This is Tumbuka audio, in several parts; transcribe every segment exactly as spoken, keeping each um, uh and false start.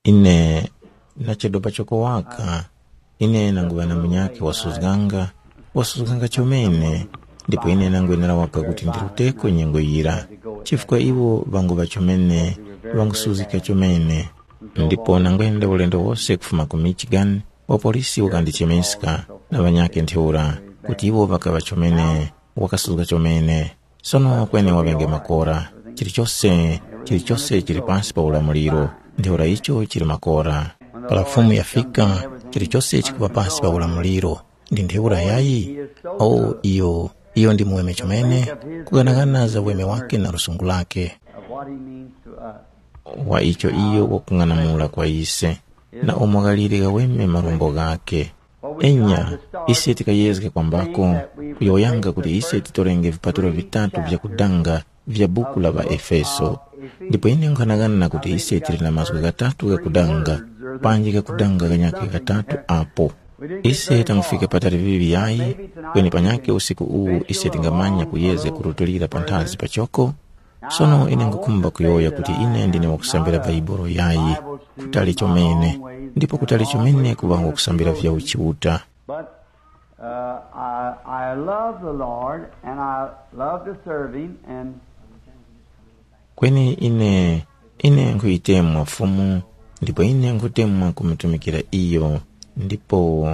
Ine nachedwa pachoko waka. Ine nanguŵa na munyakhe wasuzganga, wasuzganga chomene, ndipo ine nangwenera waka kuti ndiruteko nyengo yira, chifukwa iwo ŵanguŵa chomene, ŵangusuzgika chomene. Ndipo nangwenda ulendo wose kufuma ku Michigan, wapolisi wakandichemeska na ŵanyakhe ntheura, kuti iwo ŵakaŵa chomene, wakasuzga chomene. Sono kweni waŵenge makora. Chilichose, chilichose chili pansi pa ulamuliro. Ntheura icho chili makora. Para Fumu yafika, chilichose chikuŵa pansi pa ulamuliro. Ndi ntheura yayi? O, iyo, iyo ndi muweme chomene, kughanaghana za uweme wake na lusungu lake. Of what he means to us. Wa icho iyo wakung'anamula kwa ise, na umo ghalire ghaweme marumbo ghake. Enya, ise tikayezga kwambako, kuyowoyanga kuti ise titorenge vipatulo vitatu vya kudanga vya buku la ŵaEfeso. Ndipo ine nkhanang'ana kuti ise tili na mazgu ghatatu ghakudanga, panji ghakudanga ghanyakhe ghatatu apo. Ise tangufika patali vivi yayi, kweni panyakhe usiku uwu ise tingamanya kuyezga kurutulira panthazi pachoko. Sono ine ngukhumba kuyowoya kuti ine ndine wakusambira Baibolo yayi, kutali chomene, ndipo kutali chomene kuŵa wakusambira vya uchiuta. But uh, I, I love the Lord and I love to serve Him. And Kweni ine, ine nkhuyitemwa Fumu, ndipo ine nkhutemwa kumutumikira iyo. Ndipo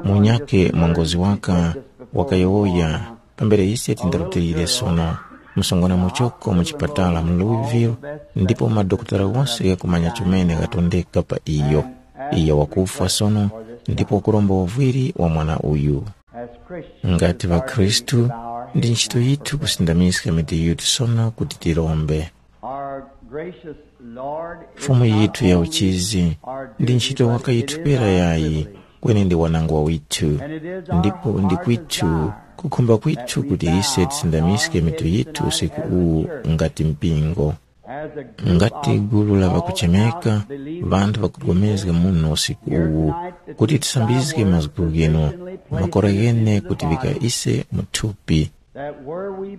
munyakhe mwangozi waka wakayowoya, pambere ise tindarutilire sono, msungwana muchoko mu chipatala mu Louisville, ndipo madokotala wose ghakumanya chomene ghatondeka pa iyo. Iyo wakufwa sono, ndipo wakuromba uvwiri wa mwana uyu. Ngati ŵakhristu, ndi ntchito yithu kusindamiska mitu yithu sono kuti tirombe. Our gracious Lord is Fumu not yithu ya only uchizi our ndi duty, ntchito but it is wakayithupera our yayi, privilege. Kweni ndi wanangwa withu. And it is our Ndipo ndi heart kwithu desire kukhumba kwithu kuti ise tisindamiske mitu yithu usiku uwu ngati mpingo. Ngati gulu la ŵakuchemeka, ŵanthu ŵakupulikana muno usiku uwu, kuti tisambizge mazgu ghinu, makora ghene kuti ŵika ise mu thupi,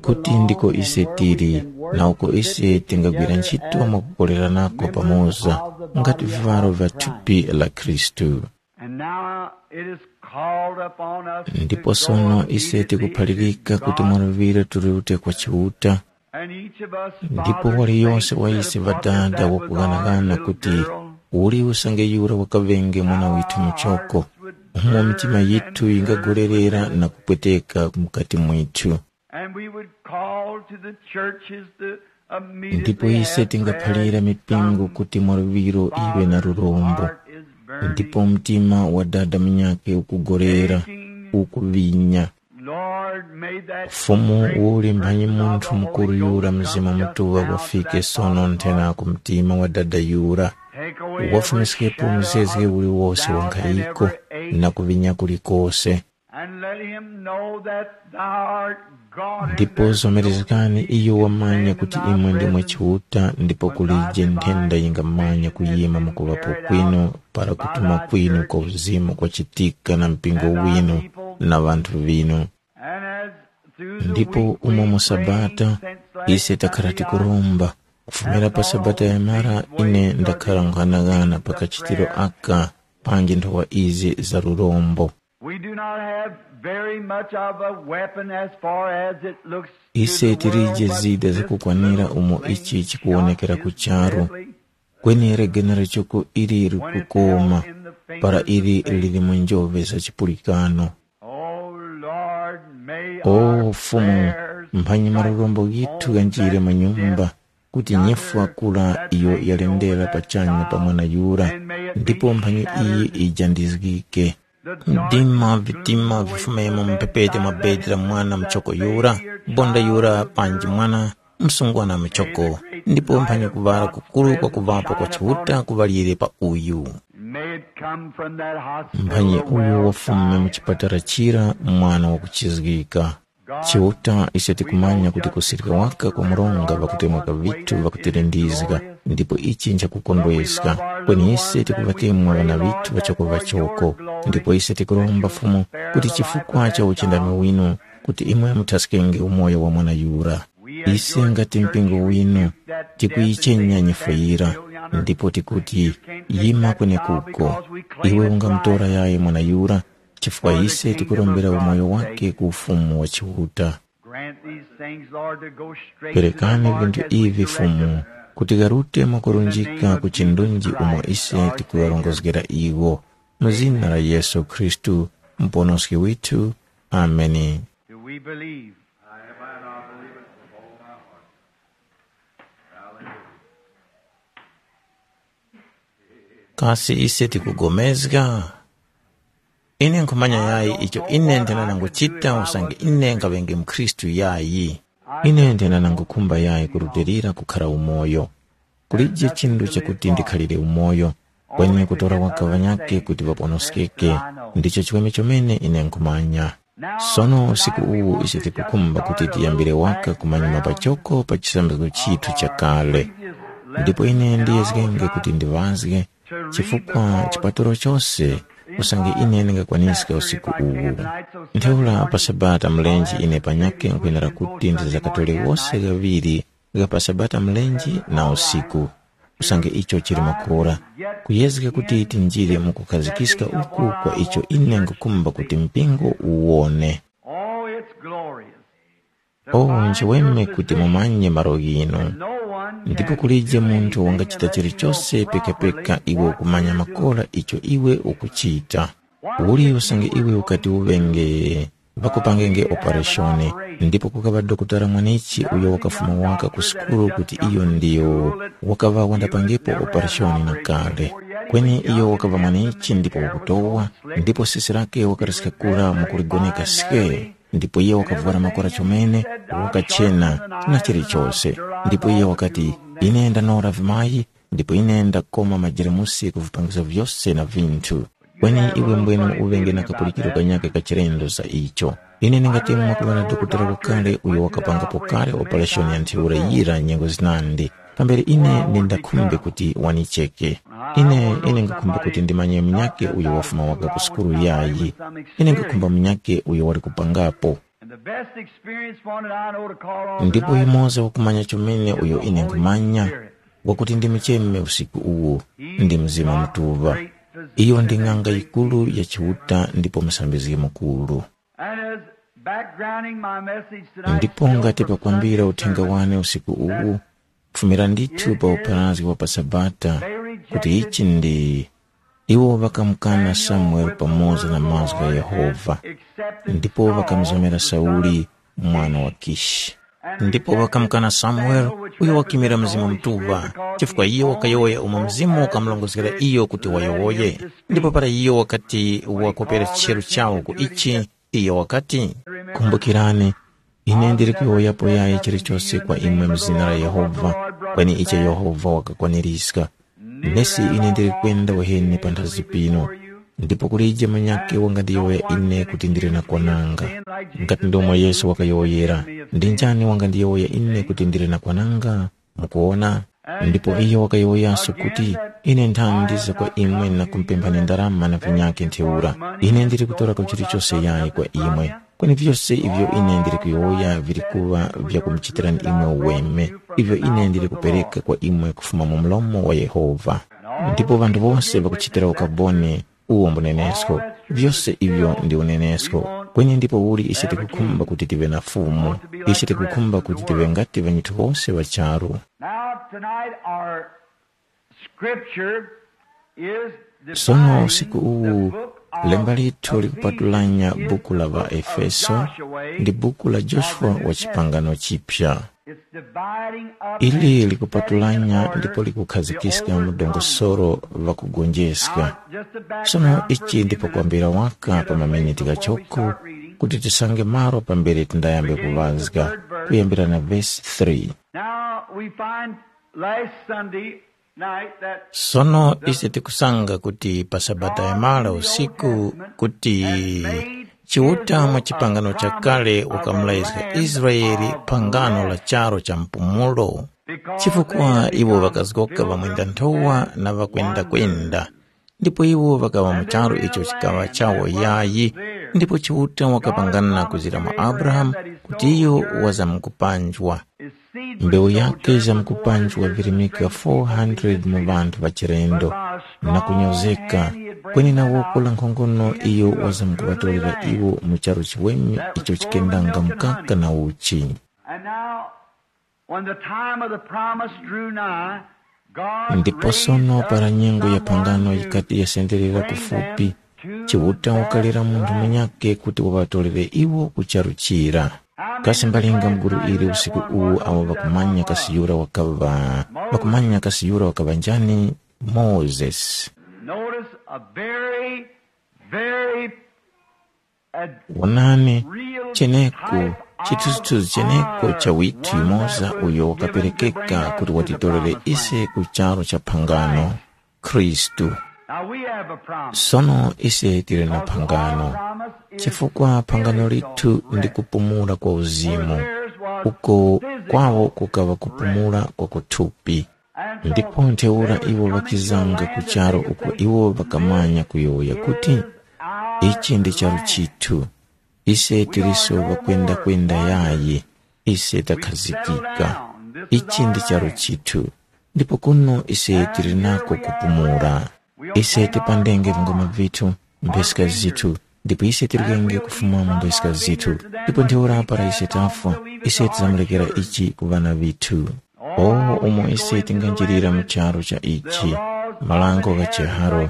kuti ndiko ise tili, na uko ise tingagwira ntchito mwakukoleranako pamoza, ngati vivaro vya thupi la Khristu. And now it is called upon us to Ndipo go sono and ise be the tikuphalirika kuti mwaluŵiro tiriute kwa Chiuta, And each of us ndipo fathers waliyonse think wa that ise a mother ŵadada that was wakughanaghana our kuti little girl, uli usange yura wakaŵenge mwana withu muchoko, umo mitima yithu yingagolerera na kupweteka mukati mwithu. And we would call to the churches to ndipo immediately ise have tingaphalira prayer mipingo some kuti mwaluŵiro iwe na father's lurombo, heart is burning, ndipo mtima wa dada munyakhe ukugorera, aching. Ukuvinya. Lord, may that Fumu, great uli mphanyi person of munthu the mukuru Holy yura Ghost Mzimu come just Mutuŵa now to wafike that sono thought of nthena heart. Ku mtima wa dada yura, Take away every wafumiske shadow pumzezge of uliwose wa doubt and nkhayiko every ache, na kuvinya kulikose. And let him know that thou art God and ndipo there's no zomerezgani disease iyo can wamanya stand kuti in thy imwe ndimwe presence. Chiuta, ndipo kulije nthenda yingamanya kuyima mukuŵapo kwinu para kutuma kwinu kwa uzimu kwachitika na mpingo winu na ŵanthu ŵinu. Ndipo umo mu Sabata ise takhala tikuromba. Kufumira pa Sabata yamara ine ndakhala nkhanang'ana pa kachitiro aka panji nthowa izi za lurombo. We do not have very much of a weapon as far as it looks to Ise the world, tilije but zida this zakukwanira little umo thing ichi chikuwonekera helps us ku charu. Immensely. Kweni legenera choko ili likukoma para ili lili mu njove za chipulikano. Oh Lord, may O our Fumu, prayers mphanyi strike marurombo ghithu home ghanjire that mu nyumba, kuti nyifwa kula iyo yalendera pachanya pa mwana yura, ndipo mphanyi iyi ijandizgike. Mdima, vitima vifumemo mu mphepete mwa bedi la mwana muchoko yura, bonda yura panji mwana msungwana muchoko, ndipo mphanyi kuŵala kukuru kwa kuŵapo kwa Chiuta kuŵalire pa uyu. May it come from that hospital. Mphanyi uyu wafume mu chipatala chira mwana wakuchizgika. Chiuta, ise tikumanya kuti kusirika waka kwa mronga ŵakutemweka vithu ŵakutilindizga, ndipo ichi nchakukondweska. Kweni ise tikuŵatemwa ŵana vithu ŵachoko ŵachoko, ndipo ise tikuromba Fumu kuti chifukwa cha uchindami winu, kuti imwe muthaskenge umoyo wa mwana yura. Ise ngati mpingo winu, tikuyichenya nyifwa yira, ndipo tikuti, Yima kwenekuko, iwe ungamutora yayi mwana yura, chifukwa ise tikurombera umoyo wake ku Ufumu wa Chiuta. Grant these things, Lord, to go straight to the Perekani Lord vinthu as we ivi direct Fumu, them. Kuti garute mwakurunjika ku chindunji umo ise tikuŵarongozgera iwo. Mu zina la Yesu Khristu, Muponoski withu. Ameni. Do we believe? I have, I believe it with all my heart. Hallelujah. Kasi ise tikugomezga? Ine nkhumanya yayi icho ine ndinananguchita usange ine ngaŵenge mkhristu yayi. Ine ndinanangukhumba yayi kurutilira kukhara umoyo. Kulije chinthu chakuti ndikhalire umoyo, kweni kutora waka ŵanyakhe kuti ŵaponoskeke, ndicho chiweme chomene ine nkhumanya. Sono usiku uwu ise tikukhumba kuti tiyambire waka kumanyuma pachoko pa chisambizgo chithu chakale. Ndipo ine ndiyezgenge kuti ndiŵazge, chifukwa chipaturo chose usange ine ndingakwaniska usiku uwu. Ntheura pa Sabata mlenje ine panyakhe nkhwenera kuti ndizakatore wose ghaŵiri gha pa Sabata mlenje na usiku, usange icho chili makora, kuyezga kuti tinjire mu kukhazikiska uku kwa icho ine nkhukhumba kuti mpingo uwone. Oh, it's glorious. Oh, nchiweme kuti mumanye malo ghinu. Ndipo kulije munthu wangachita chilichose pekapeka iwe ukumanya makora icho iwe ukuchita. Uli usange iwe ukati uŵenge ŵakupangenge opereshoni, ndipo kukaŵa dokotala mwanichi uyo wakafuma waka ku sukulu kuti iyo ndiyo wakaŵa wandapangepo opereshoni na kale. Kweni iyo wakaŵa mwanichi ndipo wakutowa, ndipo sisi lake wakariska kura mu kuligoneka swe, ndipo iyo wakavwara makora chomene, wakachena na chilichose. Ndipo iyo wakati, ine ndanora vimayi, ndipo ine ndakoma majeremusi ku vipangizo vyose na vinthu. Kweni iwe mbwene uŵenge na kapulikiro kanyaka ka chilendo za icho. Ine ndingati mwakuŵa na dokotala wakale uyo wakapangapo kale opereshoni ya ntheura yira nyengo zinandi. Pambere ine ndindakhumbe kuti wanicheke. Ine, ine ngakhumba kuti ndimanye munyakhe uyo wafuma waka ku sukulu yayi. Ine ngakhumba munyakhe uyo wali kupangapo. And the best experienced one that I know to call on Ndipo tonight, yumoza wakumanya chomene uyo ine nkhumanya, wakuti ndimucheme usiku uwu, ndi Mzimu Mutuŵa. Iyo ndi ng'anga yikuru ya Chiuta ndipo musambizgi mukuru. And as backgrounding my message tonight, Ndipo still ngati from pakwambira Sunday uthenga service, wane usiku uwu, kufumira ndithu pa upharazgi wa pa Sabata, kuti ichi ndi iwo ŵakamukana Samuele pamoza na mazgu gha Yehova, ndipo ŵakamuzomera Sauli, mwana wa Kishi. Ndipo ŵakamukana Samuele, uyo wakimira Mzimu Mutuŵa, chifukwa iyo wakayowoya umo Mzimu wakamulongozgera iyo kuti wayowoye. Ndipo para iyo wakati wakopera chicheru chawo ku ichi, iyo wakati, kumbukirani, ine ndili kuyowoyapo yayi chilichose kwa imwe mu zina la Yehova, kweni icho Yehova wakakwaniska. Nesi ine ndili kwenda waheni panthazi pinu, ndipo kulije munyakhe wangandiyowoya ine kuti ndili na kwananga. Ngati ndomwe Yesu wakayowoyera, ndi njani wangandiyowoya ine kuti ndili na kwananga? Mukuwona? Ndipo iyo wakayowoyaso kuti, ine nthandiza kwa imwe na kumpemphani ndarama na vinyakhe ntheura. Ine ndili kutorako chilichose yayi kwa imwe. Kweni vyose ivyo ine ndili kuyowoya vili kuŵa vyakumuchitirani imwe uweme, ivyo ine ndili kupereka kwa imwe kufuma mu mlomo wa Yehova. Ndipo ŵanthu wose ŵakuchitira ukaboni uwo mbunenesko. Vyose ivyo ndi unenesko. Kweni ndipo uli ise tikukhumba kuti tive na Fumu. Ise tikukhumba kuti tive ngati ŵanyithu wose ŵa charu. Now, tonight, our scripture is Sono usiku uwu, lemba lithu likupatulanya buku la ŵaEfeso ndi buku la Joshua wa chipangano chipya. Ili likupatulanya ndipo likukhazikiska mu dongosolo ŵakugonjeska. Sono ichi ndipo kwambira waka pa maminiti ghachoko kuti tisange malo pambere tindayambe kuŵazga, kuyambira na vesi three. Now we find last Sunday night that Sono ise tikusanga kuti pa Sabata yamala usiku kuti Chiuta mu chipangano chakale wakamulazga Israele phangano la charo cha mpumulo, chifukwa iwo ŵakazgoka ŵamwenda nthowa na ŵakwenda-kwenda. Ndipo iwo ŵakaŵa mu charu icho chikaŵa chawo yayi, ndipo Chiuta wakapangana na kuzira mwa Abrahamu kuti iyo wazamkupanjwa. Mbewu yake zamkupanjwa virimika four hundred mu ŵanthu ŵachilendo. na kunyozeka, kweni na woko la nkhongono iyo wazamkuŵatolera iwo mu charu chiweme icho chikendanga mkaka na uchi. And now, when the time of the promise drew nigh, God Ndipo sono raised para up nyengo ya someone phangano to yikati yasenderera bring kufupi, them to Chiuta wakalera munthu munyakhe kuti waŵatolere iwo ku charu chira. Kasi mbalinga mguru ili usiku uwu awo ŵakumanya kasi yura wakaŵa, ŵakumanya kasi yura wakaŵa njani? Mozesi. Notice a very, very, uh, Wonani, real cheneko, type chithunzithunzi of cheneko our cha withu yumoza one uyo that was given to bring wakaperekeka us kuti to the watitorere promised ise land. Ku charu cha phangano, Khristu. Now we have a promise. Sono ise tili na phangano, chifukwa phangano lithu ndi kupumula kwa uzimu, uko kwawo kukaŵa kupumula kwa kuthupi. Ndipo ntheura iwo ŵakizanga ku charu uko iwo ŵakamanya kuyowoya kuti, ichi ndi charu chithu, ise tiliso ŵakwendakwenda yayi, ise takhazikika. Ichi ndi charu chithu, ndipo kuno ise tili nako kupumula. Ise tipandenge vingoma vithu, mpheska zithu, ndipo ise tilirenge kufuma mu mpheska zithu, ndipo ntheura para ise tafwa, ise tizamulekera ichi ku ŵana vithu. O, umo ise tinganjirira mu charu cha ichi, malango gha chiharo,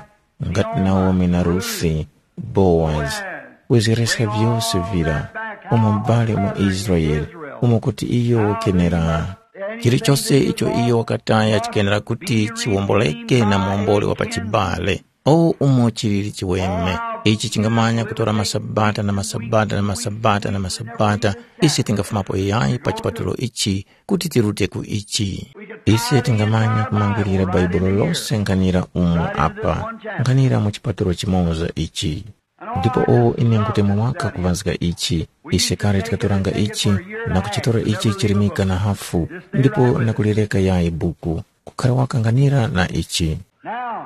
ngati Naomi na Rusi, Bowazi, kuzgereska vyose vira, umo m'bale mu Israele, umo kuti iyo wakenera. Chilichose icho iyo wakataya chikenera kuti chiwomboleke na muwomboli wa pachibale. O umo chilili chiweme, ichi chingamanya kutora masabata na masabata na masabata na masabata, ise tingafumapo yayi pa chipatulo ichi kuti tirute ku ichi. Ise tingamanya kumangulira Baibulo lose nkhanira umu apa, nkhanira mu chipatulo chimoza ichi. Ndipo o ine nkutemwa waka kuŵazga ichi, ise kale tikatoranga ichi na kuchitora ichi chirimika na hafu, ndipo na kulireka yayi buku, kukhara waka nkhanira na ichi. Now,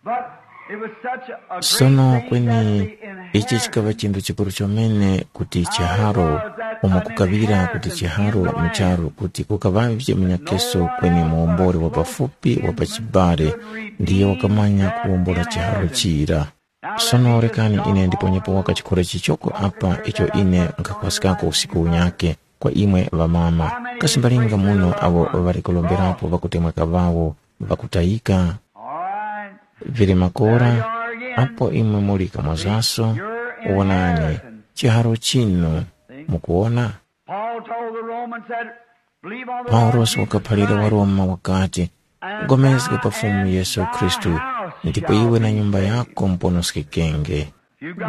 but it was such a great Sono thing kweni that the ichi chikaŵa inheritance chinthu chikuru chomene kuti chiharo, umo kukaŵira kuti chiharo mu charu kuti kukaŵavye munyakeso kweni muwomboli wa pafupi wa pachibale ndiye wakamanya kuwombola chiharo chira. Sono rekani ine ndiponyepo waka chikhola chichoko apa icho ine nkhakhwaskako usiku unyake kwa imwe ŵamama. Kasi mbalinga muno awo ŵali kulomberapo ŵakutemweka ŵawo ŵakutayika? Vili makora, apo imwe muli kamozaso, wonani, chiharo chinu, mukuwona? Paul told the Romans that, "Believe on the Lord Paulosi Jesus wakaphalira Christ, Waroma wakati, and "Pulikana pa Fumu Yesu Khristu, ndipo iwe na nyumba yako muponoskekenge."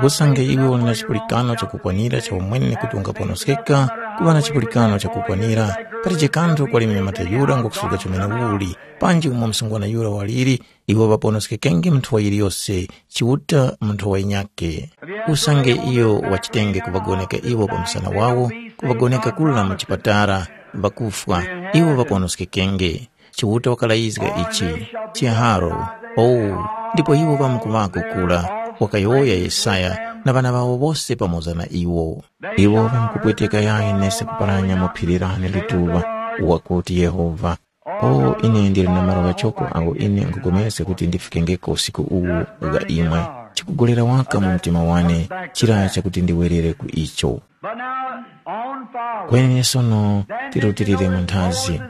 Usange iwe uli na chipulikano chakukwanira cha umwene kuti ungaponoskeka, kuŵa na chipulikano chakukwanira, palije kanthu kwali mnyamata yura ngwakusuka chomene uli, panji umo msungwana yura waliri, iwo ŵaponoskekenge mu nthowa yiliyose, Chiuta mu nthowa yinyakhe. Usange iyo wachitenge kuŵagoneka iwo pa msana wawo, kuŵagoneka kula mu chipatala, ŵakufwa, iwo ŵaponoskekenge. Chiuta wakalayizga ichi, chiharo, owu, ndipo iwo ŵamkuŵako kula, wakayowoya Yesaya na ŵana ŵawo wose pamoza na iwo. Iwo ŵamkupweteka yayi nese kuparanya mu phiri lane lituŵa, wakuti Yehova. O, ine ndili na malo ghachoko agho ine nkhupulikana kuti ndifikengeko usiku uwu gha imwe. Chikugolera waka mu mtima wane chira chakuti ndiwerere ku icho. But now, on forward. Kweni sono tirutilire mu nthazi.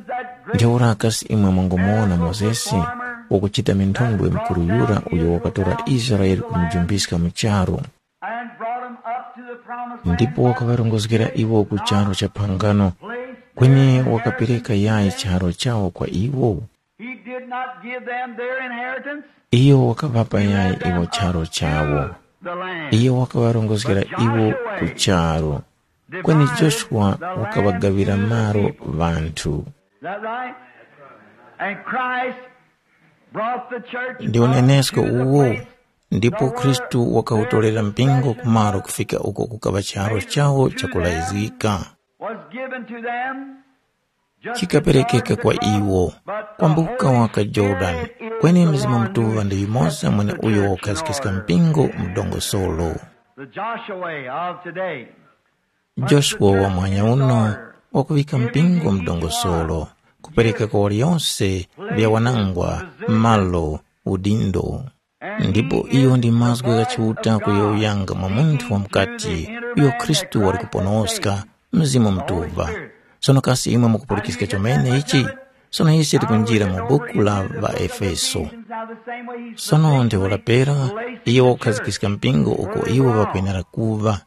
Ntheura kasi imwe mwangomuwona Mozesi wakuchita minthondwe mkuru yura uyo wakatora Israele kumujumbiska mu charu, and brought him up to the promised land, ndipo wakaŵarongozgera iwo ku charu cha phangano, kweni wakapereka yayi charo chawo kwa iwo? He did not give them their inheritance. Iyo wakaŵapa yayi iwo charo chawo. The land. Iyo wakaŵarongozgera iwo ku charu, kweni Joshua wakaŵagawira malo ŵanthu. Is that right? And Christ brought the church ndi unenesko up to the uwo place ndipo khristu wakawutolera mpingo kumalo kufika uko kukaŵa charo chawo chakulayizgika was given to them. Chikaperekeka kwa iwo kwambuka waka Jordani, kweni Mzimu Mutuŵa ndi yumoza mwene uyo wakhazikika mpingo mu dongosolo. The Joshua of today. Joshua wa mwanya uno wakuŵika mpingo mu dongosolo, kupereka kwa waliyonse vyawanangwa, malo, udindo. Ndipo iyo ndi mazgu gha Chiuta kuyowoyanga mwa munthu wa mukati, uyo Khristu wali kuponoska, Mzimu Mutuŵa. Sono kasi imwe mukupulikiska chomene ichi? Sono ise tikunjira mu buku la ŵaEfeso. Sono ntheura pera, iyo wakukhazikiska mpingo uko iwo ŵakwenera kuŵa.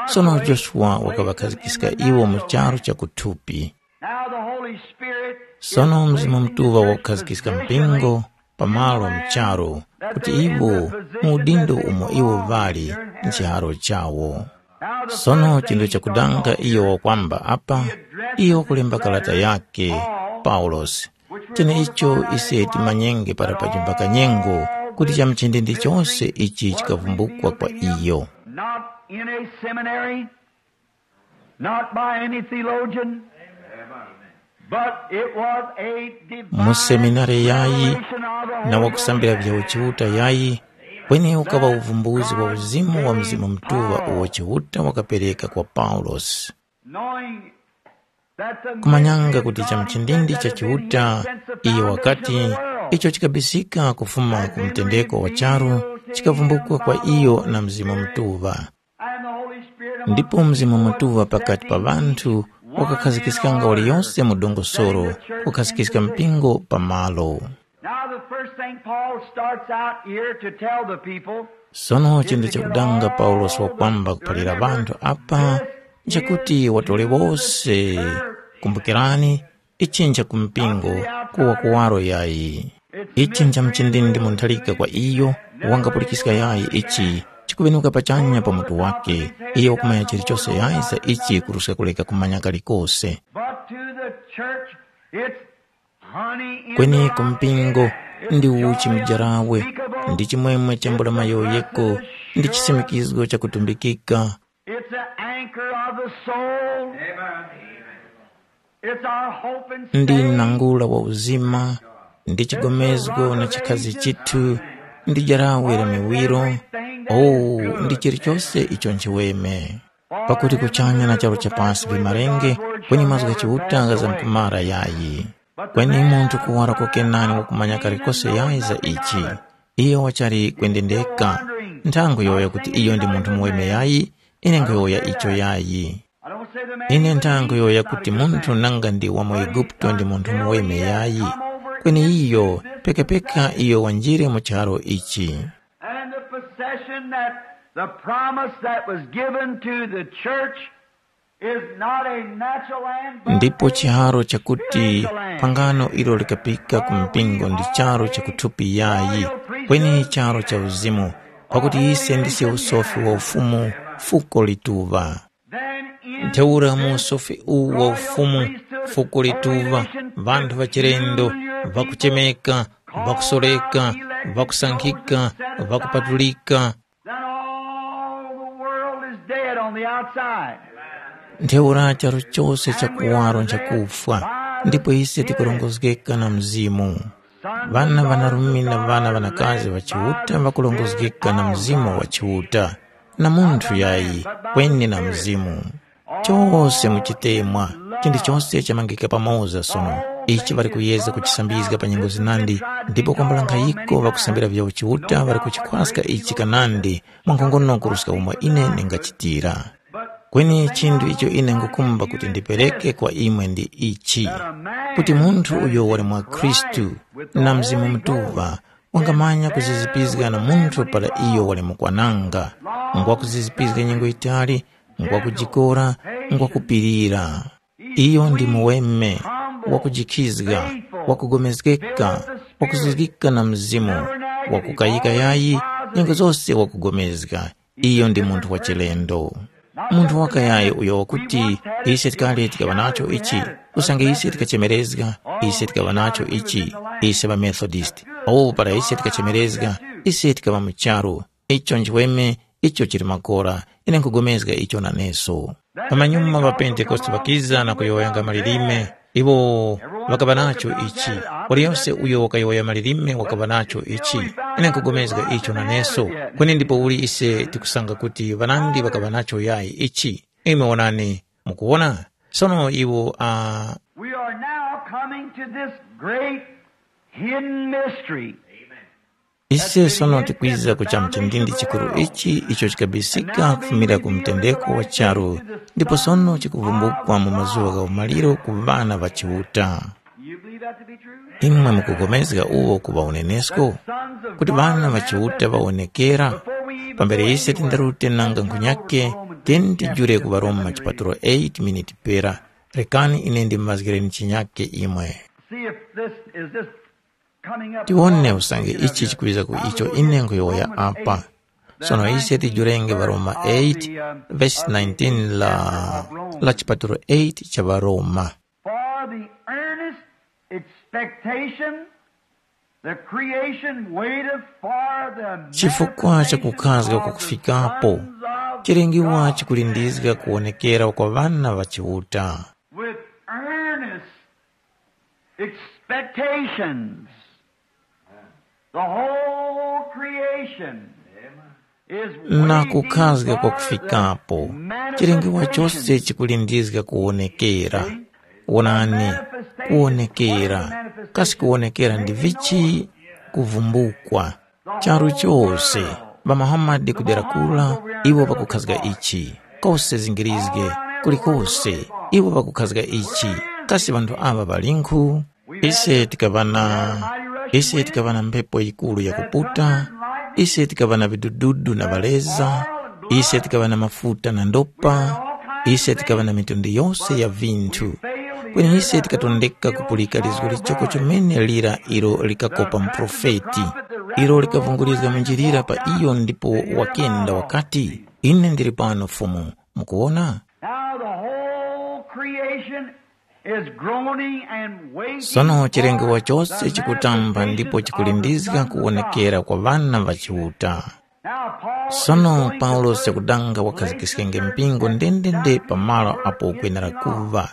Sono Joshua wakaŵakhazikiska iwo mu charu cha kuthupi. Now the Holy Spirit Sono Mzimu Mutuŵa wakukhazikika mpingo pamalo mcharo, kuti iwo mu udindo umo iwo ŵali nchiharo chawo. Sono chinthu chakudanga iyo wakwamba apa, iyo wakulemba karata yake, Paulosi. Cheneicho ise timanyenge para pachimba kanyengo, kuti cha mchindindi chose ichi chikavumbukwa kwa iyo. Not in a seminary, not by any theologian, but it was a divine Mu seminari yayi revelation of the na Holy wakusambira Ghost. Vya uchiuta yayi, kweni ukaŵa uvumbuzi wa uzimu wa Mzimu Mtuŵa uwo Chiuta wakapereka kwa Paulosi. Knowing that the Kumanyanga mystery kuti of cha God mchindindi cha said that Chiuta, he sent the iyo wakati foundation of the world. Icho chikabisika kufuma ku mtendeko wa charu, chikavumbukwa kwa iyo na Mzimu Mtuŵa. Ndipo Mzimu Mutuŵa pakati pa ŵanthu wakakhazikiskanga waliyose mu dongosolo, kukhazikiska mpingo pamalo. Now, the first thing Paul starts out here to tell the people Sono chinthu chakudanga Paulosi wakwamba kuphalira ŵanthu apa, nchakuti watole wose, kumbukirani, ichi ncha ku mpingo, kuwa kuwaro yayi. Ichi ncha mchindindi muntharika kwa iyo, wangapulikiska yayi ichi, chikuŵenuka pachanya pa mutu wake, iyo wakumanya chilichose yayi za ichi kuruska kuleka kumanya kalikose. But to the church, it's honey in Kweni the ku mpingo, ndi uchi mujarawe, ndi chimwemwe cha mbula mayoyeko, ndi chisimikizgo cha kutumbikika. It's an anchor of the soul. It's our hope and ndi stay. Nangula wa uzima, ndi chigomezgo na chikhazi chithu, ndi jarawe la miwiro. Oh, ndi chilichose icho nchiweme. Pakuti kuchanya na charu cha pasi vimarenge, kweni mazgu gha Chiuta nga za mkumara yayi. Kweni munthu kuwara kokenani wakumanya kalikose yayi za ichi. Iyo wachali kwendendeka. Nthango yoya kuti iyo ndi munthu muweme yayi, ine nkhuyowoya icho yayi. Ine nthango yoya kuti munthu nanga ndi wa mu Eguputo ndi munthu muweme yayi, kweni iyo pekapeka iyo wanjire mu charo ichi. And in the possession that the promise that was given to the church is not a natural land, but ndipo chiharo chakuti pangano ilo likapika ku mpingo ndi charo chakuthupi yayi, kweni charo cha uzimu, pakuti ise ndise usofi wa ufumu, fuko lituŵa. Ntheura mu usofi uwu wa ufumu, fuko lituŵa, ŵanthu ŵachilendo, ŵakuchemeka, ŵakusoreka, ŵakusankhika, ŵakupatulika. Then all the world is dead on the outside. Ntheura charu chose cha kuwaro nchakufwa, ndipo ise tikurongozgeka na Mzimu. Ŵana ŵanarume na ŵana ŵanakazi ŵa Chiuta ŵakurongozgeka na Mzimu wa Chiuta, na munthu yayi, kweni na Mzimu. Chose muchitemwa, chinthu chose chamangika pamoza sono. Ichi ŵali kuyeza kuchisambizga pa nyengo zinandi, ndipo kwambula nkhayiko ŵakusambira vya uchiuta ŵali kuchikhwaska ichi kanandi, mwankhongono kuruska umo ine ndingachitira. Kweni chinthu icho ine ngukhumba kuti ndipereke kwa imwe ndi ichi, kuti munthu uyo wali mwa Khristu na Mzimu Mutuŵa wangamanya kuzizipizga na munthu para iyo wali mukwananga, ngwakuzizipizga nyengo yitali, ngwakujikora, ngwakupirira. Iyo ndi muweme, wakujikhizga, wakugomezgeka, wakuzuzgika na Mzimu, wakukayika yayi, nyengo zose wakugomezga. Iyo ndi munthu wa chilendo. Munthu wakayayi uyo wakuti, ise tikale tikaŵa nacho ichi, usange ise tikachemerezga, ise tikaŵa nacho ichi, ise ŵaMethodisti. Awo para ise tikachemerezga, ise tikaŵa mu charu. Icho nchiweme, icho chili makora, ine nkugomezga icho naneso. Pamanyuma ŵaPentekoste ŵakiza na kuyowoyanga malilime, iwo ŵakaŵa nacho ichi. Waliyose uyo wakayowoya malilime wakaŵa nacho ichi. Ine nkugomezga icho naneso. Kweni ndipo uli ise tikusanga kuti ŵanandi ŵakaŵa nacho yayi ichi? Imwe wonani, mukuwona? Sono iwo a We are now coming To this great hidden mystery. Ise sono tikwiza ku chamchindindi chikuru ichi icho chikabisika kufumira ku mtendeko wa charu, ndipo sono chikuvumbukwa mu mazuŵa gha umaliro ku ŵana ŵa Chiuta. You believe that to be true? Imwe mukupulikana uwo kuŵa unenesko? Kuti ŵana ŵa Chiuta ŵawonekera? Pambere ise tindarute nanga nkhunyake, tiyeni tijule ku Varoma chipatulo eight miniti pera. Rekani ine ndimumazgireni chinyake imwe. See if this is this coming up. Tiwone usange ichi chikwiza ku icho ine nkhuyowoya apa. Sono ise tijurenge Varoma eight verse nineteen la, la chipatulo eight cha Varoma. For the earnest expectation, the creation waiteth for the chifukwa cha kukhazga kwa kufikapo, chilengiwa chikulindizga kuwonekera kwa ŵana ŵa Chiuta. With earnest expectations, the whole creation is na kukhazga kwa kufikapo, chilengiwa chose chikulindizga kuwonekera. Wonani, kuwonekera. Kasi kuwonekera ndi vichi? Kuvumbukwa. Charu chose, ŵa Muhammad kudera kura, iwo ŵakukhazga ichi. Kose zingirizge, kulikose, iwo ŵakukhazga ichi. Kasi ŵanthu aŵa ŵalinkhu? Ise tikaŵa na, ise tikaŵa na mphepo yikuru yakuputa, ise tikaŵa na vidududu na ŵaleza, ise tikaŵa na mafuta na ndopa, ise tikaŵa na mitundu yose ya vinthu. Kweni ise tikatondeka kupulika lizgu lichoko chomene lira ilo likakopa muprofeti, ilo likavungurizga munjilira pa iyo ndipo wakenda wakati, “Ine ndili pano Fumu.” Mukuwona? Now the whole creation is groaning and waiting. Sono chilengewa for chose the chikutamba ndipo manifestation chikulindizga of the sons of God. Kuwonekera kwa ŵana ŵa Chiuta. Now, Paul Sono is going Paulosi to put yakudanga wakhazikiskenge mpingo ndendende pa malo apo ukwenera kuŵa.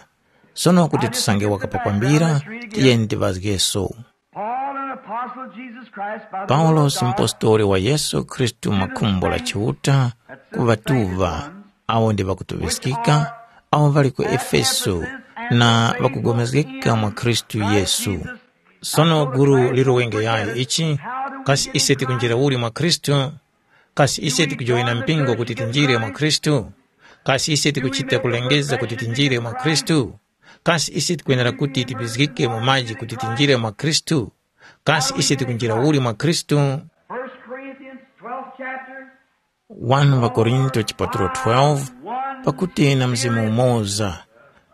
Sono kuti tisange wakapapambira, tiyeni tiŵazgeso. Paul, an apostle of Jesus Christ by the will of Paulosi God, mpostoli wa Yesu Khristu mwa khumbo la Chiuta, ku ŵatuŵa awo ndi ŵakutuŵiskika, awo ŵali ku Efeso na ŵakugomezgeka mwa Khristu Yesu. Sono gulu lirowenge yayi ichi, kasi ise tikunjira uli mwa Khristu? Kasi ise tikujoyina mpingo kuti tinjire mwa Khristu? Kasi ise tikuchita kulengeza kuti tinjire mwa Khristu? Kasi ise tikwenera kuti tipizgike mu maji kuti tinjire mwa Khristu? Kasi ise tikunjira uli mwa Khristu? First Corinthians twelfth chapter. Wanu ŵaKorinto chipatulo twelve, pakuti na mzimu umoza,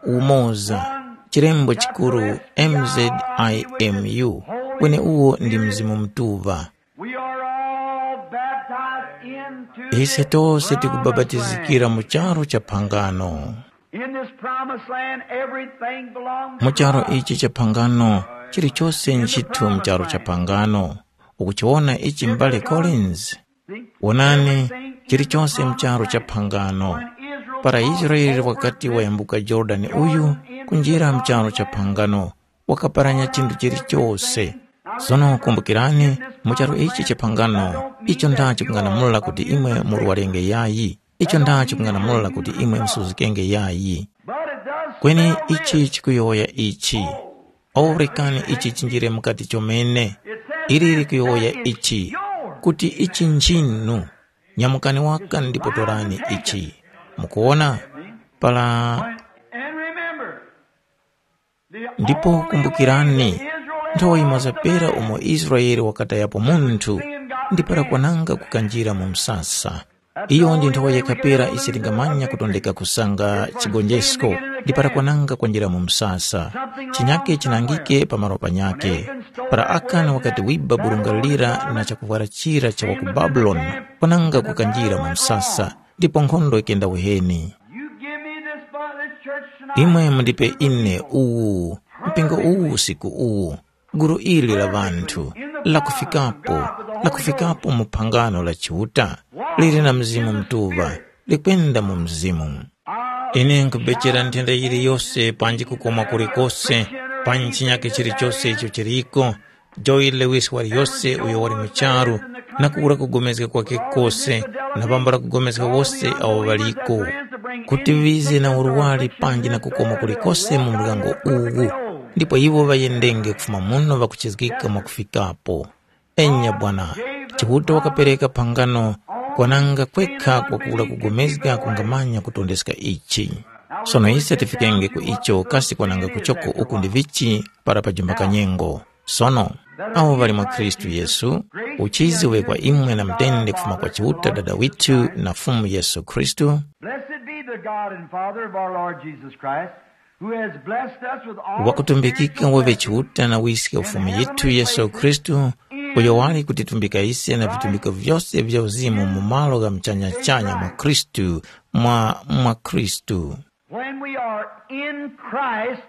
umoza, chilembo chikuru M Z I M U, kweni uwo ndi Mzimu Mutuŵa. We are all baptized into Ise tose tikubapatizikira mu charu cha phangano. In this promised land, everything belongs to Mu charu God. Ichi cha phangano, chilichose nchithu mu charu cha phangano. Ukuchiwona ichi m'bale Collins? Wonani, chilichose mu charu cha phangano. Para Israele wakati wayambuka Yorodani uyu kunjira mu charu cha phangano, wakaparanya chinthu chilichose. Sono kumbukirani, mu charu ichi cha phangano, icho ndacho kung'anamula kuti imwe murwarenge yayi. Icho ndacho kung'anamula kuti imwe musuzgikenge yayi. Kweni ichi chikuyowoya ichi. O rekani ichi chinjire mukati chomene. Ili likuyowoya ichi, kuti ichi nchinu. Nyamukani waka ndipo torani ichi. Mukuwona? Para And remember, Ndipo kumbukirani, nthawi yimoza pera umo Israele wakatayapo munthu, ndi para kwananga kukanjira mu msasa. Iyo ndi nthawi yekha pera ise tingamanya kutondeka kusanga chigonjesko, ndi para kwananga kwanjira mu msasa. Chinyake chinangike pa malo panyakhe. Para Akani wakati wiba burunga lira na chakuvwara chira cha wa ku Babuloni, kwananga kukanjira mu msasa, ndipo nkhondo yikenda uheni. You give me this, this church tonight. Imwe mundipe ine uwu, mpingo uwu usiku uwu, gulu ili la ŵanthu, lakufikapo, lakufikapo mu phangano la Chiuta, lili na Mzimu Mutuŵa, likwenda mu Mzimu. Ine nkubechera nthenda yiliyose panji kukoma kulikose, panji chinyake chilichose icho chiliko, Joy Lewis waliyose uyo wali mu charu, na kuwura kugomezga kwakhe kose, na pambula kugomezga wose awo ŵaliko, kuti ŵize na urwari panji na kukoma kulikose mu muryango uwu. ndipo iwo ŵayendenge kufuma muno ŵakuchizgika mwakufikapo. Enya Bwana, Chiuta wakapereka phangano kwananga kwekha kwakula kugomezga kungamanya kutondeska ichi. Sono ise tifikenge ku icho kasi kwananga kuchoko uku ndi vichi para pajimba kanyengo. Sono, awo ŵali mwa Khristu Yesu, uchizi uŵe kwa imwe na mtende kufuma kwa Chiuta Dada withu na Fumu Yesu Khristu. Blessed be the God and Father of our Lord Jesus Christ, who has blessed us with all wakutumbikika spiritual waŵe blessings Chiuta na wiske ufumu yithu Yesu Khristu, uyo wali kutitumbika ise na vitumbiko vyose vya uzimu mu malo gha muchanyachanya mwa Khristu, mwa mwa Khristu. When we are in Christ,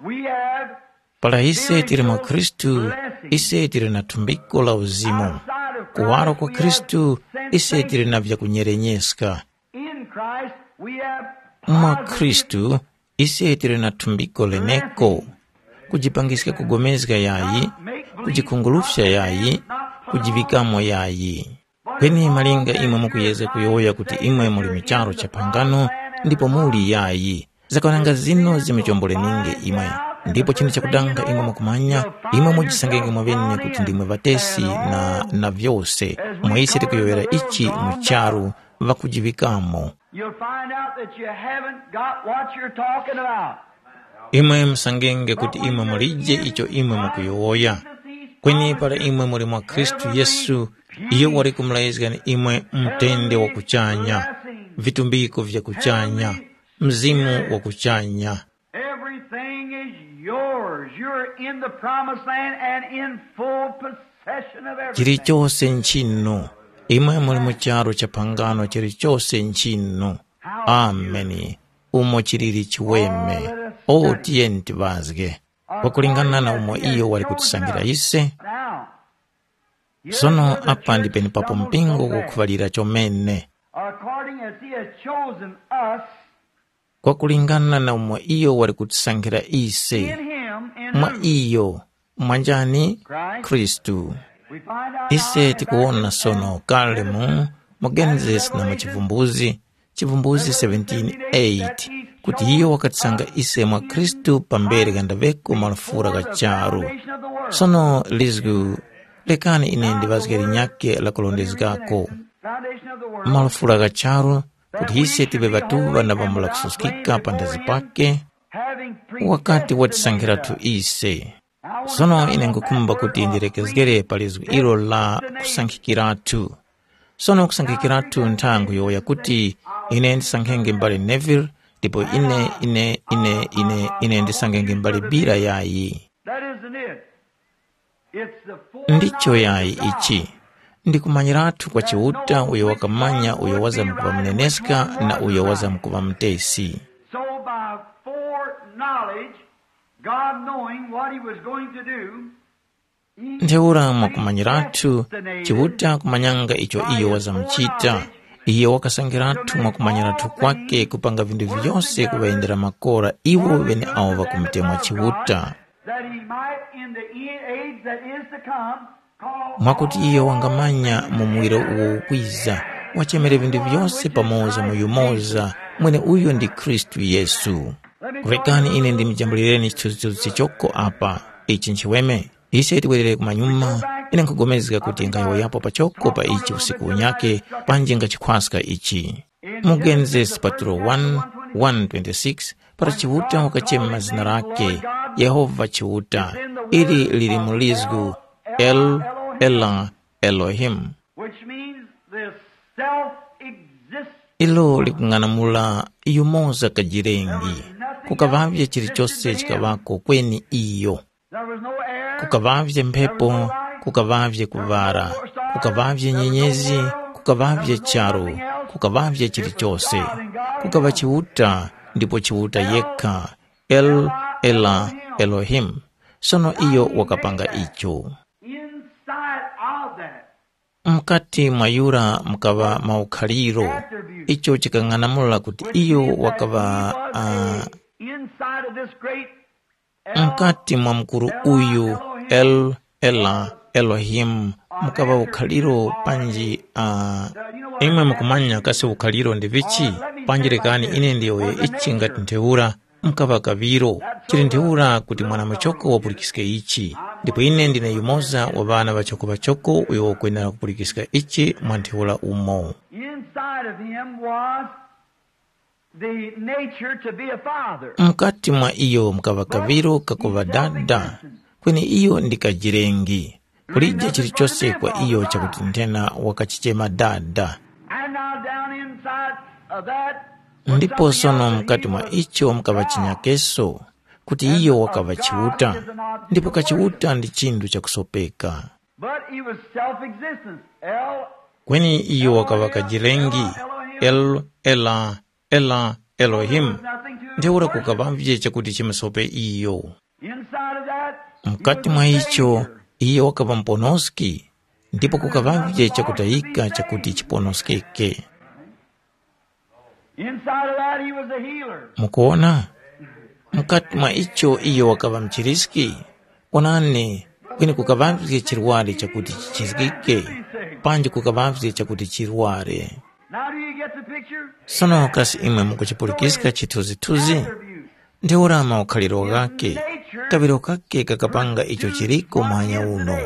we have Para ise tiri mwa Khristu, ise tiri na thumbiko la uzimu. Kuwaro kwa Khristu, ise tiri na vyakunyerenyeska. In Christ, we have mwa positive Khristu, ise tiri na thumbiko leneko. Kujipangiska kugomezga yayi, kujikhungulufya yayi, kujivikamo yayi. Kweni malinga imwe mukuyezga kuyowoya kuti imwe muli mu charu cha phangano, ndipo muli yayi. Zakwananga zino zimuchomboleninge imwe. Ndipo chinthu chakudanga imwe mukumanya, imwe mujisangenge mwaŵene kuti ndimwe ŵatesi na, na vyose. Mwa ise tikuyowoyera ichi mu charu, ŵakujiŵikamo. You'll find out that you haven't got what you're talking about. Imwe musangenge kuti imwe mulije icho imwe mukuyowoya. Kweni para imwe muli mwa Khristu Yesu, iyo wali kumulangizgani imwe mtende wa kuchanya, vitumbiko vya kuchanya, mzimu wa kuchanya. Everything is yours. You're in the promised land and in full possession of everything. Chilichose nchinu. Imwe muli mu charu cha phangano, chilichose nchinu. Ameni. Umo chilili chiweme. O, tiyeni tivazge. Pakulingana na umo iyo wali kutisangira ise. Now, sono apa ndi penepapo mpingo ukukhuŵalira chomene. According as he has chosen us, kwakulingana na umo iyo wali kutisankhira ise. In him, in mwa whom? Iyo, mwanjani? Christ. Khristu. We find out ise now in tikuwona Exodus sono and kale mu mu genesis na mu chivumbuzi chivumbuzi seventeen eight, kuti iyo wakatisanga ise mwa khristu pambere ghandaŵeko malufura gha charu. Sono lizgu, lekani ine ndiŵazge linyakhe la kulondezgako. Malufura gha charu, kuti ise tive ŵatuŵa na ŵambula kususkika panthazi pake, wakati watisankhiratu ise. Sono ine nkhukhumba kuti ndilekezgere pa lizgu ilo la kusankhikiratu. Sono kusankhikiratu nthango yowoya kuti ine ndisankhenge mbale Neville, ndipo ine ine ine ine ine ndisankhenge mbale Bira yayi. That isn't it. It's the ndicho yayi ichi. Ndikumanyiratu kwa Chiuta uyo wakamanya uyo wazamkuŵa muneneska na uyo wazamkuŵa mutesi. So by foreknowledge, God knowing what he was going to do, he ntheura mwakumanyirathu predestinated Chiuta kumanyanga icho iyo wazamuchita. Iye wakasangirathu mwakumanyirathu kwake kupanga vinthu vyose kuŵayendera makora iwo ŵeneawo ŵakumutemwa Chiuta. That he might in the e- age that is to come call mwakuti iye wangamanya mu muwiro uwo ukwiza, wachemere vinthu vyose pamoza mu yumoza, mwene uyo ndi Khristu Yesu. Kurekani ine ndimujambulireni chithunzithunzi choko apa. Ichi nchiweme. Ise tiwerere kumanyuma, ine nkhupulikana kuti nkhayowoyapo pachoko pa ichi usiku unyake, panji ngachikhwaska ichi. Mu Genesis patulo one, one twenty-six, para Chiuta wakachema zina lake, Yehova Chiuta, ili lili mu lizgu, El, Ela, Elohim. Which means the self-existent. Ilo likung'anamula yumoza kajirengi. Kukaŵavye chilichose chikaŵako kweni iyo. There was no air. Kukaŵavye mphepo, kukaŵavye kuŵala, kukaŵavye nyenyezi, kukaŵavye charu, kukaŵavye chilichose. Kukaŵa Chiuta, ndipo Chiuta yekha, El, Ela, Elohim. Sono iyo wakapanga icho. Inside of that, mkati mwa yura mukaŵa maukhaliro, icho chikang'anamula kuti iyo wakaŵa uh, inside of this great mkati mwa mkuru uyu, El, Ela, Elohim, mukaŵa ukhaliro panji uh, imwe mukumanya kasi ukhaliro ndi vichi? Panji lekani ine ndiyowoye ichi ngati ntheura, mukaŵa kaŵiro. Chili ntheura kuti mwana-muchoko wapulikiske ichi, ndipo ine ndine yumoza wa ŵana ŵachoko-ŵachoko uyo wakwenera kupulikiska ichi mwa ntheura umo. Inside of him was the nature to be a father. Mukati mwa iyo mukaŵa kaŵiro kakuŵa dada, kweni iyo ndi kajirengi. Kulije chilichose kwa iyo chakuti nthena wakachichema dada. And now down inside of that was ndipo something sono else that mukati he mwa was icho mukaŵa proud. Chinyakeso, kuti and iyo the wakaŵa God chiuta, is an object ndipo of worship. Kachiuta ndi chinthu chakusopeka. But he was self-existent. El, kweni iyo wakaŵa kajilengi, El, Ela, Ela, Elohim. There was nothing to ntheura worship. Kukaŵavye chakuti chimusope iyo. Inside of that, he mkati was mwa a icho savior. Iye wakaŵa muponoski, ndipo kukaŵavye chakutayika chakuti chiponoskeke. Inside of that, he was a healer. Mukuona? Mkati mwa icho iyo wakaŵa mchiriski, onani, kweni kukaŵavye chirwari chakuti chichizgike, panji kukaŵavye chakuti chirware. Now do you get the picture? Sono kasi imwe mukuchipulikiska chithunzithunzi? Ntheura maukhaliro ghakhe, kaŵiro kakhe kakapanga icho chiliko muhanya uno.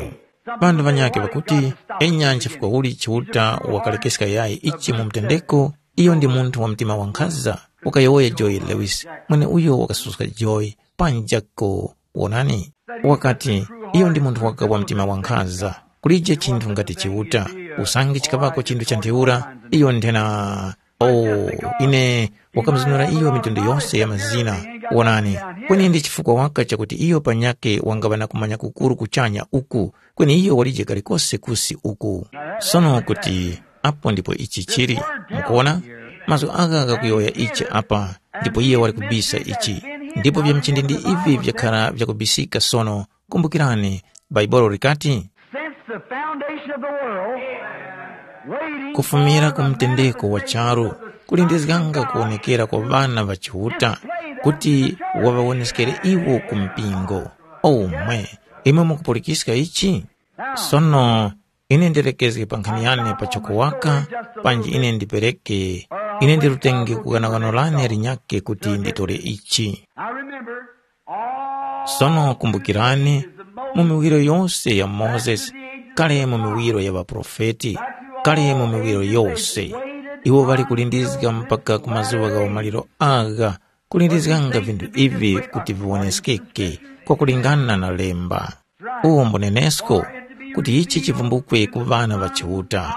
Ŵanthu ŵanyakhe ŵakuti, enya nchifukwa uli Chiuta wakalekeska yayi ichi mu mtendeko, iyo ndi munthu wa mtima wankhaza, wakayowoya Joy Lewis, mweneuyo wakasuska Joy, panjako, wonani. Wakati, iyo ndi munthu waka wa mtima wankhaza, kulije chinthu ngati Chiuta, usange chikaŵako chinthu cha ntheura, iyo nthena, oh, ine, wakamuzunura iyo mitundu yose ya mazina, wonani, kweni ndi chifukwa waka chakuti iyo panyakhe wangaŵa na kumanya kukuru kuchanya uku, kweni iyo walije kalikose kusi uku. Sono kuti apo ndipo ichi chili, mukuona? Mazgu agha ghakuyowoya ichi apa, ndipo iye wali kubisa ichi. Ndipo vya mchindindi ivi vyakhara vyakubisika sono, kumbukirani, Bhaibuli likati, Since the foundation of the world, waiting kufumira ku mtendeko wa charu, kulindizganga kuwonekera kwa ŵana ŵa Chiuta, kuti waŵawoneskere iwo ku mpingo. Omwe, imwe mukupulikiska ichi? Sono, ine ndilekezge pa nkhani yane pachoko waka, panji ine ndipereke, ine ndilutenge ku ghanaghano lane linyakhe kuti nditore ichi. I remember all. Sono kumbukirani, mu miwiro yose ya Mozesi, kale mu miwiro ya ŵaprofeti, kale mu miwiro yose, iwo ŵali kulindizga mpaka ku mazuŵa gha umaliro agha, kulindizganga vinthu ivi kuti viwoneskeke kwakulingana na lemba. Uwo mbunenesko kuti ichi chivumbukwe ku ŵana ŵa Chiuta.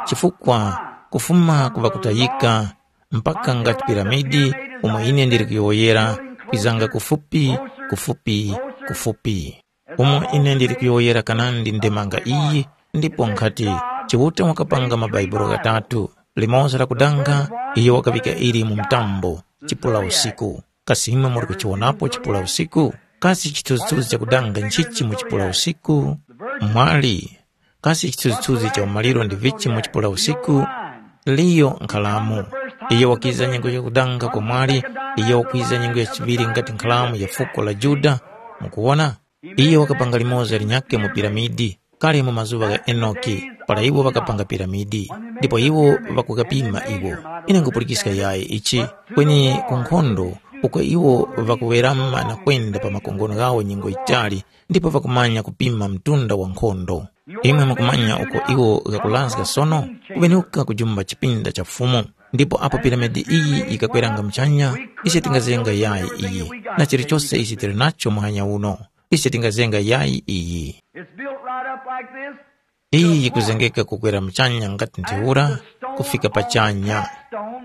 Chifukwa kufuma ku ŵakutayika mpaka ngati piramidi umo ine ndili kuyowoyera, kwizanga kufupi, kufupi, kufupi. Umo ine ndili kuyowoyera kanandi ndemanga iyi, ndipo nkhati Chiuta wakapanga mabaibulo ghatatu, limoza lakudanga, iyo wakaŵika ili mu mtambo, chipula usiku. Kasi imwe muli kuchiwonapo chipula usiku? Kasi chithunzithunzi chakudanga nchichi mu chipula usiku? Mwali, kasi chithunzithunzi cha umaliro ndi vichi mu chipula usiku? Liyo nkhalamu. Iyo wakiza nyengo yakudanga kwa mwali, iyo wakwiza nyengo ya chiŵiri ngati nkhalamu ya fuko la Yuda. Mukuwona? Iyo wakapanga limoza linyakhe mu piramidi, kale mu mazuŵa gha Enoki, para iwo ŵakapanga piramidi, ndipo iwo ŵakugapima iwo. Ine nkhupulikiska yayi ichi, kweni ku nkhondo, uko iwo ŵakuwerama na kwenda pa makongono ghawo nyengo yitali, ndipo ŵakumanya kupima mtunda wa nkhondo. Imwe mukumanya uko iwo ghakulazga sono, kuŵenuka kujumba chipinda cha Fumu. Ndipo apo piramidi iyi yikakweranga muchanya, ise tingazenga yayi iyi, na chilichose ichi tili nacho muhanya uno. Ise tingazenga yayi iyi. It's built right up like this. Iyi yikuzengeka kukwera muchanya ngati ntheura, kufika pachanya.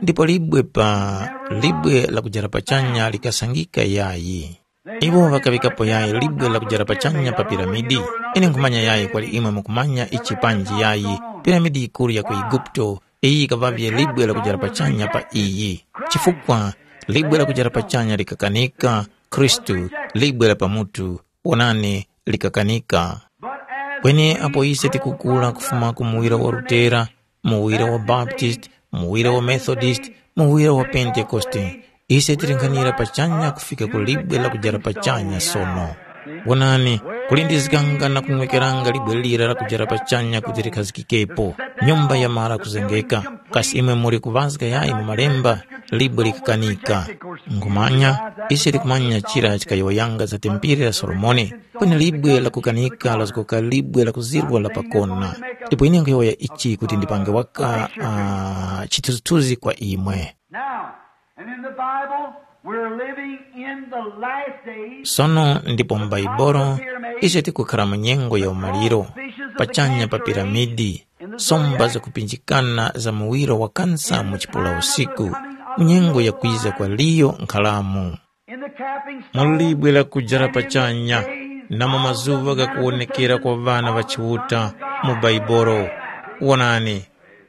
Ndipo libwe pa libwe la kujara pachanya likasangika yayi. Iwo ŵakaŵikapo yayi libwe la kujara pachanya pa piramidi. Ine nkhumanya yayi kwali imwe mukumanya ichi panji yayi. Piramidi yikuru ya ku Eguputo, iyi yikaŵavye libwe la kujara pachanya pa iyi. Chifukwa libwe la kujara pachanya likakanika, Khristu, libwe la pamutu, wonani, likakanika. Kweni apo ise tikukula kufuma ku muwiro wa Lutera, muwiro wa Baptist, muwiro wa Methodist, muwiro wa Pentekoste, ise tili nkhanira pachanya kufika ku libwe la kujara pachanya sono. Wonani, kulindizganga na kung'wekeranga libwe lira la kujara pachanya kuti likhazikikepo, nyumba yamara kuzengeka, Kasi imwe muli kuŵazga yayi mu Malemba? Libwe likakanika. Nkhumanya, ise tikumanya chira chikayowoyanga za tempere la Solomoni, kweni libwe lakukanika lazgoka libwe la kuzirwa la pakona. Ndipo ine nkhuyowoya ichi kuti ndipange waka uh, chithunzithunzi kwa imwe. Now, and in the Bible, we're living in the last days. Sono ndipo mu Baibolo, ise tikukhala mu nyengo ya umaliro, pachanya pa piramidi, somba zakupinjikana za muwiro wa kansa mu chipula usiku, mu nyengo ya kwiza kwa liyo nkhalamu. Mulibwera kujara pachanya, na mu mazuŵa ghakuwonekera kwa ŵana ŵa Chiuta mu Baibolo. Wonani,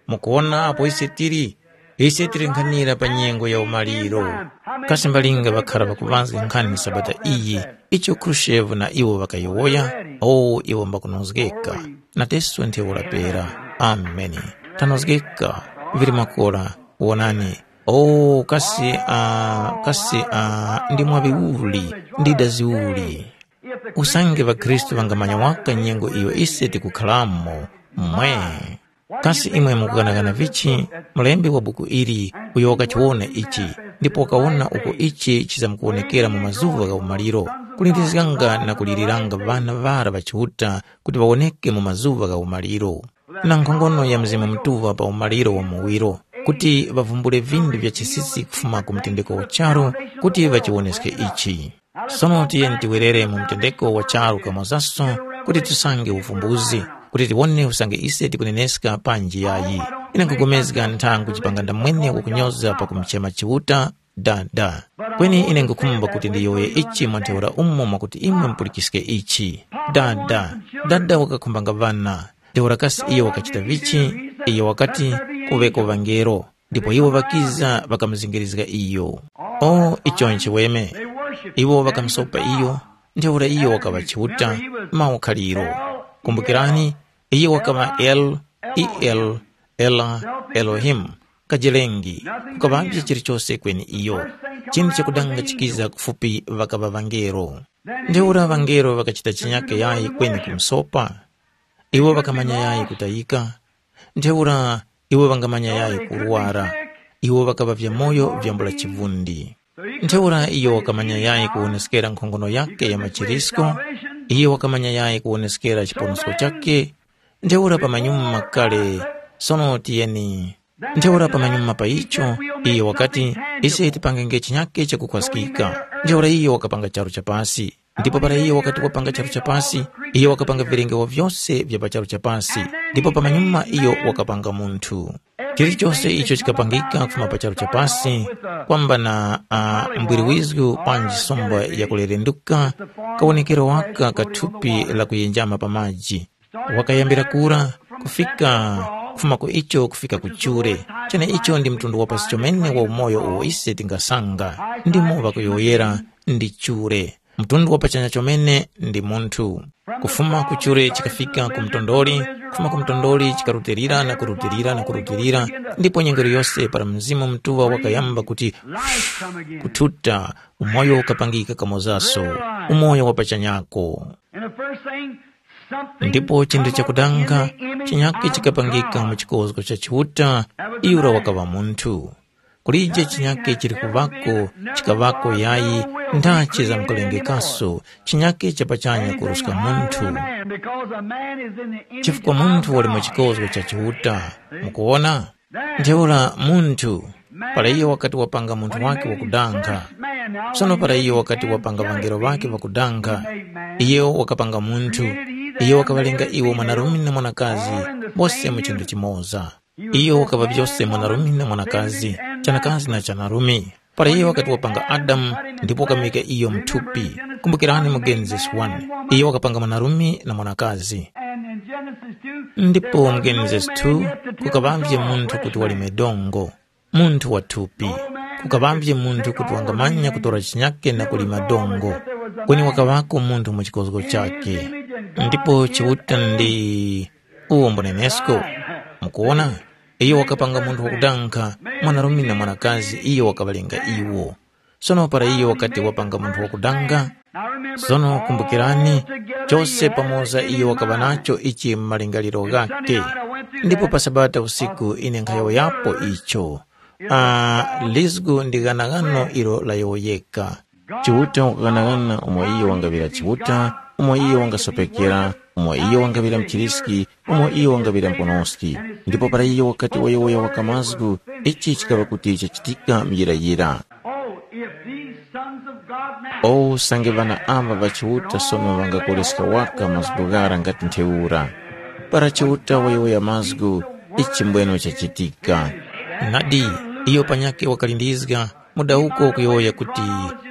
mukuwona apo ise tili? Ise tili nkhanira pa nyengo ya umaliro. Kasi mbalinga ŵakhara ŵakuŵazga nkhani Sabata iyi, icho Khrushchev na iwo ŵakayowoya? O, iwo mbakunozgeka. Nateso ntheura pera. Ameni. Tanozgeka. Vili makora. Wonani. O, kasi, uh, kasi, uh, ndi mwaŵi uli, ndi dazi uli. Usange ŵakhristu ŵangamanya waka nyengo iyo ise tikukharamo, mwe. Kasi imwe mukughanaghana vichi mlembi wa buku ili uyo wakachiwona ichi, ndipo wakawona uko ichi chizamkuwonekera mu mazuŵa gha umaliro, kulindirizganga na kuliliranga ŵana ŵara ŵa Chiuta kuti ŵawoneke mu mazuŵa gha umaliro, na nkhongono ya Mzimu Mutuŵa pa umaliro wa muwiro, kuti ŵavumbule vinthu vya chisisi kufuma ku mtendeko wa charu, kuti ŵachiwoneske ichi. Sono tiyeni tiwerere mu mtendeko wa charu kamozaso, kuti tisange uvumbuzi, kuti tiwone usange ise tikuneneska panji yayi. Ine nkugomezga nthangu chipanga ndamwene wakunyoza pakumuchema Chiuta, Dada. Kweni ine nkhukhumba kuti ndiyowoye ichi mwa ntheura umo mwakuti imwe mupulikiske ichi. Dada, dada wakakhumbanga ŵana. Ntheura kasi iyo wakachita vichi? Iyo wakati, kuŵeko ŵangelo. Ndipo iwo ŵakiza ŵakamuzingirizga iyo. O, icho nchiweme. Iwo ŵakamusopa iyo, ntheura iyo wakaŵa Chiuta, mawu khaliro. Kumbukirani, iyo wakaŵa El, E L, Ela, Elohim, kajelengi, kukaŵavye chilichose kweni iyo. Chinthu chakudanga chikiza kufupi ŵakaŵa ŵangelo. Ntheura ŵangelo ŵakachita chinyake yayi kweni kumusopa? Iwo ŵakamanya yayi kutayika? Ntheura iwo ŵangamanya yayi kurwara? Iwo ŵakaŵa vyamoyo vyambula chivundi. Ntheura iyo wakamanya yayi kuwoneskera nkhongono yakhe ya machirisko? Iyo wakamanya yayi kuwoneskera chiponosko chakhe? Ntheura pamanyuma kale, sono tiyeni. Ntheura pamanyuma pa icho, iyo wakati, ise tipangenge chinyake chakukhwaskika. Ntheura iyo wakapanga charu cha pasi. Ndipo para iyo wakati wapanga charu cha pasi, iyo wakapanga vilengewo vyose vya pa charu cha pasi. Ndipo pamanyuma iyo wakapanga munthu. Chilichonse icho chikapangika kufuma pa charu cha pasi, kwamba na uh, mbwiriwizgu panji somba yakulerenduka, kawonekero waka ka thupi la kuyenjama pa maji. Wakayambira kura, kufika, kufuma ku icho kufika ku chure. Cheneicho ndi mtundu wa pasi chomene wa umoyo uwo ise tingasanga. Ndimo ŵakuyowoyera ndi chure. Mtundu wa pachanya chomene ndi munthu. Kufuma ku chure chikafika ku mtondoli, kufuma ku mtondoli chikarutilira na kurutilira na kurutilira, ndipo nyengo yose para Mzimu Mutuŵa wakayamba kuti kuthuta, umoyo ukapangika kamozaso, umoyo wa pachanyako. And the first thing, something Ndipo chinthu come up chakudanga, in the image chinyake of chikapangika God. Mu chikozgo cha Chiuta, yura wakaŵa munthu. Kulije chinyake chili kuvako, chikaŵako yayi, ndachi zamkulengekaso, chinyake cha pachanya kuruska munthu. Because a man is in the image Chifukwa munthu wali mu chikozgo cha Chiuta. Mukuona? Ntheura munthu, para iyo wakati wapanga munthu wake wakudanga, sono para iyo wakati wapanga ŵangelo ŵake ŵakudanga, iyo wakapanga munthu, iyo wakaŵalenga iwo mwanarume na mwanakazi, bose mu chinthu chimoza. Iyo wakaŵa vyose mwanarume na mwanakazi, chanakazi na chanarume. Para iyo wakati wapanga Adamu, ndipo wakamuyika iyo muthupi. Kumbukirani mu Genesis one, iyo wakapanga mwanarume na mwanakazi. Ndipo mu Genesis two, kukaŵavye munthu kuti walime dongo, munthu wa thupi. Kukaŵavye munthu kuti wangamanya kutora chinyake na kulima dongo, kweni wakaŵako munthu mu chikozgo chake. Ndipo Chiuta ndi uwo mbunenesko. Mukuona, iyo wakapanga munthu wakudanga, mwanarume na mwanakazi iyo wakaŵalenga iwo. Sono para iyo wakati wapanga munthu wakudanga, sono kumbukirani, chose pamoza iyo wakaŵa nacho ichi mu malingaliro ghakhe. Ndipo pa Sabata usiku ine nkhayowoyapo icho. Ah, lizgu ndi ghanaghano ilo layowoyeka. Chiuta wakughanagana umo iyo wangaŵira Chiuta, umo iyo wangasopekera, umo iyo wangaŵira mchiriski, umo iyo wangaŵira mponoski. Ndipo para iyo wakati wayowoya waka mazgu, ichi chikaŵa kuti chachitika muyirayira. Oh, if these sons of God now Oh, usange ŵana ava ŵa Chiuta sono ŵangakoleska waka mazgu ghara ngati ntheura. Para Chiuta wayowoya mazgu, ichi mbweno chachitika. Nadi, iyo panyakhe wakalindizga, mudawuko kuyowoya kuti,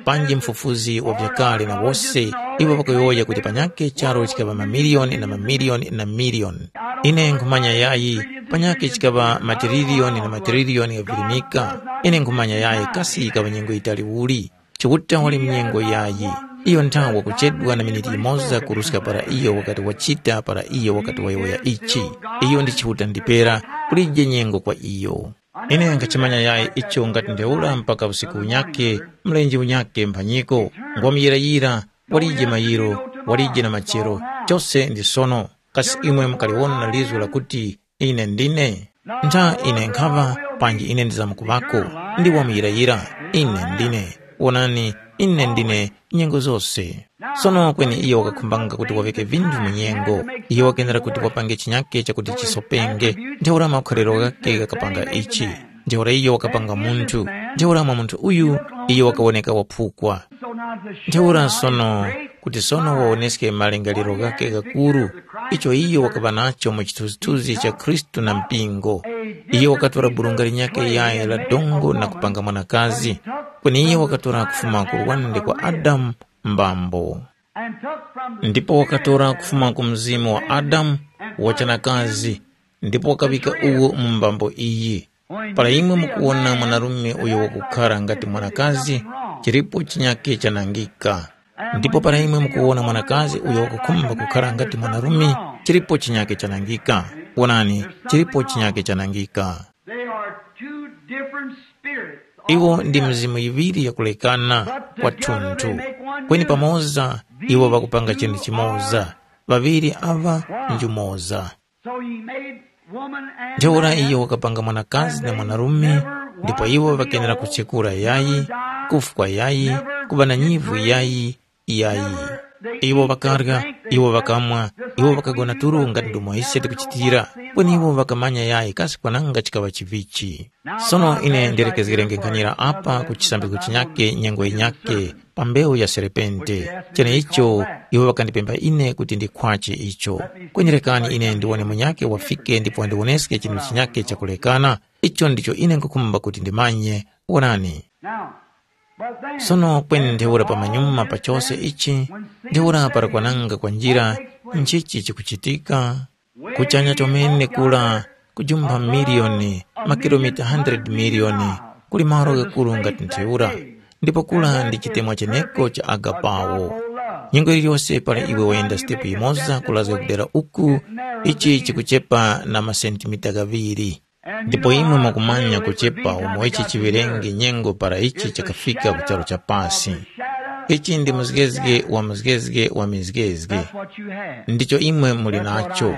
panji mfufuzi wa vyakale na wose, iwo ŵakayowoya kuti panyakhe charu chikaŵa mamiliyoni na mamiliyoni na miliyoni. Ine nkhumanya yayi, panyakhe chikaŵa matiririyoni na matiririyoni ghavirimika. Ine nkhumanya yayi kasi yikaŵa nyengo yitali uli. Chiuta wali mnyengo yayi. Iyo nthawe wakuchedwa na miniti yimoza kuruska para iyo wakati wachita para iyo wakati wayowoya ichi. Iyo ndi Chiuta ndipera, kulije nyengo kwa iyo. Ine nkhachimanya yayi icho ngati ntheura mpaka usiku unyakhe, mlenje unyakhe mphanyiko, ngwamuyirayira, walije mayiro, walije na machero, chose ndi sono. Kasi imwe mukaliwona na lizu lakuti, ine ndine? Ntha ine nkhaŵa, panji ine ndizamkuŵako, ndi wamuyirayira, ine ndine. Wonani, ine ndine nyengo zose. Sono kweni iyo wakakhumbanga kuti waŵike vinthu mu nyengo. Iyo wakenera kuti wapange chinyake chakuti chisopenge, ntheura makholero ghakhe ghakapanga ichi. Ntheura iyo wakapanga munthu, ntheura mwa munthu uyu iyo wakawoneka waphukwa. Ntheura sono, kuti sono wawoneske malingaliro ghakhe ghakuru, icho iyo wakaŵa nacho mu chithunzithunzi cha Khristu na mpingo. Iyo wakatora burunga linyakhe yayi la dongo na kupanga mwanakazi, kweni iyo wakatora kufuma ku lwande kwa Adamu mbambo. Ndipo wakatora kufuma ku mzimu wa Adamu, wachanakazi, ndipo wakaŵika uwo mu mbambo iyi. Para imwe mukuwona mwanarume uyo wakukhara ngati mwanakazi, chilipo chinyakhe chanangika. Ndipo para imwe mukuwona mwanakazi uyo wakukhumba kukhara ngati mwanarume, chilipo chinyakhe chanangika. Wonani, chilipo chinyakhe chanangika. They are two different spirits. Iwo ndi mizimu yiŵiri yakulekana kwathunthu, kweni pamoza iwo ŵakupanga chinthu chimoza. Ŵaŵiri aŵa njumoza. So he made woman and Ntheura man, iyo wakapanga mwanakazi na mwanarume, ndipo iwo ŵakenera kuchekura yayi, kufwa yayi, kuŵa na nyivu yayi, yayi. Iwo ŵakarya, iwo ŵakamwa, iwo ŵakagona tulo ngati ndomwe ise tikuchitira, kweni iwo ŵakamanya yayi kasi kwananga chikaŵa chivichi. Sono ine ndilekezgerenge nkhanira apa ku chisambizgo chinyakhe nyengo yinyakhe pa mbewu ya serepente. Cheneicho iwo ŵakandipempha ine kuti ndikhwache icho. Kweni rekani ine ndiwone munyakhe wafike ndipo wandiwoneske chinthu chinyakhe chakulekana. Icho ndicho ine nkhukhumba kuti ndimanye. Wonani. Sono kweni ntheura pamanyuma pa chose ichi, ntheura para kwananga kwa njira, nchichi chikuchitika? Kuchanya chomene kura, kujumpha miliyoni, makilomita hundred miliyoni, kuli malo ghakuru ngati ntheura, ndipo kura ndi chitemwa cheneko cha agapawo. Nyengo yiliyose para iwe wayenda sitepu yimoza kulazga kudera uku, ichi chikuchepa na masentimita ghaŵiri. Ndipo imwe mwakumanya kuchepa umo ichi chiŵerenge nyengo para ichi chakafika ku charu cha pasi. Ichi ndi muzgezge wa muzgezge wa mizgezge. Ndicho imwe muli nacho.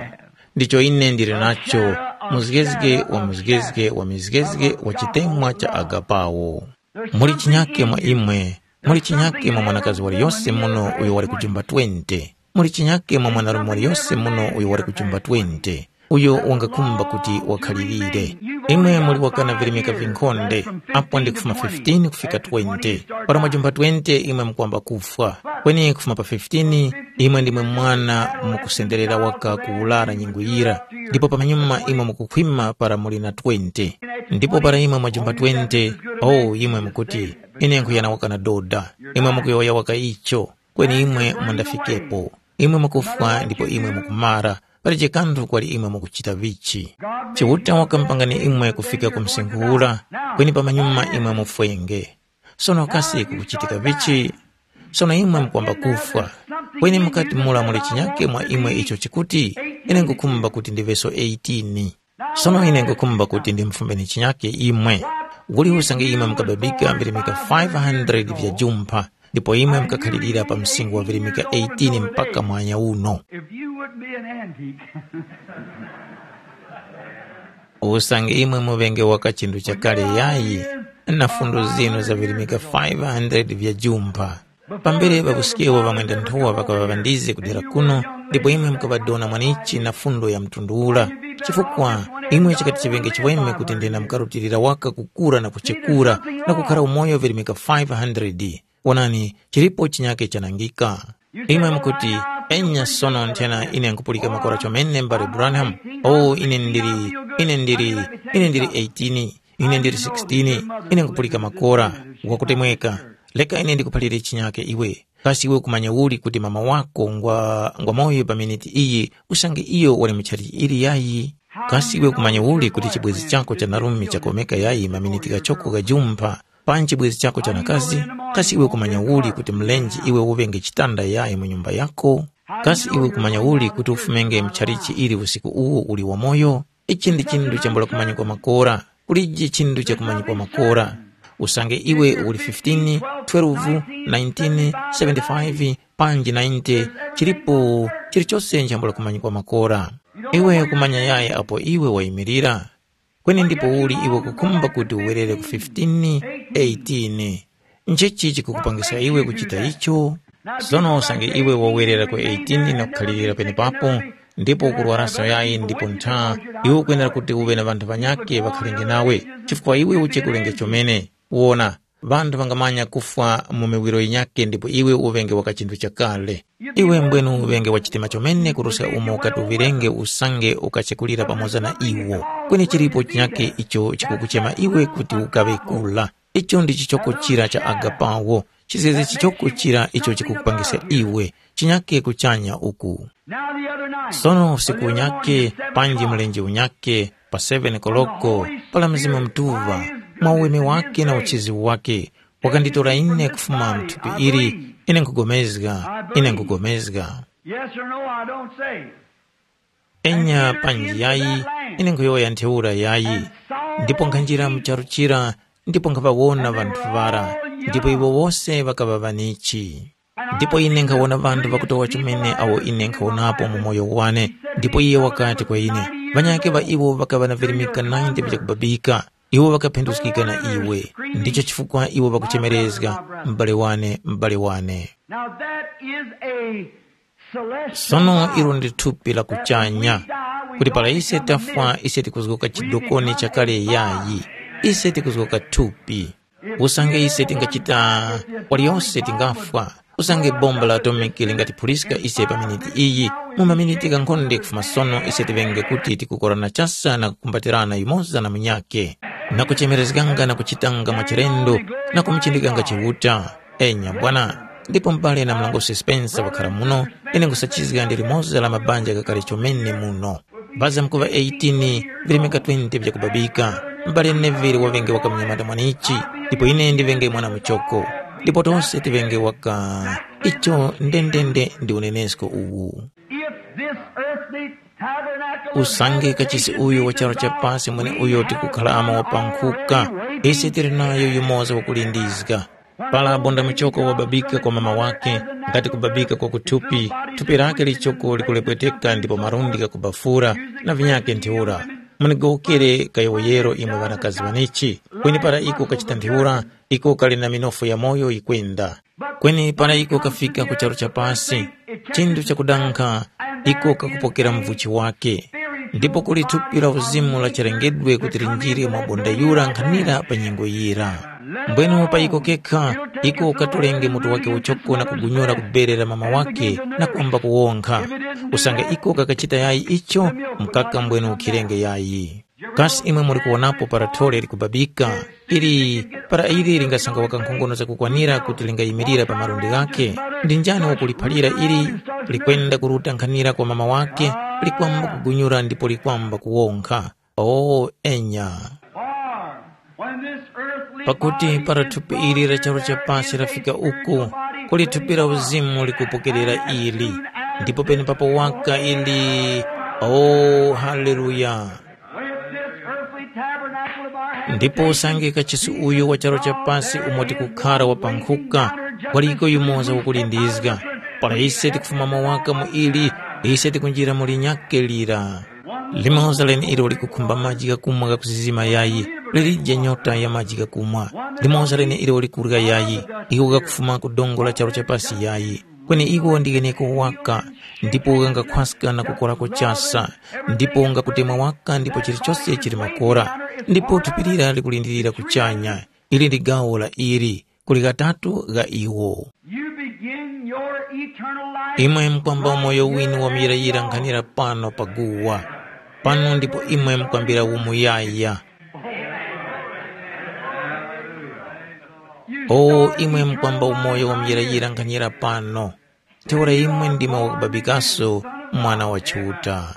Ndicho ine ndili nacho, muzgezge wa muzgezge wa mizgezge wa chitemwa cha agapawo. Muli chinyake mwa imwe, muli chinyake mwa mwanakazi waliyose muno uyo wali kujumba twenty. Muli chinyake mwa mwanarume waliyose muno uyo wali kujumba twenty, uyo wangakhumba kuti wakhalirire. Imwe muli wakana virimika vinkhonde, apo ndi kufuma fifteen kufika twenty. Para mwajumba twenty imwe mukwamba kufwa. Kweni kufuma pa fifteen, imwe ndimwe mwana mukusenderera waka kuwulara nyengo yira, ndipo pamanyuma imwe mukukhwima para muli na twenty. Ndipo para imwe mwajumba twenty, oh, imwe mukuti, ine nkhuyana wakana doda. Imwe mukuyowoya waka icho. Kweni imwe mundafikepo. Imwe mukufwa ndipo imwe mukumara, palije kanthu kwali imwe mukuchita vichi. Chiuta wakamupangani imwe kufika ku msinkhu ura, kweni pamanyuma imwe mufwenge. Sono kasi kukuchitika vichi? Sono imwe mukwamba kufwa. Kweni mukati mura muli chinyake mwa imwe icho chikuti, ine nkukhumba kuti ndiveso eighteen. Sono ine nkukhumba kuti ndimfumbeni chinyake imwe. Uli usange imwe mukababika virimika five hundred vya jumpha, ndipo imwe mukakhalirira pa msinkhu wa virimika eighteen mpaka mwanya uno. If you wouldn't be an antique, Usange imwe muŵenge waka chinthu chakale yayi, na fundo zinu zavirimika five hundred vya jumpha. Pambere ŵakuskewo ŵamwenda-nthowa ŵakaŵa ŵandize kudera kuno, ndipo imwe mukaŵadona mwanichi na fundo ya mtundu ura. Chifukwa imwe chikati chiŵenge chiweme kuti ndina mukarutilira waka kukura na kuchekura na kukhara umoyo virimika five hundred. Wonani, chilipo chinyake chanangika. Imwe mukuti, enya sono nthena ine nkupulika makora chomene mbale Branham. Oh, ine ndili, ine ndili, ine ndili eighteen, ine ndili sixteen, ine nkupulika makora. Wakutemweka. Leka ine ndikuphalire chinyake iwe. Kasi iwe ukumanya uli kuti mama wako ngwa, ngwa moyo pa miniti iyi usange iyo wali mu chalichi ili yayi? Kasi iwe ukumanya uli kuti chibwezi chako cha narume chakomeka yayi maminiti ghachoko ghajumpha? Panji chibwezi chako cha nakazi? Kasi iwe ukumanya uli kuti mlenje iwe uŵenge chitanda yayi mu nyumba yako? Kasi iwe ukumanya uli kuti ufumenge mchalichi ili usiku uwo uli wamoyo? Ichi ndi chinthu chambula kumanyikwa makora. Kulije chinthu chakumanyikwa makora. Usange iwe uli fifteen, twelve, nineteen, seventy-five, panji ninety, chilipo chilichose nchambula kumanyikwa makora. Iwe kumanya yayi apo iwe wayimirira. Kweni ndipo uli iwe kukhumba kuti uwerere ku fifteen, eighteen? Nchichi chikukupangisa iwe kuchita icho? Sono usange iwe wawerera ku eighteen na kukhalirira penepapo, ndipo ukurwaraso yayi ndipo ntha, iwe ukwenera kuti uŵe na ŵanthu ŵanyakhe ŵakhalenge nawe, chifukwa iwe uchekurenge chomene. Wona, ŵanthu ŵangamanya kufwa mu miwiro yinyakhe ndipo iwe uŵenge waka chinthu chakale. Iwe mbwenu uŵenge wa chitima chomene kuruska umo ukati uŵirenge usange ukachekulira pamoza na iwo. Kweni chilipo chinyakhe icho chikukuchema iwe kuti ukaŵe kula. Icho ndi chichoko chira cha agapawo, chizeze chichoko chira icho chikukupangisa iwe, chinyake kuchanya uku. Sono usiku unyake, panji mlenje unyake, pa seven koloko, pala Mzimu Mutuŵa, mwa uweme wake na uchizi wake, wakanditora ine kufuma mthupi ili, ine nkhugomezga, ine nkhugomezga. Yes or no, I don't say. Enya panji yayi, ine nkhuyowoya ntheura yayi. Ndipo nkhanjira mu charu chira, ndipo nkhaŵawona ŵanthu ŵara, ndipo iwo wose ŵakaŵa ŵanichi. Ndipo ine nkhawona ŵanthu ŵakutowa chomene awo ine nkhawonapo mu moyo wane. Ndipo iye wakati kwa ine, ŵanyakhe ŵa iwo ŵakaŵa na virimika ninety vyakubabika, iwo ŵakaphinduskika na iwe. Ndicho chifukwa iwo ŵakuchemerezga, m'bale wane, m'bale wane. Now that is a celestial Sono ilo body. Ndi thupi la That when we kuchanya, die, we kuti don't pala ise become tafwa mist. Ise tikuzgoka We chidokoni become chakale a body. Yayi, ise tikuzgoka thupi. Usange ise tingachita, waliyonse tingafwa. Usange bomba la atomiki lingatiphuriska ise pa miniti iyi, mu maminiti ghankhonde kufuma sono ise tiŵenge kuti tikukorana chasa na kukumbatirana yumoza na munyakhe, na kuchemerezganga na kuchitanga mwachilendo, na kumuchindikanga Chiuta. Enya bwana, ndipo m'bale na mlongosi Spencer wakhara muno, ine nkhusachizga ndi limoza la mabanja ghakale chomene muno. Baza mkuŵa eighteen, virimika twenty vyakubabika. M'bale Neville waŵenge waka munyamata mwanichi, ndipo ine ndiŵenge mwana muchoko. Ndipo tose tiŵenge waka. Icho ndendende ndi unenesko uwu. If this earthly tabernacle of Usange heaven kachisi is uyu wa charo cha pasi mwene uyo tikukhalamo wapankhuka, ise tili nayo yumoza wakulindizga. Para bonda muchoko wababika kwa mama wake, ngati kubabika kwa kuthupi, thupi lake lichoko likulepweteka ndipo malundi ghakubafura na vinyakhe ntheura. Munigowokere kayowoyero imwe ŵanakazi ŵanichi, kweni para iko kachita ntheura, iko kali na minofu ya moyo yikwenda. Kweni para iko kafika ku charu cha pasi, chinthu chakudankha, iko kakupokera muvuchi wake. Ndipo kuli thupi la uzimu la chalengedwe kuti linjire mwa bonda yura nkhanira pa nyengo yira. Mbwenu pa iko kekha, iko katolenge mutu wake uchoko na kugunyura ku bere la mama wake na kwamba kuwonkha. Usange iko kakachita yayi icho, mkaka mbwenu ukhirenge yayi. Kasi imwe muli kuwonapo para thole likubabika, ili para ili lingasanga waka nkhongono zakukwanira kuti lingayimirira pa malundi ghakhe? Ndi njani wakuliphalira ili? Likwenda kuruta nkhanira kwa mama wake, likwamba kugunyura ndipo likwamba kuwonkha. O enya! Pakuti para thupi ili la charu cha pasi lafika uku, kuli thupi la uzimu likupokerera ili, ndipo penepapo waka ili. O haleluya! Ndipo usange kachisi uyu wa charu cha pasi umo tikukhara wapankhuka, waliko yumoza wakulindizga. Para ise tikufumamo waka mu ili, ise tikunjira mu linyakhe lira. Limoza leneilo likukhumba maji ghakumwa ghakusisima yayi, lilije nyota ya maji ghakumwa. Limoza leneilo likurya yayi, iko kakufuma ku dongo la charu cha pasi yayi. Kweni iko ndi gheneko waka, ndipo ghangakhwaska na kukorako chasa, ndipo ngakutemwa waka ndipo chilichose chili makora, ndipo thupi lira likulindirira kuchanya. Ili ndi gawo la ili, kuli ghatatu gha iwo. You begin your eternal life. Imwe mukwamba umoyo winu wa muyirayira nkhanira pano pa guwa. Pano ndipo imwe mukwambira umuyaya. O imwe mukwamba umoyo wa muyirayira nkhanira pano. Ntheura imwe ndimwe wakubabikaso Mwana wa Chiuta.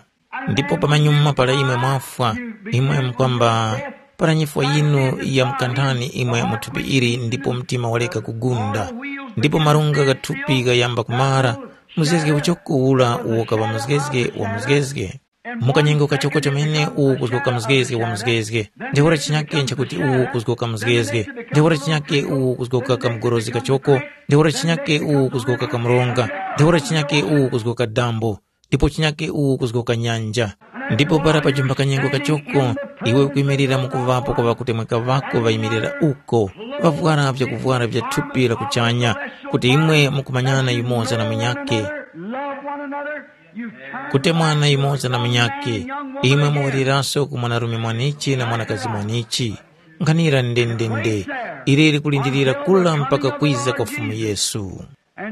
Ndipo pamanyuma para imwe mwafwa, imwe mukwamba, para nyifwa yinu yamkantani imwe mu thupi ili ndipo mtima waleka kugunda, ndipo marunga gha thupi ghayamba kumara, muzgezge uchoko ura uwo kaŵa muzgezge wa muzgezge. Mu kanyengo kachoko chomene uwo kuzgoka muzgezge wa muzgezge, ntheura chinyake nchakuti uwo kuzgoka muzgezge, ntheura chinyake uwo kuzgoka kamugorozi kachoko, ntheura chinyake uwo kuzgoka kamronga, ntheura chinyake uwo kuzgoka dambo, ndipo chinyake uwo kuzgoka nyanja. Ndipo para pajumba kanyengo kachoko, iwe ukuyimirira mu kuŵapo kwa ŵakutemweka ŵako ŵayimirira uko, ŵavwara vyakuvwara vya thupi la kuchanya, kuti imwe mukumanyana yumoza na munyakhe. Love one another. You've turned kutemwana yumoza na munyakhe, imwe muwereraso ku mwanarume mwanichi na mwanakazi mwanichi. Nkhanira ndendende, ili likulindirira kula mpaka kwiza kwa Fumu Yesu.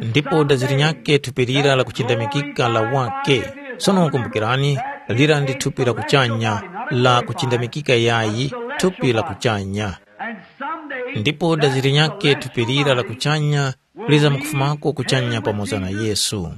Ndipo dazi linyakhe thupi lira la kuchindamikika la wake. Sono kumbukirani, lira ndi thupi la kuchanya, la kuchindamikika yayi, thupi la kuchanya. Ndipo dazi linyakhe thupi lira la kuchanya lizamkufumako kuchanya pamoza na Yesu.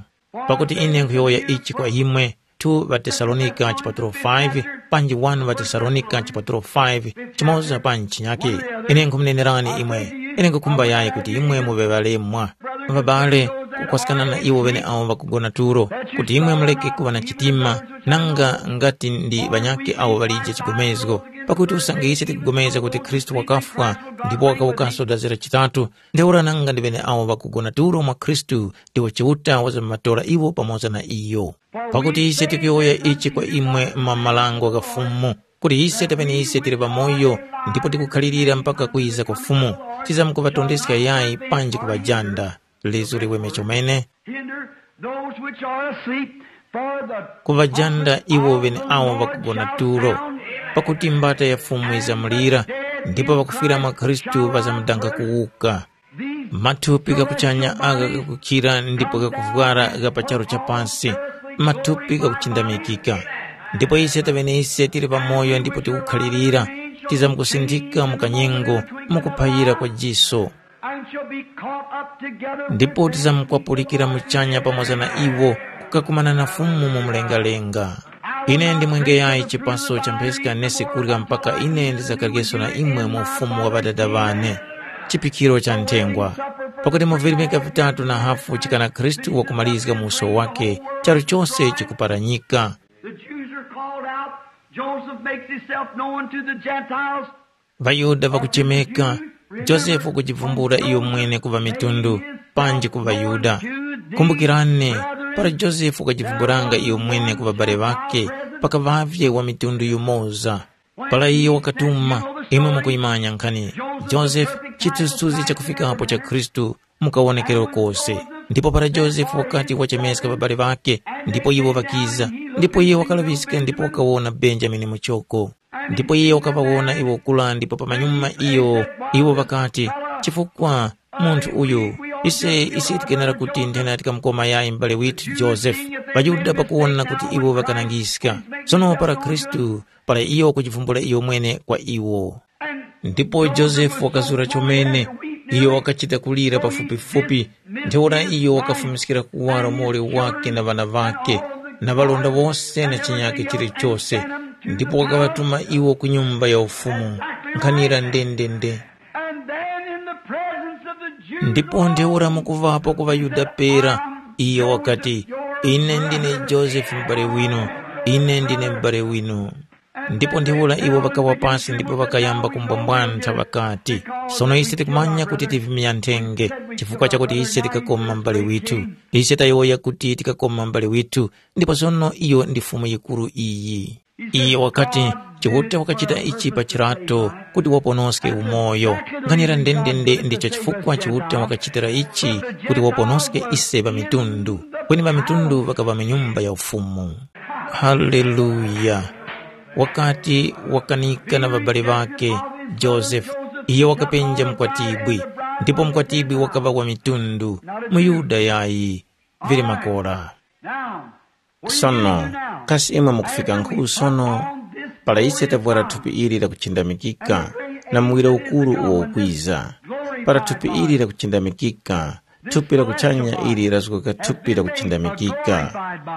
Pakuti ine nkhuyowoya ichi kwa imwe, tu ŵaTesalonika chipatulo five, panji wanu ŵaTesalonika chipatulo five, chimoza panji chinyake. Ine nkhumunenerani imwe, ine nkhukhumba yayi kuti imwe muŵe ŵalemwa. Ŵabale, kukwaskana na iwo ŵeneawo ŵakugona tulo, kuti imwe muleke kuŵa na chitima, nanga ngati ndi ŵanyakhe awo ŵalije chigomezgo. Pakuti usange ise tikupulikana kuti Khristu wakafwa, ndipo wakawukanso dazi la chitatu, ntheura nanga ndi ŵeneawo ŵakugona tulo mwa Khristu, ndiwo Chiuta wazamkuŵatora iwo pamoza na iyo. Pakuti ise tikuyowoya ichi kwa imwe mwa marango gha Fumu, kuti ise taŵe ise tili pamoyo ndipo tikukhalirira mpaka kwiza kwa Fumu, tizamkuŵatondeska yayi panji kuŵajanda. Lizu liweme chomene. Hinder those which are asleep, for the kuŵajanda iwo ŵeneawo ŵakugona tulo, pakuti mbata ya Fumu yizamulira, ndipo ŵakufwira mwa Khristu ŵazamdanga kuwuka. Mathupi ghakuchanya agha ghakukhira ndipo ghakuvwara gha pa charu cha pasi, mathupi ghakuchindamikika. Ndipo ise taŵene ise tili pamoyo ndipo tikukhalirira, tizamkusindika mu kanyengo, mu kuphayira kwa jiso. And shall be caught up together with ndipo tizamkwapulikira muchanya pamoza na iwo, kukakumana na Fumu mu mlengalenga. Ine ndimwengeyayi chipaso cha mpheska nesi kurya mpaka ine ndizakaryenge na imwe mu ufumu wa Ŵadada ŵane. Chiphikiro cha nthengwa. Pakuti mu virimika vitatu na hafu chikana Khristu wakumalizga mu uso wake, charu chose chikuparanyika. The Jews are called out. Joseph makes himself known to the Gentiles. ВaYuda vakuchemeka, Josefe kujivumbula iyo mwene ku ŵamitundu, panji ku ŵaYuda. Kumbukirani, para Josefe wakajivumbulanga iyo mwene ku ŵabale ŵakhe, pakaŵavye wa mitundu yumoza. Para iyo wakatuma, imwe mukuyimanya nkhani, Josefe, chithunzithunzi chakufikapo cha Khristu, mu kawonekero kose. Ndipo para Josefe wakati wachemeska ŵabale ŵakhe, ndipo iwo ŵakiza, ndipo iyo wakalaŵiska ndipo wakawona Benjamini muchoko. Ndipo iyo wakaŵawona iwo kura ndipo pamanyuma iyo, iwo ŵakati, “Chifukwa munthu uyu, ise, ise tikenera kuti nthena tikamukoma yayi m'bale withu Josefe.” ŴaYuda pakuwona kuti iwo ŵakanangiska. Sono para Khristu, para iyo wakujivumbula iyo mwene kwa iwo. Ndipo Josefe wakazura chomene, iyo wakachita kulira pafupifupi, ntheura iyo wakafumiskira kuwaro muli wake na ŵana ŵakhe, na ŵalonda wose na chinyakhe chilichose, ndipo wakaŵatuma iwo ku Nyumba ya Ufumu. Nkhanira ndendende. And then in the presence of the Jews, ndipo ntheura mukuvapo ku ŵaYuda pera, iyo wakati, “Ine ndine Josefe m'bale winu, ine ndine m'bale winu.” Ndipo ntheura iwo ŵakawa pasi ndipo ŵakayamba kumbwambwantha ŵakati, “Sono ise tikumanya kuti tivimya nthenge, chifukwa chakuti ise tikakoma m'bale withu. Ise tayowoya kuti tikakoma m'bale withu, ndipo sono iyo ndi Fumu yikuru iyi.” Iyo wakati, Chiuta wakachita ichi pa chirato kuti waponoske umoyo. Nkhanira ndendende ndicho chifukwa Chiuta wakachitira ichi kuti waponoske ise ŵamitundu, kweni ŵamitundu ŵakaŵa mu nyumba ya ufumu. Haleluya! Wakati wakanika na ŵabali ŵakhe, Josefe, iyo wakapenja mukwatibwi, ndipo mukwatibwi wakaŵa wa mitundu, muYuda yayi, vili makora. Sono, kasi imwe mukufika nkhu sono, para ise tavwara thupi ili lakuchindamikika, na muwiro ukuru uwo ukwiza, para thupi ili lakuchindamikika, thupi la kuchanya ili lazgoka thupi la kuchindamikika.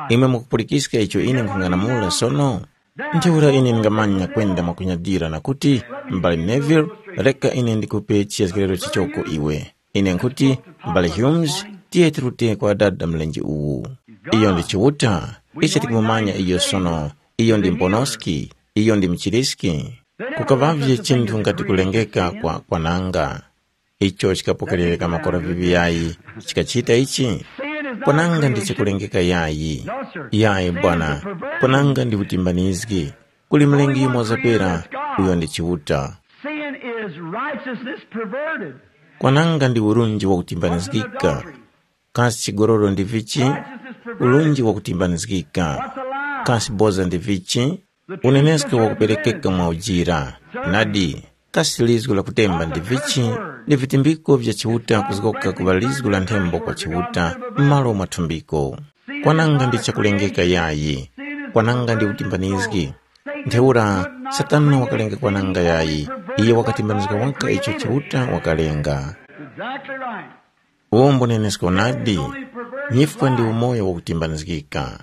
Imwe mukupulikiska icho ine nkhung'anamula sono? Ntheura ine ndingamanya kwenda mwakunyadira na kuti, M'bale Neville, reka ine ndikupe chiyazgiriro chichoko iwe. Ine nkhuti, M'bale Humes, tiye tirute kwa Dada mlenje uwu. Iyo ndi Chiuta, ise tikumumanya iyo sono, iyo ndi Mponoski, iyo ndi Mchiriski. Kukaŵavye chinthu ngati kulengeka kwa kwananga. Icho chikapokerereka makora vivi yayi, chikachita ichi? Kwananga ndi chakulengeka yayi. Yayi bwana, kwananga ndi utimbanizgi. Kuli Mlengi yumoza pera, uyo ndi Chiuta. Sin is righteousness perverted. Kwananga ndi urunji wakutimbanizgika. Kasi chigololo ndi vichi? Urunji wakutimbanizgika. Kasi boza ndi vichi? Unenesko wakuperekeka mwa ujira. Nadi, kasi lizgu la kutemba ndi vichi? Ndi vitimbiko vya Chiuta kuzgoka kuŵa lizgu la nthembo kwa Chiuta m'malo mwa thumbiko. Kwananga ndi chakulengeka yayi. Kwananga ndi utimbanizgi. Ntheura Satana wakalenga kwananga yayi. Iye wakatimbanizga waka icho Chiuta wakalenga. Exactly right. Uwo mbunenesko nadi. Nyifwa ndi umoyo wakutimbanizgika.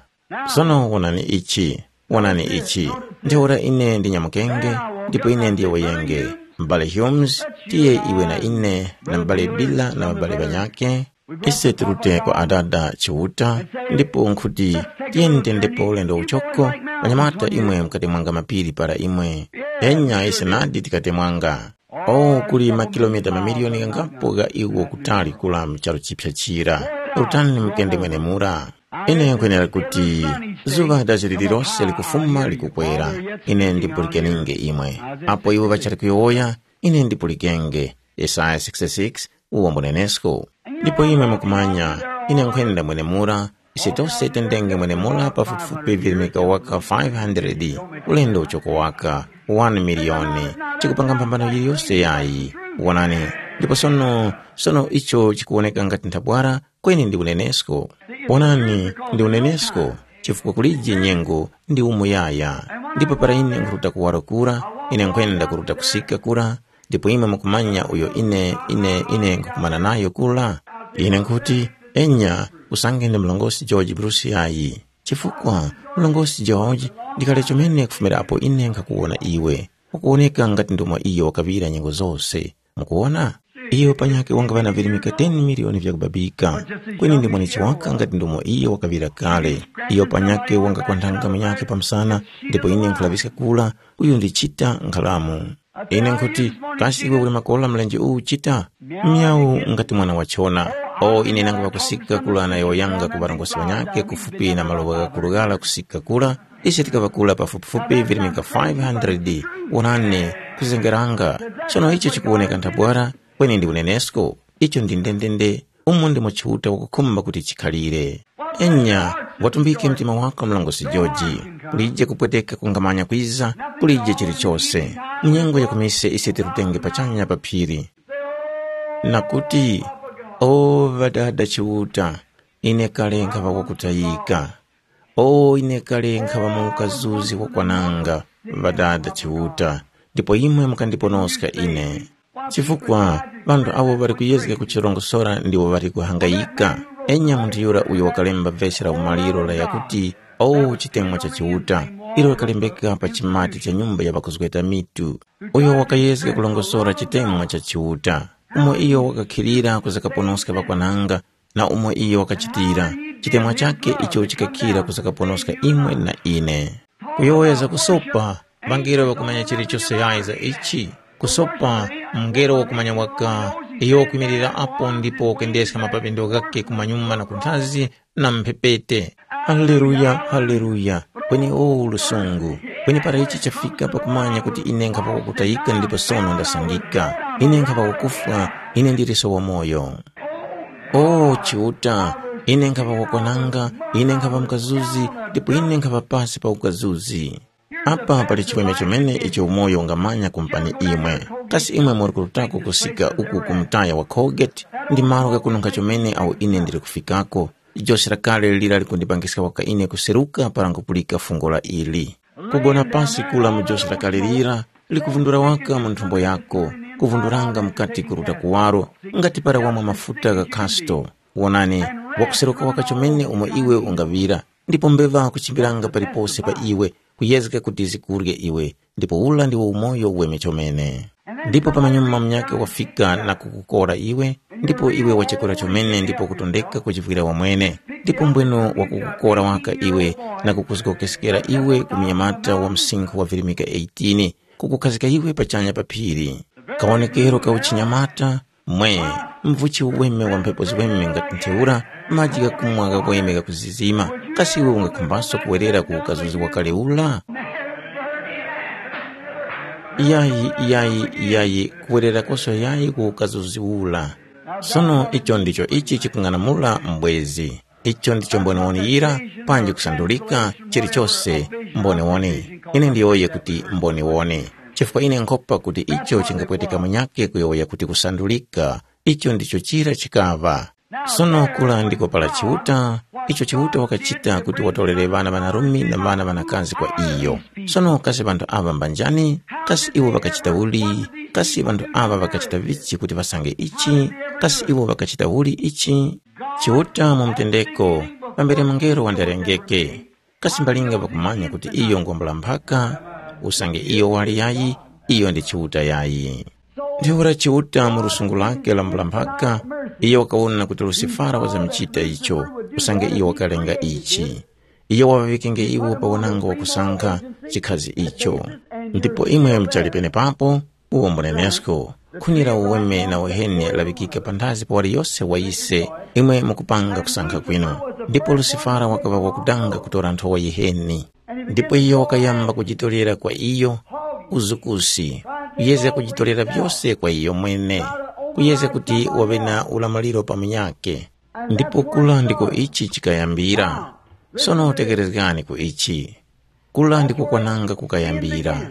Sono wonani ichi, wonani ichi. Ntheura ine ndinyamukenge, ndipo ine ndiyowoyenge. M'bale Humes, tiye iwe na ine, na m'bale Bila na ŵabale ŵanyakhe, ise tirute kwa Adada Chiuta, ndipo nkhuti, tiyeni tendepo ulendo uchoko, ŵanyamata imwe mukatemwanga mapiri para imwe. Enya ise nadi tikatemwanga. Oh, kuli makilomita mamiliyoni ghangapo gha iwo kutali kula mu charu chipya chira. Rutani mukende mwenemura. Ine nkwenera kuti zuŵa dazi lililose likufuma likukwera, ine ndipulikenenge imwe. Apo iwo ŵachali kuyowoya, ine ndipulikenge. Yesaya sixty-six, uwo mbunenesko. Ndipo imwe mukumanya, ine nkhwenda mwenemura, ise tose tendenge mwenemura pafupifupi virimika waka five hundred, ulendo uchoko waka one miliyoni, chikupanga mphambano yiliyose yayi. Wonani, ndipo sono, sono icho chikuwoneka ngati nthabwara, kweni ndi unenesko. Wonani, ndi unenesko, chifukwa kulije nyengo ndi umuyaya. Ndipo para ine nkhuruta kuwaro kura, ine nkhwenda kuruta kusika kura, ndipo imwe mukumanya uyo ine, ine, ine nkhukumana nayo kura? Ine nkhuti, enya, usange ndi mlongosi George Bruce yayi. Chifukwa, mlongosi George, ndi kale chomene kufumira apo ine nkhakuwona iwe, ukuwoneka ngati ndomwe iyo wakaŵira nyengo zose. Mukuwona? Iyo panyakhe wangaŵa na virimika ten miliyoni vyakubabika. Kweni ndi mwanechi waka ngati ndomwe iyo wakaŵira kale. Iyo panyakhe wangakwanthanga munyakhe pa msana, ndipo ine nkhulaŵiska kura, uyu ndi Chita nkhalamu. Ine nkhuti, kasi iwe uli makola mlenje uwu Chita? Myawu ngati mwana wa chona. O ine nangu ŵakusika kula na yowoyanga ku ŵarongozgi ŵanyakhe kufupi na maloŵa ghakuru ghara kusika kura, ise tikaŵa kura pafupifupi virimika five hundred. Wonani, kuzengeranga. Sono icho chikuwoneka nthabwara, kweni ndi unenesko. Icho ndi ndendende. Umo ndimo Chiuta wakukhumba kuti chikhalire. Enya, watumbike mtima wako mlongosi Joji. Kulije kupweteka kungamanya kwiza, kulije chilichose. Mu nyengo ya kumise ise tirutenge pachanya pa phiri. Na kuti, o Ŵadada Chiuta, ine kale nkhaŵa wakutayika. O ine kale nkhaŵa mu ukazuzi wakwananga, Ŵadada Chiuta, ndipo imwe mukandiponoska ine. Chifukwa ŵanthu awo ŵali kuyezga kuchirongosora ndiwo ŵali kuhangayika. Enya munthu yura uyo wakalemba vesi la umaliro la yakuti, “O chitemwa cha Chiuta,” ilo likalembeka pa chimati cha nyumba ya ŵakuzgeta mitu. Uyo wakayezga kulongosora chitemwa cha Chiuta, umo iyo wakakhilira kuzakaponoska ŵakwananga, na umo iyo wakachitira, chitemwa chakhe icho chikakhira kuzakaponoska imwe na ine. Kuyowoya za kusopa, ŵangelo ŵakumanya chilichose yayi za ichi. Kusopa, mungelo wakumanya waka, iyo wakwimirira apo ndipo wakendeska mapapindo ghakhe kumanyuma na kunthazi na mphepete. Haleluya, haleluya. Kweni o lusungu. Kweni para ichi chafika pakumanya kuti ine nkhapa wakutayika ndipo sono ndasangika. Ine nkhapa wakufwa, ine ndiliso wamoyo. O Chiuta, ine nkhapa wakwananga, ine nkhapa mkazuzi, ndipo ine nkhapa pasi pa ukazuzi. Apa pali chiweme chomene icho umoyo ungamanya kumpani imwe. Kasi imwe muri kurutako kusika uku ku mutaya wa Colgate? Ndi malo ghakununkha chomene awo ine ndili kufikako. Jose lakale lira likundipangiska waka ine kuseruka para nkupulika fungo la ili. Kugona pasi kula mu jose lakale lira likuvundura waka mu nthumbo yako, kuvunduranga mukati kuruta kuwaro, ngati para wamwa mafuta gha kasto. Wonani, wakuseruka waka chomene umo iwe ungaŵira, ndipo mbeŵa kuchimbiranga palipose pa iwe, kuyezga kuti zikurye iwe, ndipo ula ndiwo umoyo uweme chomene. Ndipo pamanyuma munyakhe wafika na kukukora iwe, ndipo iwe wachekora chomene ndipo kutondeka kuchivwira wamwene, ndipo mbwenu wakukukora waka iwe na kukuzgokeskera iwe ku munyamata wa msinkhu wa virimika eighteen, kukukhazika iwe pachanya pa phiri. Kawonekero ka uchinyamata, mwe, mvuchi uweme wa mphepo ziweme ngati ntheura, maji ghakumwa ghakweme ghakuzizima. Kasi iwe ungakhumbaso kuwerera ku ukazuzi wakale ula? Yayi, yayi, yayi, kuwererakoso yayi ku ukazuzi ula. Sono icho ndicho ichi chikung'anamula mbwezi. Icho ndicho mboniwoni yira, panji kusandulika, chilichose mboniwoni. Ine ndiyowoye kuti mboniwoni. Chifukwa ine nkhopa kuti icho chingapweteka munyakhe kuyowoya kuti kusandulika, icho ndicho chira chikaŵa. Sono kula ndiko pala Chiuta, icho Chiuta wakachita kuti watorere ŵana ŵanarume na ŵana ŵanakazi kwa iyo. Sono kasi ŵanthu aŵa mbanjani? Kasi iwo ŵakachita uli? Kasi ŵanthu aŵa ŵakachita vichi kuti ŵasange ichi? Kasi iwo ŵakachita uli ichi? Chiuta mu mtendeko, pambere mungelo wandarengeke. Kasi mbalinga ŵakumanya kuti iyo ngwambula mphaka, usange iyo wali yayi, iyo ndi Chiuta yayi. Ntheura Chiuta mu lusungu lake la mbula mphaka, iyo wakawona kuti Lusifara wazamuchita icho, usange iyo wakalenga ichi. Iyo waŵaŵikenge iwo pa wananga wakusankha chikhazi icho. Ndipo imwe muchali penepapo, uwo mbunenesko, khuni la uweme na uheni laŵikika panthazi pa waliyose wa ise, imwe mukupanga kusankha kwinu. Ndipo Lusifara wakaŵa wakudanga kutora nthowa yiheni. Ndipo iyo wakayamba kujitorera kwa iyo uzukusi, kuyezga kujitorera vyose kwa iyo mwene, kuyezga kuti waŵe na ulamuliro pa munyakhe. Ndipo kula ndiko ichi chikayambira. Sono tekerezgani ku ichi. Kula ndiko kwananga kukayambira.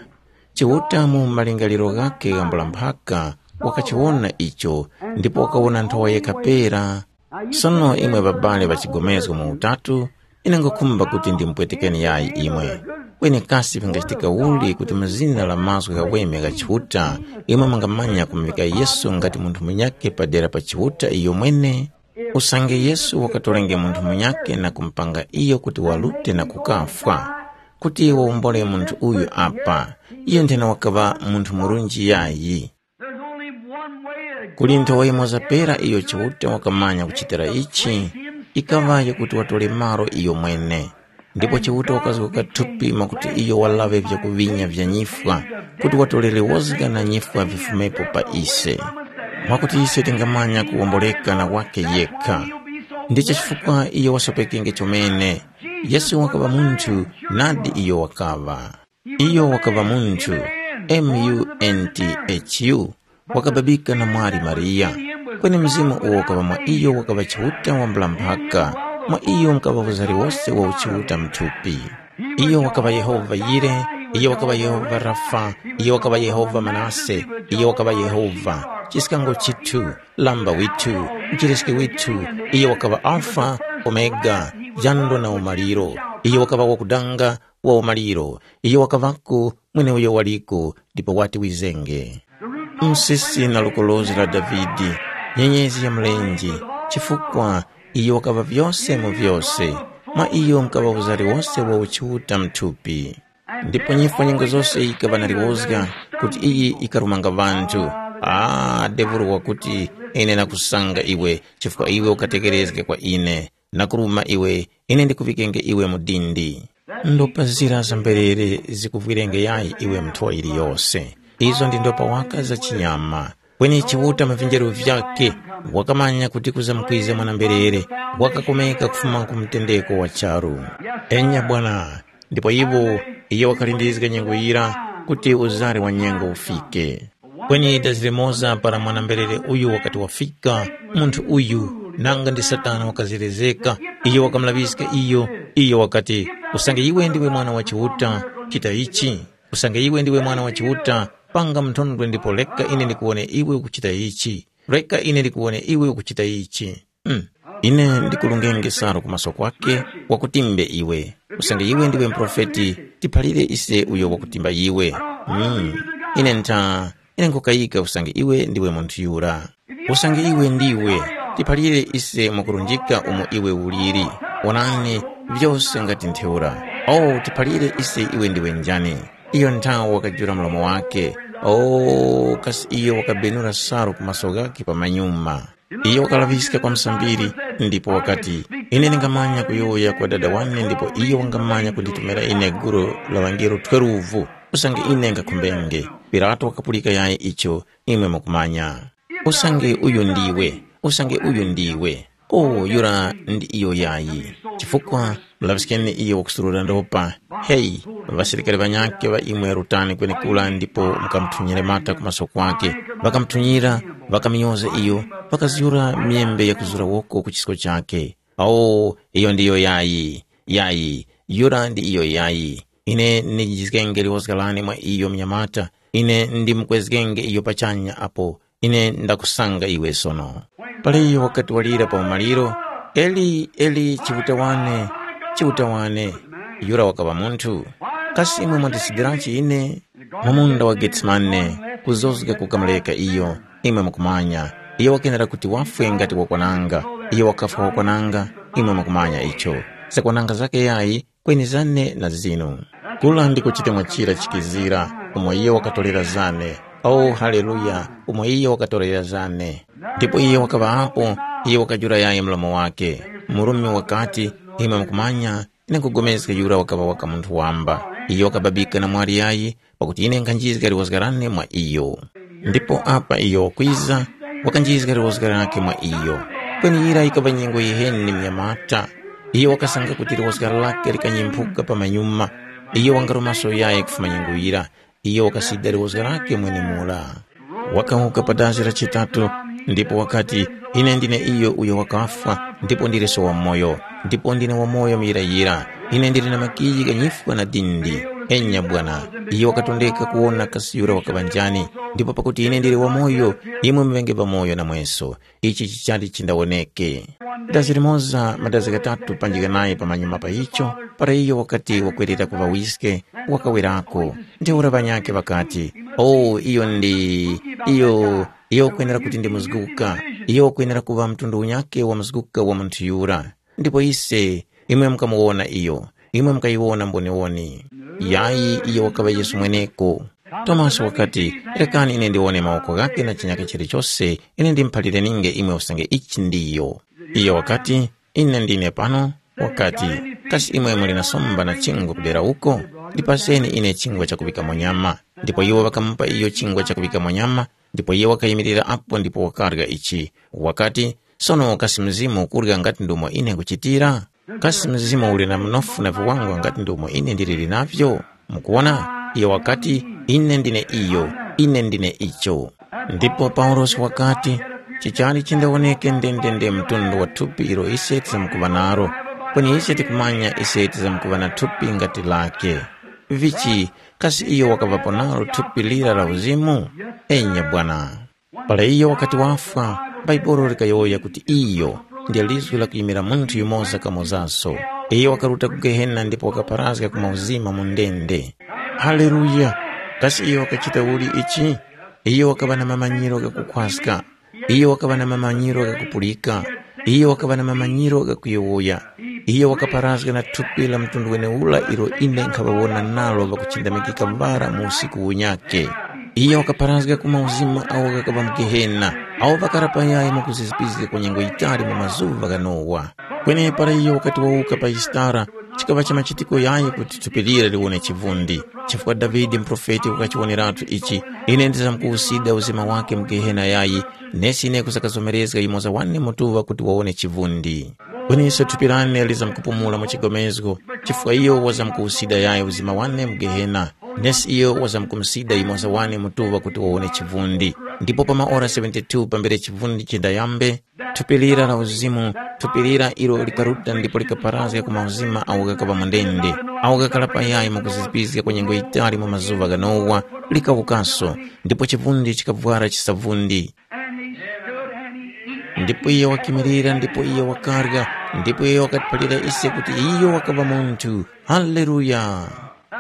Chiuta mu malingaliro ghakhe ghambula mphaka wakachiwona icho, ndipo wakawona nthowa yekha pera. Sono imwe ŵabale ŵa chigomezgo mu utatu, ine nkhukhumba kuti ndimupwetekeni yayi imwe. Kweni kasi vingachitika uli kuti mu zina la mazgu ghaweme gha Chiuta, imwe mungamanya kumuvika Yesu ngati munthu munyakhe padera pa Chiuta iyomwene? Usange Yesu wakatorenge munthu munyakhe na kumupanga iyo kuti walute na kukafwa, kuti wawombole munthu uyu apa, iyo nthena wakaŵa munthu murunji yayi. There's only one way to Kuli nthowa yimoza pera iyo Chiuta wakamanya kuchitira ichi, ikaŵa yakuti watole malo iyo mwene. Ndipo Chiuta wakazgoka thupi mwakuti iyo walaŵe vyakuŵinya vya nyifwa, kuti watolere wozga na nyifwa vifumepo pa ise. Mwakuti ise tingamanya kuwomboleka na wakhe yekha. Ndicho chifukwa iyo wasopekenge chomene. Yesu wakaŵa munthu, nadi iyo wakaŵa. Iyo wakaŵa munthu, M U N T H U, wakababika na mwali Mariya. Kweni mzimu uwo wakaŵa mwa iyo wakaŵa Chiuta wambula mphaka, mwa iyo mukaŵa uzari wose wa uchiuta mthupi. Iyo wakaŵa Yehova Yire, iyo wakaŵa Yehova Rafa, iyo wakaŵa Yehova Manase, iyo wakaŵa Yehova, chiskango chithu, lamba withu, mchiriski withu, iyo wakaŵa Alfa, Omega, jando na umaliro, iyo wakaŵa wakudanga, wa umaliro, iyo wakaŵako, mweneuyo waliko, ndipo wati wizenge. Msisi na lukolozi la Davide, nyenyezi ya mlenje, chifukwa iyo wakaŵa vyose mu vyose, mwa iyo mukaŵa uzari wose wa uchiuta mthupi. Ndipo nyifwa nyengo zose yikaŵa na liwozga, kuti iyi ikarumanga ŵanthu. Ah, Debulu wakuti, ine nakusanga iwe, chifukwa iwe ukatekerezge kwa ine. Nakuruma iwe, ine ndikuŵikenge iwe mu dindi. Ndopazira zamberere zikuvwirenge yayi iwe nthowa yiliyose. Izo ndi ndopa waka za chinyama. Kweni Chiuta mu vinjeru vyakhe wakamanya kuti kuzamkwiza mwana-mberere wakakomeka kufuma ku mtendeko wa charu. Enya bwana, ndipo iwo iyo wakalindizga nyengo yira kuti uzari wa nyengo ufike. Kweni dazi limoza para mwana-mberere uyu wakati wafika, munthu uyu, nanga ndi Satana wakazerezeka, iyo wakamulaŵiska iyo, iyo wakati, usange iwe ndiwe Mwana wa Chiuta, chita ichi. Usange iwe ndiwe Mwana wa Chiuta, panga mthondwe ndipo reka ine ndikuwone iwe ukuchita ichi. Reka ine ndikuwone iwe ukuchita ichi. Mm. Ine ndikulungenge salu ku maso kwake, wakutimbe iwe. Usange iwe ndiwe muprofeti, tiphalire ise uyo wakutimba iwe. Mm. Ine ntha, ine nkhukayika usange iwe ndiwe munthu yura. Usange iwe ndiwe, tiphalire ise mwakurunjika umo iwe uliri. Wonani, vyose ngati ntheura. O, tiphalire ise iwe ndiwe njani. Iyo nthawe wakajula mlomo wake. O, kasi iyo wakabenura salu ku maso ghakhe pamanyuma. Iyo wakalaŵiska kwa msambiri, ndipo wakati, ine ndingamanya kuyowoya kwa Dada wane ndipo iyo wangamanya kunditumira ine gulu la ŵangelo twelve, usange ine ngakhumbenge. Pilato wakapulika yayi icho imwe mukumanya. Usange uyu ndiwe, usange uyu ndiwe. O, yura ndi iyo yayi. Chifukwa mulaŵiskeni iyo wakusurura ndopa. Heyi, ŵasilikari ŵanyakhe ŵa imwe rutani kwenekura ndipo mukamuthunyire mata ku maso kwake. Ŵakamuthunyira, ŵakaminyoza iyo, ŵakazyura myembe yakuzura woko ku chisko chakhe. O, iyo ndiyo yayi, yayi, yura ndi iyo yayi. Ine ndinjizgenge liwozga lane mwa iyo mnyamata, ine ndimukwezgenge iyo pachanya apo ine ndakusanga iwe sono. Paleyo wakati walira pa umaliro, Eli, Eli, Chiuta wane, Chiuta wane. Yura wakaŵa munthu. Kasi imwe mwandisidiranji ine? Mu munda wa Getsemane, kuzozga kukamureka iyo, imwe mukumanya. Iyo wakenera kuti wafwe ngati wakwananga. Iyo wakafwa wakwananga, imwe mukumanya icho. Zakwananga zake yayi, kweni zane na zinu. Kula ndiko chitemwa chira chikizira, umo iyo wakatorera zane. O, haleluya, umo iyo wakatorera zane. Ndipo iyo wakaŵa apo, iyo wakajula yayi mlomo wake. Murumi wakati, imwe mukumanya, ine nkhupulikana yura wakaŵa waka munthu wamba. Iyo wakababika na mwali yayi, pakuti ine nkhanjizga liwozga lane mwa iyo. Ndipo apa iyo wakwiza, wakanjizga liwozga lakhe mwa iyo. Kweni yira yikaŵa nyengo yiheni munyamata. Iyo wakasanga kuti liwozga lakhe likanyemphuka pamanyuma. Iyo wangaruma soyayi kufuma nyengo yira. Iyo wakasida liwozga lakhe mwenemura. Wakawuka pa dazi la chitatu, ndipo wakati, ine ndine iyo uyo wakafwa, ndipo ndileso wamoyo, ndipo ndine wamoyo muyirayira. Ine ndili na makiyi gha nyifwa na dindi. Enya Bwana, iyo wakatondeka kuwona kasi yura wakaŵa njani, ndipo pakuti ine ndili wamoyo, imwe muŵenge pamoyo namweso. Ichi chichali chindawoneke. Dazi limoza madazi ghatatu panjika naye pamanyuma pa icho, para iyo wakati wakwerera ku ŵawiske, wakawerako. Ntheura ŵanyakhe ŵakati, “O, iyo ndi, iyo, iyo ukwenera kuti ndi muzguka. Iyo ukwenera kuŵa mtundu unyakhe wa muzguka wa munthu yura. Ndipo ise, imwe mukamuwona iyo, imwe mukayiwona mboniwoni.” Yayi, iyo wakaŵa Yesu mweneko. Tomasi wakati, “Rekani ine ndiwone mawoko ghakhe na chinyakhe chilichose, ine ndimuphalire ninge imwe usange ichi ndiyo.” Iyo wakati, “Ine ndine pano.” Wakati, “Kasi imwe muli na somba na chingwa kudera uko? Ndipaseni ine chingwa chakuŵikamo nyama.” Ndipo iwo ŵakamupa iyo chingwa chakuŵikamo nyama, ndipo iye wakayimirira apo ndipo wakarya ichi. Wakati, “Sono kasi mzimu ukurya ngati ndumo ine nkuchitira? Kasi mzimu uli na mnofu na viwangwa ngati ndumo ine ndiliri navyo? Mukuwona?” Iyo wakati, “Ine ndine iyo, ine ndine icho.” Ndipo Paulosi wakati, “Chichali chindawoneke ndendende mtundu wa thupi ilo ise tizamkuŵa nalo, kweni ise tikumanya ise tizamkuŵa na thupi ngati lakhe. Vichi, kasi iyo wakaŵapo nalo thupi lira la uzimu? Enya bwana.” Para iyo wakati wafwa, Bhaibuli likayowoya kuti iyo ndiyo lizgu lakuyimira munthu yumoza kamozaso. Iyo wakaruta ku Gehena ndipo wakapharazga ku mauzima mu ndende. Haleluya! Kasi iyo wakachita uli ichi? Iyo wakaŵa na mamanyiro ghakukhwaska. Iyo wakaŵa na mamanyiro ghakupulika. Iyo wakaŵa na mamanyiro ghakuyowoya. Iyo wakapharazga na thupi la mtundu weneura ilo ine nkhaŵawona nalo ŵakuchindamikika mbara mu usiku unyakhe. Iyo wakapharazga ku mauzima agho ghakaŵa mu Gehena, agho ŵakarapa yayi mwakuzizipizga kwa nyengo yitali mu mazuŵa gha Nowa. Kweni para iyo wakati wawuka pa Yisitara, Chikaŵa cha machitiko yayi kuti thupi lira liwone chivundi, chifukwa Davide muprofeti wakachiwoneratu ichi, ine ndizamkuwusida uzima wake mu Gehena yayi, nesi ine kusakazomerezga yumoza wane mutuŵa kuti wawone chivundi. Kweninso thupi lane lizamkupumula mu chigomezgo, chifukwa iyo wazamkuwusida yayi uzima wane mu Gehena, nesi iyo wazamkumusida yumoza wane mutuŵa kuti wawone chivundi. Ndipo pa maora seventy-two pambere chivundi chindayambe, thupi lira la uzimu, thupi lira ilo likaruta ndipo likaparazga ku mauzima awo ghakaŵa mu ndende, awo ghakhala payayi mukuzizipizga kwa nyengo yitali mu mazuŵa gha Nowa, likawukaso, ndipo chivundi chikavwara chisavundi. Ndipo iyo wakimirira ndipo iyo wakarya, ndipo iyo wakatiphalira ise kuti iyo wakaŵa munthu. Haleluya!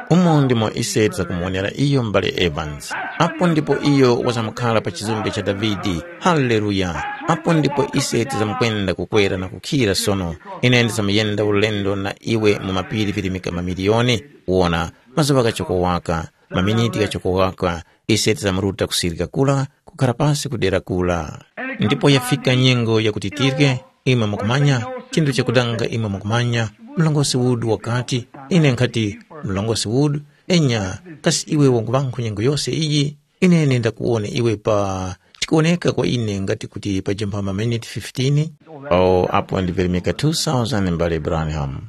Umo ndimo ise tizakumonera iyo m'bale Evans. Apo ndipo iyo wazamkhala pa chizumbe cha Davide. Haleluya! Apo ndipo ise tizamukwenda kukwera na kukhira sono. Ine ndizamuyenda ulendo na iwe mu mapiri virimika mamiliyoni. Wona, mazuŵa ghachoko waka, maminiti ghachoko waka, ise tizamuruta kusirika kura kukhara pasi ku dera kura. Ndipo yafika nyengo yakuti tirye, imwe mukumanya, chinthu chakudanga imwe mukumanya, mlongosi Wood wakati, ine nkhati, mlongosi Wood, enya, kasi iwe wanguŵankhu nyengo yose iyi? Ine nenda kuwone iwe pa, chikuwoneka kwa ine ngati kuti pajemphama minute fifteen. Oh, apo ndivelemeka two thousand mbale Branham.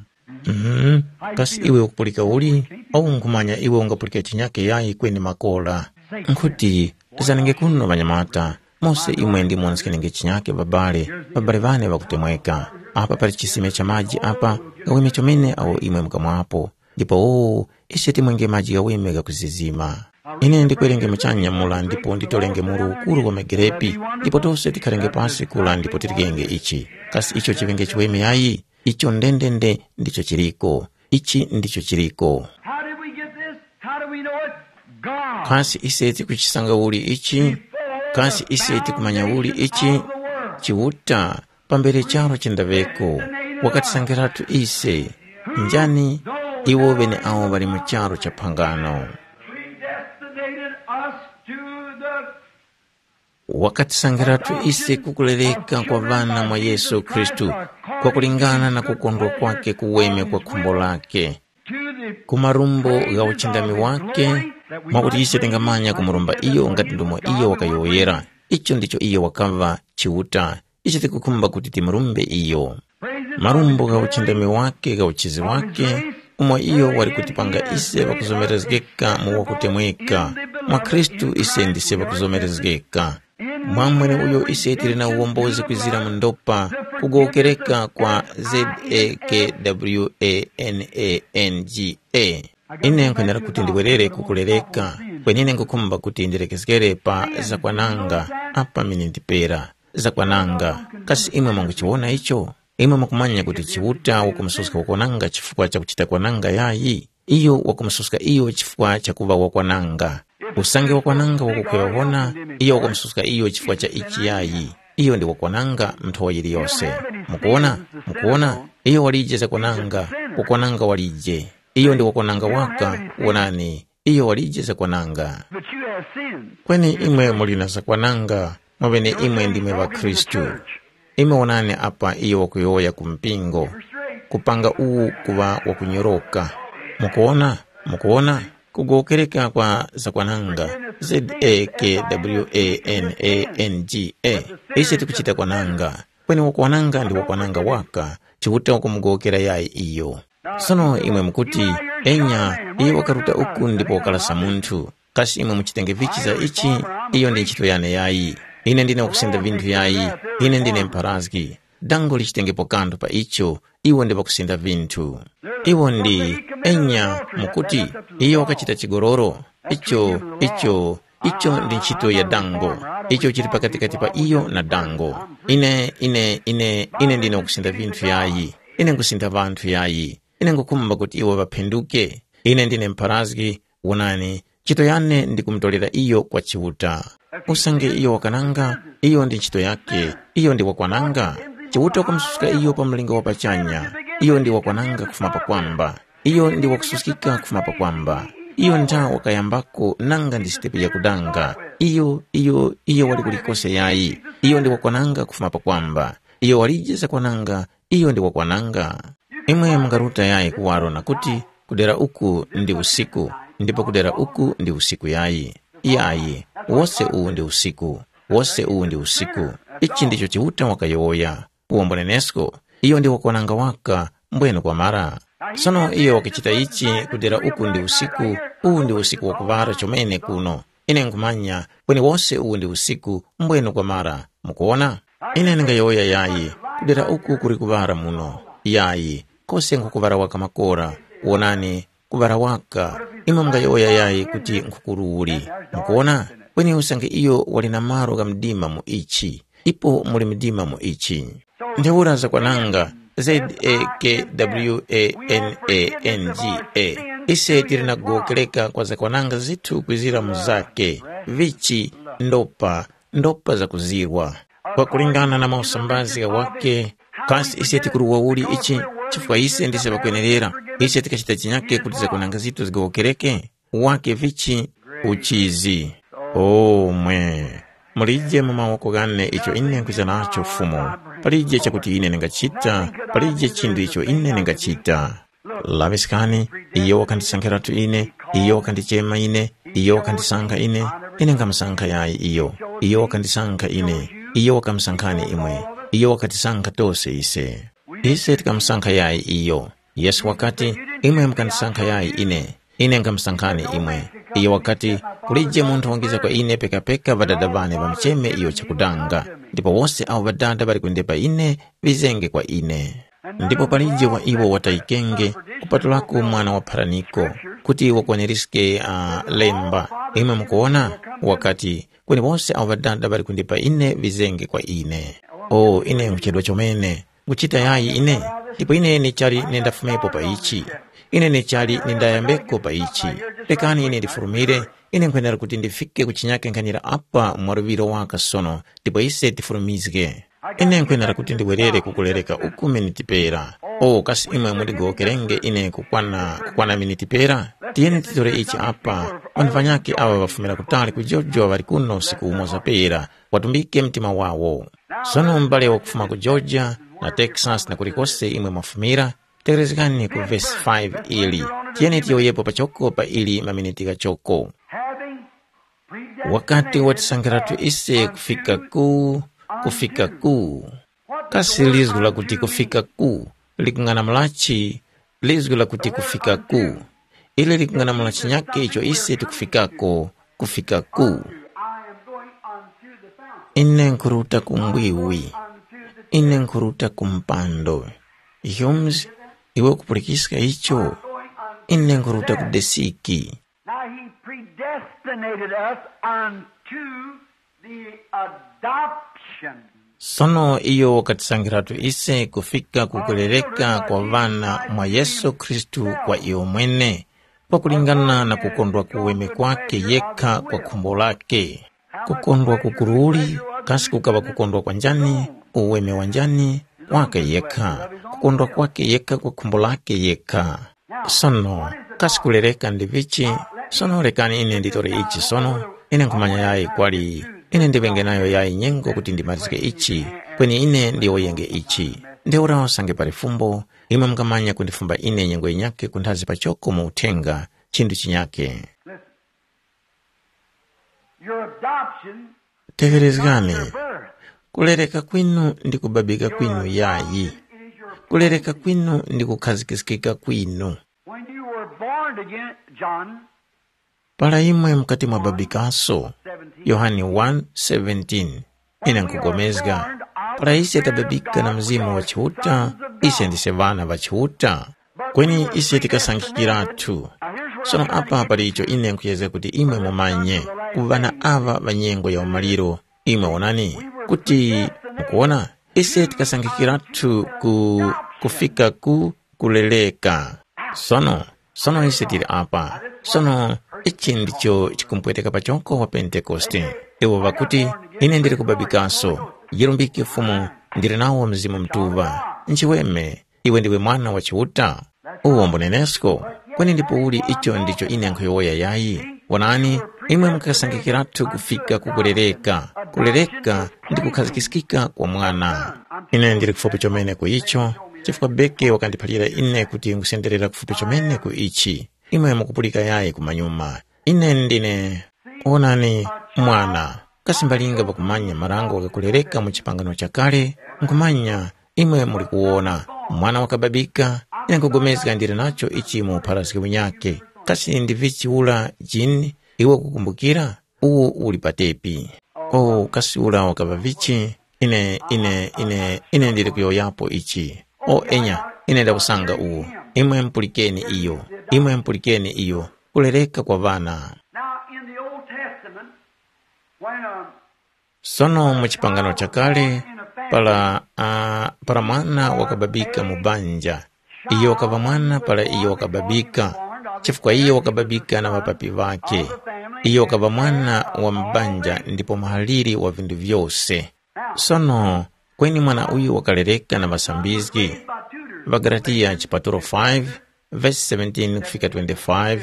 Mhm. Kasi iwe ukupulika uli? Au nkhumanya iwe ungapulika chinyake yayi kweni makora. Nkhuti, zanenge kuno ŵanyamata, mose imwe ndi munskenge chinyake ŵabale, ŵabale ŵane ŵakutemweka. Apa pali chisime cha maji apa, ghaweme chomene awo imwe mukamwapo. Ndipo oo, ise timwenge maji ghaweme ghakuzizima. Ine ndikwerenge muchanya mura ndipo nditorenge muru ukuru wa magerepi, ndipo tose tikharenge pasi kura ndipo tiryenge ichi. Kasi icho chiŵenge chiweme yayi? Icho ndendende ndicho chiriko. Ichi ndicho chiriko. How did we get this? How do we know it? God. Kasi ise tikuchisanga uli ichi? Kasi ise tikumanya uli ichi? Chiuta, pambere charo chindaŵeko, wakatisangiratu ise. Njani? Iwo ŵeneawo ŵali mu charo cha phangano. Predestinated us to the Wakatisangiratu ise kukulereka kwa ŵana mwa Yesu Khristu, kwakulingana na kukondwa kwake kuweme kwa khumbo lake, ku marumbo gha uchindami wake, mwakuti ise tingamanya kumurumba iyo ngati ndomo iyo wakayowoyera. Icho ndicho iyo wakaŵa Chiuta, ise tikukhumba kuti timurumbe iyo. Marumbo gha uchindami wake gha uchizi wake, umo iyo wali kutipanga ise ŵakuzomerezgeka mu wakutemweka. Mwa Khristu ise ndise ŵakuzomerezgeka. Mwa mweneuyo ise tili na uwombozi kwizira mu ndopa, kugowokereka kwa Z A K W A N A N G A. Ine nkhwenera kuti ndiwerere kukulereka, kwenine nkhukhumba kuti ndilekezgere pa zakwananga apa mine ndipera. Zakwananga. Kasi imwe mwanguchiwona icho? Imwe mukumanya kuti Chiuta wakumususka wakwananga chifukwa cha kuchita kwananga yayi? Iyo wakumususka iyo chifukwa cha kuŵa wakwananga. Usange wakwananga wakukhweŵa wona, iyo wakumususka iyo chifukwa cha ichi yayi. Iyo ndi wakwananga nthowa yiliyose. Mukuwona? Mukuwona? Iyo walije zakwananga, wakwananga walije. Iyo ndi wakwananga waka, wonani, iyo walije zakwananga. But you have sins. Kweni imwe muli na zakwananga, mwaŵene imwe ndimwe ŵakhristu. Imwe wonani apa iyo wakuyowoya ku mpingo, kupanga uwu kuŵa wakunyoroka. Mukuwona? Mukuwona? Kugowokereka kwa zakwananga, Z A K W A N A N G A. Ise tikuchita kwananga, kweni wakwananga ndi wakwananga waka, Chiuta wakumugowokera yayi iyo. Sono imwe mukuti, enya, iyo wakaruta uku ndipo wakalasa munthu. Kasi imwe muchitenge vichi za ichi? Iyo ndi ntchito yane yayi. Ine ndine wakusenda vinthu yayi. Ine ndine mpharazgi. Dango lichitengepo kanthu pa icho. Iwo ndi ŵakusenda vinthu. Iwo ndi, enya, mukuti, iyo wakachita chigololo. Icho, icho, icho ndi ntchito ya dango. Icho chili pakatikati pa iyo na dango. Ine, ine, ine, ine ndine wakusenda vinthu yayi. Ine nkusintha vanthu yayi. Ine ngukhumba kuti iwo ŵaphinduke. Ine ndine mpharazgi, wonani, ntchito yane ndi kumutolera iyo kwa Chiuta. Usange iyo wakananga, iyo ndi ntchito yake, iyo ndi wakwananga. Chiuta wakamususka iyo pa mlinga wa pachanya, iyo ndi wakwananga kufuma pakwamba. Iyo ndi wakususkika kufuma pakwamba. Iyo ntha wakayambako nanga ndi sitepe yakudanga. Iyo, iyo, iyo wali kulikose yayi. Iyo ndi wakwananga kufuma pakwamba. Iyo walije zakwananga, iyo ndi wakwananga. Imwe mungaruta yayi kuwaro na kuti, kudera uku ndi usiku, ndipo kudera uku ndi usiku yayi. Yayi, wose uwu ndi usiku, wose uwu ndi usiku. Ichi ndicho Chiuta wakayowoya. Uwo mbunenesko, iyo ndi wakwananga waka, mbwenu kwamara. Sono iyo wakuchita ichi kudera uku ndi usiku, uwu ndi usiku wakuŵara chomene kuno. Ine nkhumanya kweni wose uwu ndi usiku, mbwenu kwamara. Mukuwona? Ine ndingayowoya yayi, kudera uku kuli kuŵara muno. Yayi, kose nkhukuŵara waka makora. Wonani, kuŵara waka. Imwe mungayowoya yayi kuti nkhukuru uli. Mukuwona? Kweni usange iyo wali na malo gha mdima mu ichi, ipo muli mdima mu ichi. Ntheura zakwananga, Z A K W A N A N G A. Ise tili na kugowokereka kwa zakwananga zithu kwizira mu zake, vichi, ndopa, ndopa zakuzirwa. Kwakulingana na mausambazi ghawake, kasi ise tikuruwa uli ichi? Chifukwa ise ndise ŵakwenerera, ise tikachita chinyake kuti zakwananga zithu zigowokereke? Wake vichi? Uchizi. Omwe. Mulije mu mawoko ghane icho ine nkwiza nacho Fumu. Palije chakuti ine ndingachita, palije chinthu icho ine ndingachita. Laŵiskani, iyo wakandisankhiratu ine, iyo wakandichema ine, iyo wakandisankha ine, ine nkamusankha yayi iyo, iyo wakandisankha ine, iyo wakamusankhani imwe, iyo wakatisankha tose ise. Ise tikamusankha yayi iyo. Yesu wakati, imwe mukandisankha yayi ine, ine nkhamusankhani imwe. Iyo wakati, kulije munthu wangiza kwa ine pekapeka Ŵadada ŵane ŵamucheme iyo chakudanga, ndipo wose awo Ŵadada ŵali kundepa ine, ŵizenge kwa ine. Ndipo palije wa iwo watayikenge, kupatulako mwana wa pharaniko, kuti wakwaniriske uh, lemba. Imwe mukuwona? Wakati, kweni wose awo Ŵadada ŵali kundipa ine ŵizenge kwa ine. O ine nkuchedwa chomene, nkuchita yayi ine? Ndipo ine nechali nendafumepo pa ichi. Ine nechali nendayambeko pa ichi. Rekani ine ndifurumire, ine nkhwenera kuti ndifike ku chinyake nkhanira apa mwa luŵiro waka sono, ndipo ise tifurumizge. Ine nkhwenera kuti ndiwerere kukulereka uku miniti pera. O kasi imwe mundigowokerenge ine kukwana kukwana miniti pera? Tiyeni titore ichi apa. Ŵanthu ŵanyakhe aŵa ŵafumira kutali ku Georgia ŵali kuno usiku umoza pera, watumbike mtima wawo. Sono m'bale wakufuma ku Georgia na Texas na kulikose imwe mwafumira, tegherezgani ku vesi five ili. Tiyeni tiyowoyepo pachoko pa ili maminiti ghachoko. Having wakati predestinated watisankhiratu us ise kufika unto ku kufika ku what kasi does lizgu lakuti unto kufika mean? Ku likung'anamulachi? Lizgu lakuti kufika ku ili likung'anamula chinyake icho ise tikufikako. Kufika ku I am going unto the fountain. Ine nkhuruta ku mbwiwi. Unto the ine nkhuruta ku mpando. Hums, iwe ukupulikiska icho? Ine nkhuruta ku desiki. Now he predestinated us unto the adoption. Sono iyo wakatisankhiratu ise kufika ku kulereka kwa ŵana mwa Yesu Khristu kwa iyo mwene, pakulingana na kukondwa kuweme kwake yekha kwa khumbo lake. Kukondwa kukuruli, kasi kukaŵa kukondwa kwa njani, uweme wa njani? Wake yekha. Kukondwa kwake yekha kwa khumbo lake yekha. Sono, kasi kulereka ndi vichi? Sono rekani ine nditore ichi sono. Ine nkhumanya yayi kwali ine ndiŵenge nayo yayi nyengo kuti ndimalizike ichi, kweni ine ndiyowoyenge ichi. Ntheura usange pali fumbo, imwe mungamanya kundifumba ine nyengo yinyakhe kunthazi pachoko mu uthenga, chinthu chinyakhe. Your adoption, tegherezgani, your birth. Kulereka kwinu ndi kubabika kwinu yayi. Kulereka kwinu ndi kukhazikiskika kwinu. When you were born again, John, para imwe mukati mwababikaso, Yohane one seventeen. Ine nkugomezga, para ise tababika na Mzimu wa Chiuta, ise ndise ŵana ŵa Chiuta. Kweni ise tikasankhikiratu. Sono apa pali icho ine nkhuyezga kuti imwe mumanye, ku ŵana aŵa ŵa nyengo ya umaliro, imwe wonani, kuti mukuwona, ise tikasankhikiratu ku kufika ku kuleleka. Sono, sono ise tili apa. Sono, ichi ndicho chikumpweteka pachoko wa Pentekoste. Iwo ŵakuti, ine ndili kubabikaso. Yilumbike Fumu, ndili nawo Mzimu Mutuŵa. Nchiweme, iwe ndiwe mwana wa Chiuta. Uwo mbunenesko. Kweni ndipo uli icho ndicho ine nkhuyowoya yayi? Wonani, imwe mukasangikiratu kufika ku kulereka. Kulereka ndi kukhazikiskika kwa mwana. Ine ndili kufupi chomene ku icho. chifukwa Beke wakandiphalira ine kuti ngusenderera kufupi chomene ku ichi. Imwe mukupulika yayi kumanyuma. Ine ndine, wonani, mwana. Kasi mbalinga pakumanya marango ghakulereka mu chipangano chakale, nkhumanya imwe muli kuwona, mwana wakababika, ine nkhupulikana ndili nacho ichi mu upharaske unyakhe. Kasi ndi vichi ula Jini, iwe ukukumbukira? Uwu uli pa tepi. O, kasi ula wakaŵa vichi? Ine, ine, ine, ine ndili kuyowoyapo ichi. O, enya, ine ndakusanga uwu. Imwe mpulikeni iyo. Imwe mpulikeni iyo. Kulereka kwa ŵana. Now, in the Old Testament, when a Sono mu chipangano chakale, para, uh, para mwana wakababika mu banja, iyo wakaŵa mwana para iyo wakababika, chifukwa iyo wakababika na ŵapapi ŵakhe. Iyo wakaŵa mwana wa m'banja ndipo muhaliri wa vinthu vyose. Sono, kweni mwana uyu wakalereka na ŵasambizgi. Ŵagalatiya chipatulo five, vesi seventeen kufika twenty-five,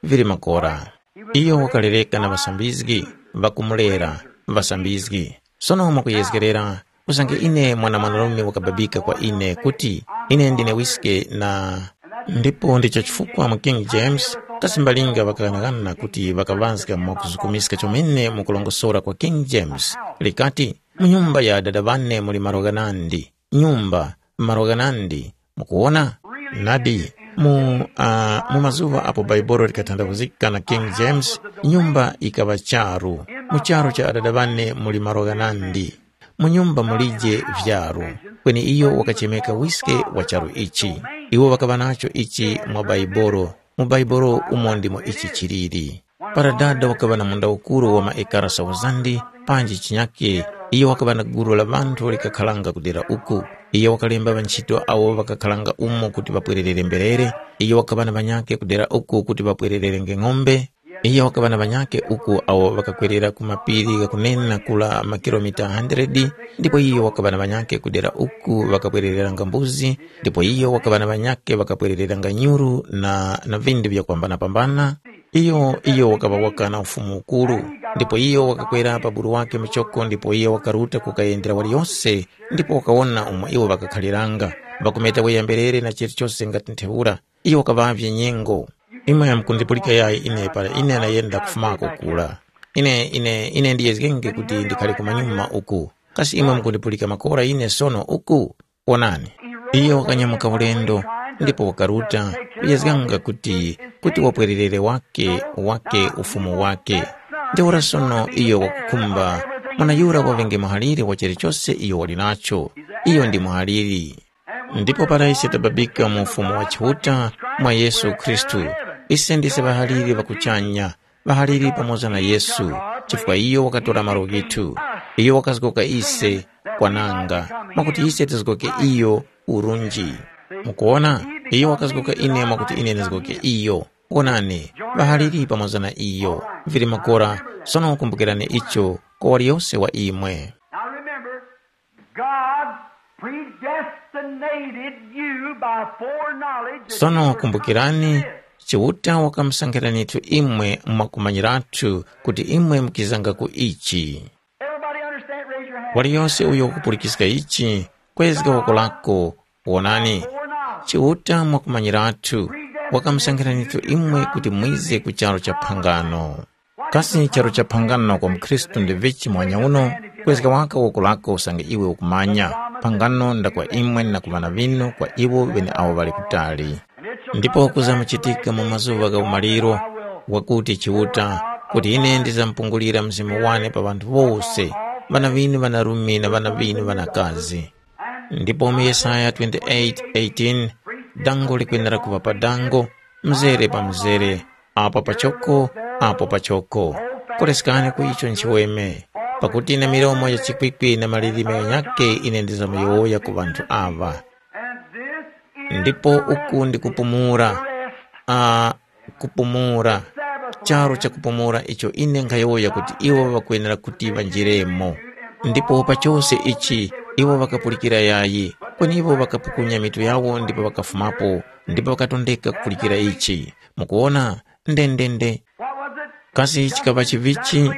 vili makora. Iyo wakalereka na ŵasambizgi, ŵakumulera, ŵasambizgi. Sono mwakuyezgerera, usange ine mwana mwanarume wakababika kwa ine kuti, ine ndine wiske na. Ndipo ndicho chifukwa mu King James, kasi mbalinga ŵakaghanaghana kuti ŵakaŵazga mwakuzukumiska chomene mu kulongosora kwa King James, likati, mu nyumba ya Adada ŵane muli malo ghanandi, nyumba, malo ghanandi. Mukuwona? Nadi, mu, uh, mu mazuŵa apo Bhaibuli likathandazgika na King James, nyumba yikaŵa charu. Mu charu cha Adada ŵane muli malo ghanandi. Mu nyumba mulije vyaru, kweni iyo wakachemeka wiske wa charu ichi. Iwo ŵakaŵa nacho ichi mwa Bhaibuli. Mu Bhaibuli umo ndimo ichi chiliri. Para dada wakaŵa na munda ukuru wa maekara sauzandi, panji chinyake, iyo wakaŵa na gulu la ŵanthu likakharanga ku dera uku. Iyo wakalemba ŵanchito awo ŵakakharanga umo kuti ŵapwererere mberere. Iyo wakaŵa na ŵanyakhe ku dera uku kuti ŵapwererenge ng'ombe. Iyo wakaŵa na ŵanyakhe uku awo ŵakakwerera ku mapiri ghakunena kula makilomita hundred, ndipo iyo wakaŵa na ŵanyakhe ku dera uku ŵakapwerereranga mbuzi, ndipo iyo wakaŵa na ŵanyakhe ŵakapwerereranga nyuru na, na vinthu vyakwambana-pambana. Iyo, iyo wakaŵa waka na ufumu ukuru, ndipo iyo wakakwera pa buru wakhe muchoko ndipo iyo wakaruta kukayendera waliyose ndipo wakawona umo iwo ŵakakhaliranga, ŵakumeta weyamberere na chilichose ngati ntheura. Iyo wakaŵavye nyengo. Imwe mukundipulika yayi ine para ine nayenda kufumako kura. Ine, ine, ine ndiyezgenge kuti ndikhale kumanyuma uku. Kasi imwe mukundipulika makora ine sono uku? Wonani, iyo wakanyamuka ulendo, ndipo wakaruta, kuyezganga kuti, kuti wapwererere wake, wake ufumu wake. Ntheura sono iyo wakukhumba mwana yura waŵenge muhaliri wa chilichose iyo wali nacho. Iyo ndi muhaliri. Ndipo para ise tababika mu Ufumu wa Chiuta mwa Yesu Khristu, ise ndise ŵahaliri ŵa kuchanya, ŵahaliri pamoza na Yesu, chifukwa iyo wakatora malo ghithu. Iyo wakazgoka ise kwananga, mwakuti ise tizgoke iyo urunji. Mukuwona? Iyo wakazgoka ine mwakuti ine ndizgoke iyo. Wonani, ŵahaliri pamoza na iyo. Vili makora, sono kumbukirani icho kwa waliyose wa imwe. Now remember, God predestinated you by foreknowledge that Sono you were kumbukirani, Chiuta wakamusankhiranitu imwe mwakumanyirathu kuti imwe mukizanga ku ichi. Everybody understand? Raise your hand. Waliyose uyo ukupulikiska ichi, kwezga woko lako, wonani. Foreknowledge. Chiuta mwakumanyirathu, wakamusankhiranitu imwe kuti mwize ku charu cha phangano. Kasi charu cha phangano kwa mkhristu ndi vichi mwanya uno? Kwezga waka woko lako usange iwe ukumanya. Phangano nda kwa imwe na ku ŵana ŵinu, kwa iwo ŵeneawo ŵali kutali. Ndipo kuzamuchitika mu mazuŵa gha umaliro, wakuti Chiuta, kuti ine ndizamupungulira Mzimu wane pa ŵanthu wose, ŵana ŵinu ŵanarume na ŵana ŵinu ŵanakazi. Ndipo mu Yesaya twenty-eight eighteen, dango likwenera kuŵa pa dango, mzere pa mzere, apo pachoko, apo pachoko. Koleskani ku icho nchiweme, pakuti na milomo ya chikwikwi na malilime ghanyakhe ine ndizamuyowoya ku ŵanthu aŵa. Ndipo uku ndi kupumula, a kupumula, charu cha kupumula icho ine nkhayowoya kuti iwo ŵakwenera kuti ŵanjiremo. Ndipo pa chose ichi iwo ŵakapulikira yayi, kweni iwo ŵakapukunya mitu yawo ndipo ŵakafumapo, ndipo ŵakatondeka kupulikira ichi. Mukuwona? Ndendende. Kasi chikaŵa chivichi?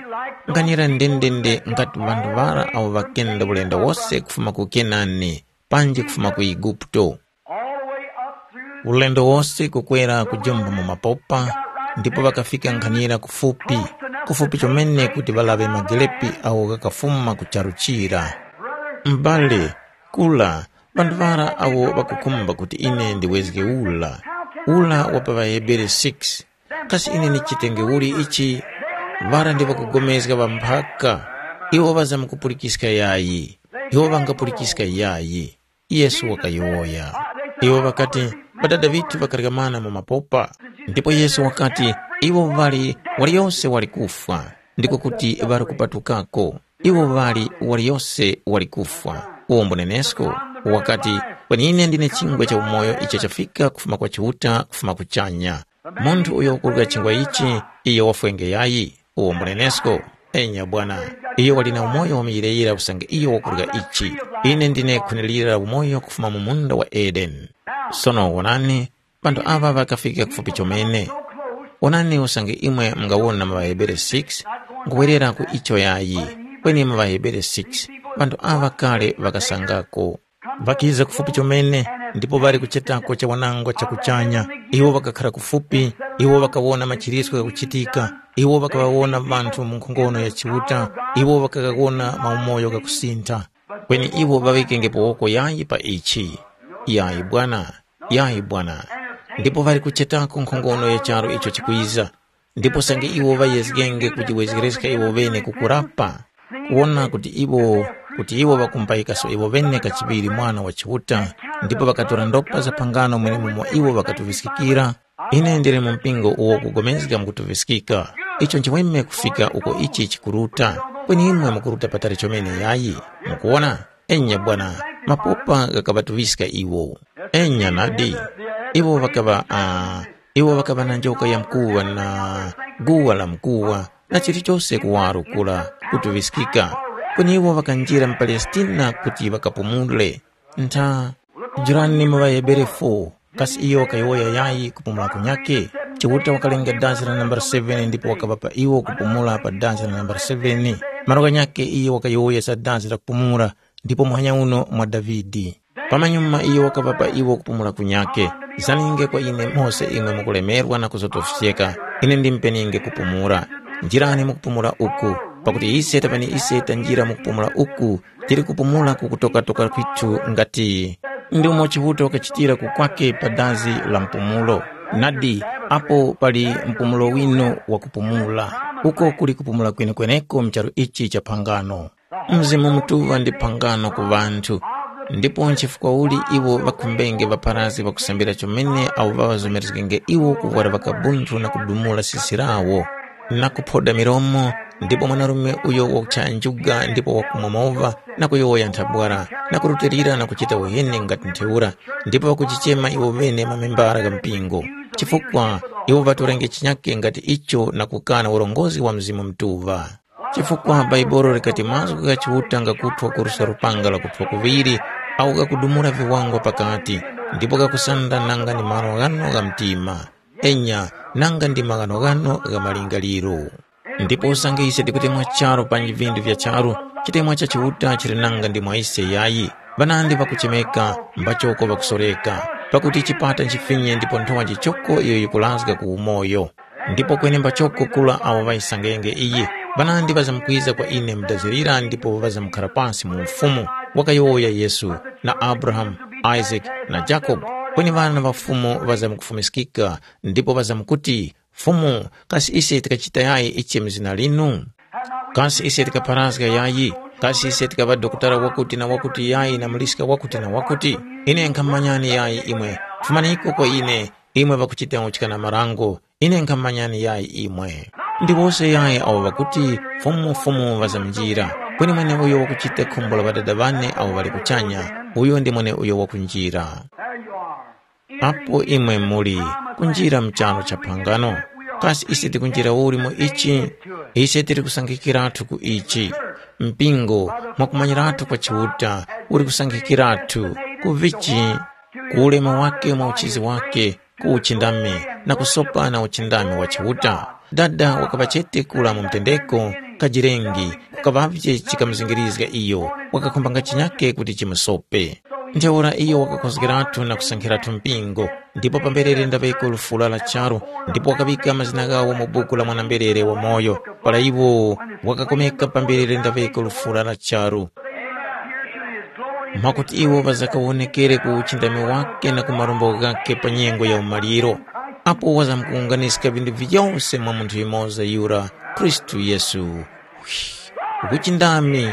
Nganira ndendende ngati ŵanthu ŵara awo ŵakenda ulendo wose kufuma ku Kenani, panji kufuma ku Eguputo. All the way up through ulendo wose kukwera kujumba mu mapopa, ndipo ŵakafika nkhanira kufupi, kufupi chomene kuti ŵalaŵe magelepi agho ghakafuma ku charu chira. M'bale, kula, ŵanthu ŵara awo ŵakukhumba kuti ine ndiwezge ula, ula wa pa ŵaHebere six, kasi ine ndichitenge uli ichi? Ŵara ndi ŵakugomezga ŵamphaka, iwo ŵazamkupulikiska yayi, iwo ŵangapulikiska yayi. Yesu wakayowoya. Iwo ŵakati, “Ŵadada ŵithu ŵakaryamana mu mapopa.” Ndipo Yesu wakati, “Iwo ŵali, waliyose wali kufwa, ndiko kuti ŵali kupatukako. Iwo ŵali, waliyose wali kufwa.” Uwo mbunenesko wakati, “Kweni ine ndine chingwa cha umoyo icho chafika kufuma kwa Chiuta, kufuma kuchanya. Munthu uyo wakurya chingwa ichi, iyo wafwenge yayi?” Uwo mbunenesko, enya bwana, iyo wali na umoyo wa muyirayira usange iyo wakurya ichi. Ine ndine khwenelira la umoyo kufuma mu munda wa Edeni. Sono wonani, panthu apa ŵakafika kufupi chomene. Wonani usange imwe mungawona mu ŵaHebere six, nkhuwerera ku icho yayi, kweni mu ŵaHebere six, panthu apa kale ŵakasangako. Ŵakiza kufupi chomene, ndipo ŵali kuchetako cha wanangwa cha kuchanya. Iwo ŵakakhara kufupi, iwo ŵakawona machiritso ghakuchitika, iwo ŵakaŵawona ŵanthu mu nkhongono ya Chiuta, iwo ŵakaghawona maumoyo ghakusintha. Kweni iwo ŵaŵikengepo woko yayi pa ichi. Yayi bwana, yayi bwana. Ndipo ŵali kuchetako nkhongono ya charu icho chikwiza. Ndipo usange iwo ŵayezgenge kujiwezgereska iwo ŵene kukurapa, kuwona kuti iwo, kuti iwo ŵakumupayikaso iwo ŵene kachiŵiri Mwana wa Chiuta, ndipo ŵakatora ndopa za phangano mwenemumo iwo ŵakatuŵiskikira, ine ndili mu mpingo uwo ukugomezga mukutuŵiskika. Icho nchiweme kufika uko ichi chikuruta, kweni imwe mukuruta patali chomene yayi. Mukuwona? Enya bwana, mapopa ghakaŵatuŵiska iwo. Enya nadi, iwo ŵakaŵa, ah, iwo ŵakaŵa na njoka ya mkuwa na guwa la mkuwa na chilichose kuwaro kura kutuŵiskika. Kweni iwo ŵakanjira mu Palestina kuti ŵakapumule. Ntha, njirani mu ŵaHebere four, kasi iyo wakayowoya yayi kupumula kunyakhe? Chiuta wakalenga dazi la nambala seven ndipo wakaŵapa iwo kupumula pa dazi la nambala seven. Malo ghanyakhe iyo wakayowoya za dazi la kupumula, ndipo muhanya uno mwa Davide. Pamanyuma iyo wakaŵapa iwo kupumula kunyakhe. Zaninge kwa ine mose imwe mukulemerwa na kuzotofyeka, ine ndimpeninge kupumula. Njirani mu kupumula uku, pakuti ise tapani ise tanjira mu kupumula uku, tili kupumula ku kutokatoka kwithu ngati ndi umo Chiuta wakachitira kukwake pa dazi la mpumulo. Nadi, apo pali mpumulo winu wa kupumula, uko kuli kupumula kwenekweneko mu charu ichi cha phangano. Mzimu Mutuŵa ndi phangano ku ŵanthu, ndipo nchifukwa uli iwo ŵakhumbenge ŵapharazgi ŵakusambira chomene awo ŵaŵazomerezgenge iwo kuvwara ŵakabunthu na kudumula sisi lawo, na kuphoda milomo, ndipo mwanarume uyo wakuchanjuga ndipo wakumwa mova na kuyowoya nthabwara, na kurutilira na kuchita uheni ngati ntheura, ndipo ŵakujichema iwo ŵene mamembara gha mpingo, chifukwa iwo ŵatorenge chinyake ngati icho na kukana urongozi wa Mzimu Mutuŵa. Chifukwa Bhaibuli likati mazgu gha Chiuta ngakuthwa kuruska lupanga lakuthwa kuŵiri, awo ghakudumula viwangwa pakati, ndipo ghakusanda nanga ndi maghanoghano gha mtima, enya, nanga ndi maghanoghano gha malingaliro. Ndipo usange ise tikutemwa charu panji vindu vya charu, chitemwa cha Chiuta chili nanga ndi mwa ise yayi. Ŵanandi ŵakuchemeka, mbachoko ŵakusoreka, pakuti chipata nchifinye ndipo nthowa nchichoko iyo yikulazga ku umoyo. Ndipo kweni mbachoko kura awo ŵayisangenge iyi, ŵanandi ŵazamkwiza kwa ine mudazirira ndipo ŵazamkhara pasi mu Ufumu, wakayowoya Yesu, na Abrahamu, Isake na Jakobe. Kweni ŵana ŵa Fumu ŵazamkufumiskika ndipo ŵazamkuti, “Fumu, kasi ise tikachita yayi ichi mu zina linu? Kasi ise tikapharazga yayi? Kasi ise tikaŵa dokotala wakuti na wakuti yayi na muliska wakuti na wakuti? Ine nkhamumanyani yayi imwe. Fumaniko kwa ine, imwe ŵakuchita uchikana marango, ine nkhamumanyani yayi imwe.” Ndi wose yayi awo ŵakuti, “Fumu, Fumu,” ŵazamjira, kweni mweneuyo wakuchita khumbo la Ŵadada ŵane awo ŵali kuchanya, uyo ndi mweneuyo wakunjira. Apo imwe muli kunjira mu charu cha phangano, kasi ise tikunjira uli mu ichi? Ise tili kusankhikiratu ku ichi. Mpingo, mwakumanyirathu kwa Chiuta, uli kusankhikiratu ku vichi? Ku ulemu wake mwa uchizi wake, ku uchindami, na kusopa na uchindami wa Chiuta. Dada wakaŵa chete kula mu mtendeko, kajirengi, kukaŵavye chikamuzingirizga iyo, wakakhumbanga chinyake kuti chimusope. Ntheura iyo wakakhozgeratu na kusankhiratu mpingo, ndipo pamberere ndaŵeko lufula la charu, ndipo wakaŵika mazina ghawo mu buku la mwana-mberere wamoyo. Para iwo wakakomeka pamberere ndaŵeko lufula la charu. Mwakuti iwo ŵazakawonekere ku uchindami wake na ku marumbo ghakhe pa nyengo ya umaliro, apo wazamkuwunganiska vinthu vyose mwa munthu yumoza yura, Khristu Yesu. Uchindami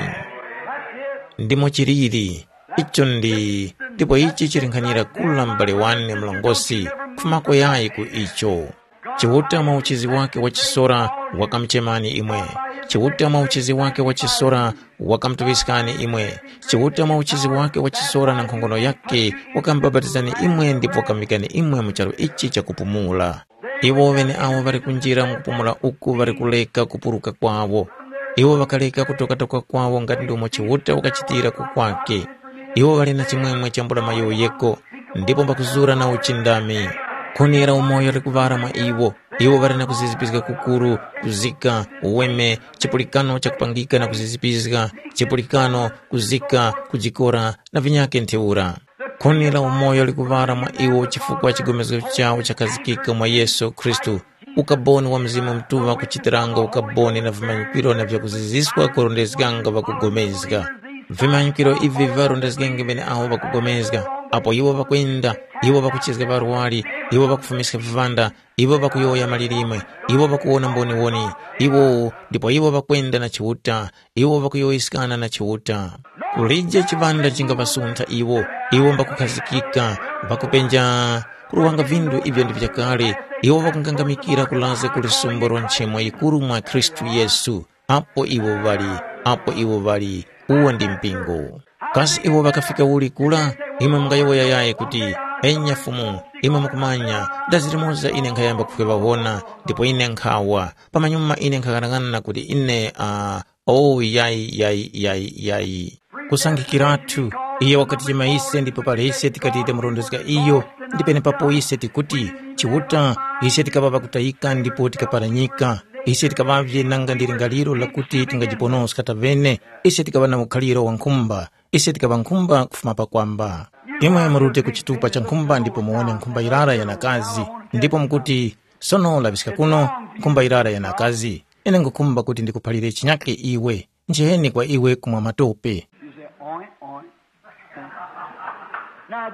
ndimo chiliri. Icho ndi ndipo ichi chili nkhanyira kula m'bale wane mlongosi, kufumako yayi ku icho. Chiuta mwa uchizi wake wachisora wakamuchemani imwe. Chiuta mwa uchizi wake wachisora wakamutuŵiskani imwe. Chiuta mwa uchizi wake wachisora na nkhongono yake wakamubapatizani imwe ndipo wakamvikani imwe mu charu ichi chakupumula. Iwo ŵeneawo ŵali kunjira mu kupumula uku ŵali kuleka kupuruka kwawo. Iwo ŵakaleka kutokatoka kwawo ngati ndomwe Chiuta wakachitira kukwake. Iwo ŵali na chimwemwe chambula mayowoyeko, ndipo mbakuzura na uchindami. Khuni la umoyo likuŵala mwa iwo. Iwo ŵali na kuzizipiska kukuru, kuzika, uweme, chipulikano chakupangika na kuzizipiska, chipulikano, kuzika, kujikora, na vinyakhe ntheura. Khuni la umoyo likuŵala mwa iwo chifukwa chigomezgo chawo chakhazikika mwa Yesu Khristu. Ukaboni wa Mzimu Mutuŵa kuchitiranga ukaboni na vimanyikiro na vyakuziziswa kurondezganga ŵakupulikana. Vimanyikiro ivi viŵarondezgenge ŵeneawo ŵakupulikana, apo iwo ŵakwenda, iwo ŵakuchizga ŵarwari, iwo ŵakufumiska viŵanda, iwo ŵakuyowoya malilime, iwo ŵakuwona mboniwoni, iwo ndipo iwo ŵakwenda na Chiuta, iwo ŵakuyowoyeskana na Chiuta. Kulije chiŵanda chingaŵasuntha iwo, iwo mbakukhazikika, mbakupenja kuruwanga vinthu ivyo ndi vyakale, iwo ŵakungangamikira kulaza ku lisumbo la nchemo yikuru mwa Khristu Yesu, apo iwo ŵali, apo iwo ŵali, uwo ndi mpingo. Kasi iwo ŵakafika uli kura? Imwe mungayowoya yayi kuti, enya Fumu, imwe mukumanya, dazi limoza ine nkhayamba kuŵawona, ndipo ine nkhawa, pamanyuma ine nkhaghanaghananga kuti ine, uh, Oh, yayi, yayi, yayi, yayi. Kusangikiratu, iyo wakatichema ise ndipo pali ise tikati tamurondezga iyo, ndi penepapo ise tikuti, Chiuta, ise tikaŵa ŵakutayika ndipo tikaparanyika. Ise tikaŵavye nanga ndi lingaliro lakuti tingajiponoska tavene, ise tikaŵa na ukhaliro wa nkhumba, ise tikaŵa nkhumba kufuma pakwamba. Imwe murute ku chitupa cha nkhumba ndipo muwone nkhumba yirara yanakazi, ndipo mukuti, sono laŵiska kuno, nkhumba yirara yanakazi. Ine nkhukhumba kuti ndikuphalire chinyake iwe, njeni kwa iwe kumwa matope. You say, oink, oink.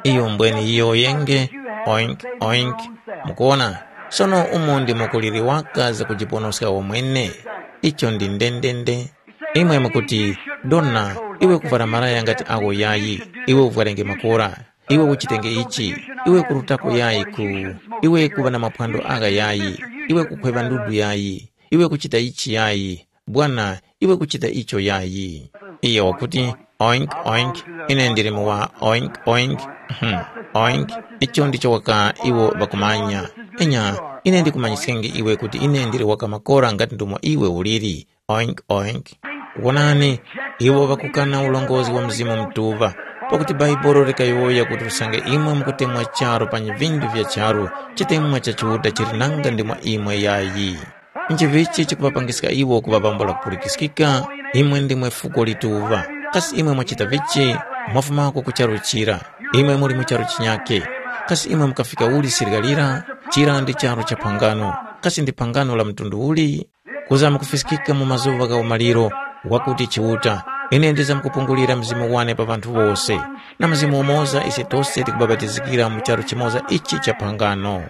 Iyo mbweni yiyowoyenge, oink, oink. Mukuwona, sono umo ndimo kuliri waka zakujiponoska wamwene. Icho ndi ndendende. Imwe mukuti, dona, iwe kuvwara malaya ngati awo yayi, iwe uvwarenge makora, iwe uchitenge ichi, iwe kurutako yayi ku, iwe kuŵa na maphwando agha yayi, iwe kukhweŵa ndudu yayi, iwe kuchita ichi yayi, bwana, iwe kuchita icho yayi. Iyo wakuti, oink, oink, ine ndili mu wa oink, oink, hmm, oink, icho ndicho waka iwo ŵakumanya. Enya, ine ndikumanyiskenge iwe kuti ine ndili waka makora ngati ndomwe iwe uliri. Oink, oink. Wonani, iwo ŵakukana ulongozi wa Mzimu Mutuŵa, pakuti Bhaibuli likayowoya kuti usange imwe mukutemwa charu pa vinthu vya charu, chitemwa cha Chiuta chili nanga ndi mwa imwe yayi. Nchivichi chikuŵapangiska iwo kuŵa bambo lakupulikiskika? Imwe ndimwe fuko lituŵa. Kasi imwe mwachita vichi? Mwafumako ku charu chira. Imwe muli mu charu chinyakhe. Kasi imwe mukafika uli sirika lira? Chira ndi charu cha phangano. Kasi ndi phangano la mtundu uli? Kuzama kufiskika mu mazuŵa gha umaliro, wakuti Chiuta, ine ndizamkupungulira Mzimu wane pa ŵanthu wose, na Mzimu umoza ise tose tikubapatizikira mu charu chimoza ichi cha phangano.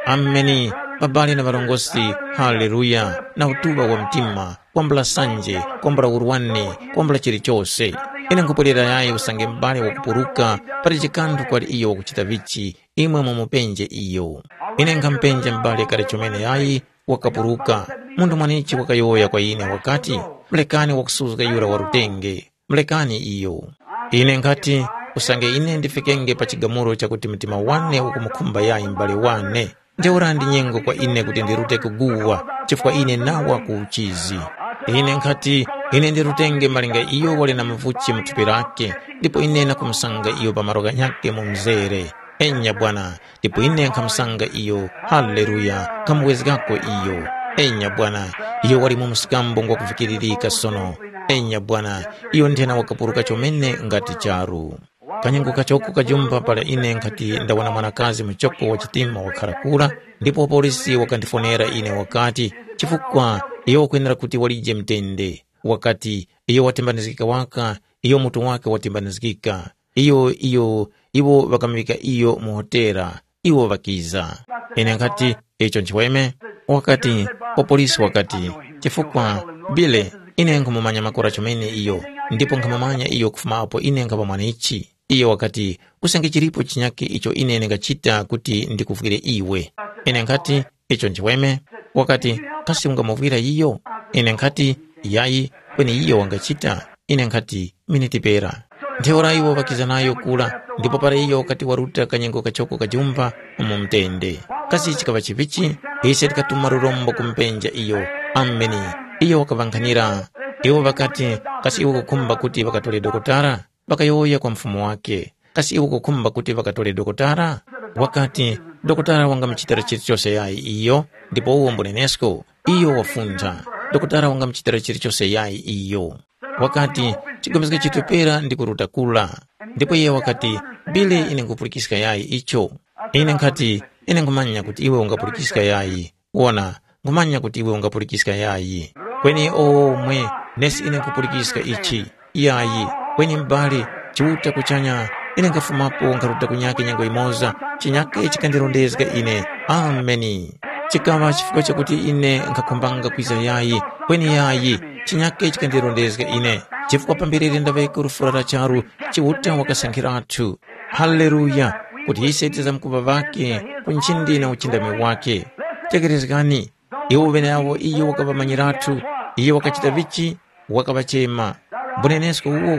Ameni. Babali na ŵarongozgi, haleluya, na utuŵa wa mtima, kwambula sanje, kwambula urwani, kwambula chilichose. Ine nkhupwerera yayi usange m'bale wakupuruka, pali chikanthu kwali iyo wakuchita vichi, imwe mumupenje iyo. Ine nkhamupenja m'bale kale chomene yayi, wakapuruka. Munthu mwanichi wakayowoya kwa ine wakati, mulekani wakusuzga yura wa rutenge, mulekani iyo. Ine nkhati, usange ine ndifikenge pa chigamulo chakuti mtima wane ukumukhumba yayi m'bale wane, ntheura ndi nyengo kwa ine kuti ndirute kuguwa, chifukwa ine nawa ku uchizi. Ine nkhati, ine ndirutenge malinga iyo wali na mavuchi mu thupi lake, ndipo ine nakumusanga iyo pa malo ghanyakhe mu mzere. Enya Bwana, ndipo ine nkhamusanga iyo. Haleluya. Nkhamuwezgako iyo. Enya Bwana, iyo wali mu msikambo ngwakuvikiririka sono. Enya Bwana, iyo nthena wakapuruka chomene ngati charu. Kanyengo kachoko kajumba para ine nkhati ndawona mwanakazi muchoko wa chitima wakhara kura, ndipo wapolisi wakandifonera ine wakati, chifukwa iyo wakwenera kuti walije mtende. Wakati, iyo watembanizgika waka, iyo mutu wake watembanizgika. Iyo, iyo, iwo ŵakamuŵika iyo mu hotera, iwo ŵakiza. Ine nkhati, icho nchiweme? Wakati, wapolisi wakati, chifukwa, Bile, ine nkhumumanya makora chomene iyo, ndipo nkhamumanya iyo kufuma apo ine nkhapa mwanichi. Iyo wakati, usange chilipo chinyakhe icho ine ndingachita kuti ndikuvwire iwe. Ine nkhati, icho nchiweme? Wakati, kasi ungamuvwira iyo? Ine nkhati, yayi, kweni iyo wangachita. Ine nkhati, miniti pera. Ntheura iwo ŵakiza nayo kura, ndipo para iyo wakati waruta kanyengo kachoko kajumba mu mtende. Kasi chikaŵa chivichi? Ise tikatuma lurombo kumupenja iyo. Ameni. Iyo wakaŵankhanira. Iwo ŵakati, kasi iwe ukukhumba kuti ŵakatore dokotara? Ŵakayowoya kwa mfumu wake, kasi iwe ukukhumba kuti ŵakatore dokotara? Wakati, dokotara wangamuchitira chilichose yayi iyo, ndipo uwo mbunenesko, iyo wafuntha. Dokotara wangamuchitira chilichose yayi iyo. Wakati, chigomezge chitupera ndi kuruta kula. Ndipo iye wakati, bile ine nkhupulikiska yayi icho. Ine nkhati, ine nkhumanya kuti iwe ungapulikiska yayi. Wona, nkhumanya kuti iwe ungapulikiska yayi. Kweni omwe, nesi ine nkhupulikiska ichi. Yayi, kweni m'bale, Chiuta kuchanya, ine nkhafumapo nkharuta kunyakhe nyengo yimoza, chinyakhe chikandirondezga ine. Ameni. Chikaŵa chifukwa chakuti ine nkhakhumbanga kwiza yayi, kweni yayi, chinyakhe chikandirondezga ine. Chifukwa pambere ndaŵeko lufura la charu, Chiuta wakasankhiratu. Haleluya! Kuti ise tizamkuŵa ŵakhe ku nchindi na uchindami wakhe. Tekerezgani, iwo ŵeneawo iyo wakaŵamanyiratu, iyo wakachita vichi, wakaŵachema. Mbunenesko uwo,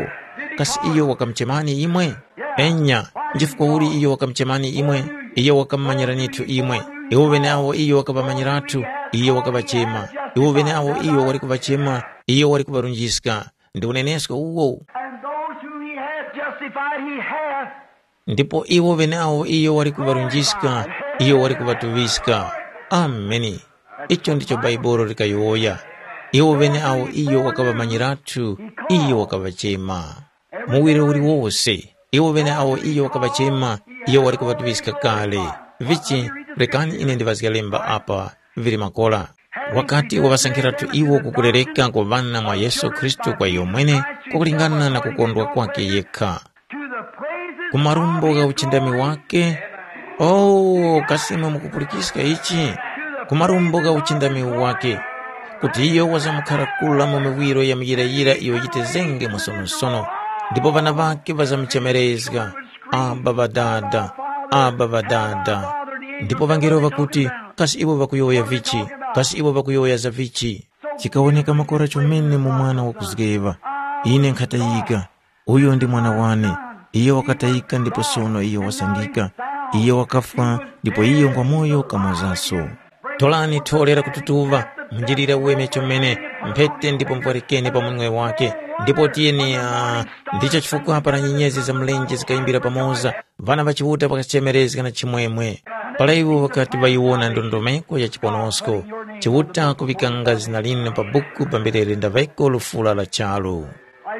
kasi iyo wakamuchemani imwe? Enya, nchifukwa uli iyo wakamuchemani imwe? Iyo wakamumanyiranitu imwe. Iwo ŵeneawo iyo wakaŵamanyiratu, iyo wakaŵachema. Iwo ŵeneawo iyo wali kuŵachema, iyo wali kuŵarunjiska. Ndi unenesko uwo. And those whom he hath justified, he hath. Ndipo iwo ŵeneawo iyo wali kuŵarunjiska, iyo wali kuŵatuŵiska. Ameni. Icho ndicho Bhaibuli likayowoya. Iwo ŵeneawo iyo wakaŵamanyiratu, iyo wakaŵachema. Muwiro uliwose, iwo ŵeneawo iyo wakaŵachema, iyo wali kuŵatuŵiska kale. Vichi, rekani ine ndiŵazge lemba apa, vili makora. Wakati waŵasankhiratu iwo kukurereka kwa ŵana mwa Yesu Khristu kwa iyo mwene, kwakulingana na kukondwa kwake yekha. Ku marumbo gha uchindami wake, oh, kasi imwe mukupulikiska ichi? Ku marumbo gha uchindami wake, kuti iyo wazamkhara kula mu miwiro ya muyirayira iyo yitezenge mwasonosono, ndipo ŵana ŵake ŵazamuchemerezga, Aba Ŵadada, Aba Ŵadada. Ndipo ŵangelo ŵakuti, kasi iwo ŵakuyowoya vichi? Kasi iwo ŵakuyowoya za vichi? Chikawoneka makora chomene mu mwana wakuzgeŵa. Ine nkhatayika, uyo ndi mwana wane. Iyo wakatayika ndipo sono iyo wasangika. Iyo wakafwa ndipo iyo ngwamoyo kamozaso. Tolani thole la kututuva, munjilire uweme chomene, mphete ndipo mupwarikeni pa munwe wake. Ndipo tiyeni, ah, ndicho chifukwa para nyenyezi za mlenje zikayimbira pamoza, ŵana ŵa Chiuta ŵakachemerezga na chimwemwe. Para iwo ŵakati ŵayiwona ndondomeko ya chiponosko, Chiuta kuŵikanga zina linu pa buku pamberere ndaŵeko lufula la charu.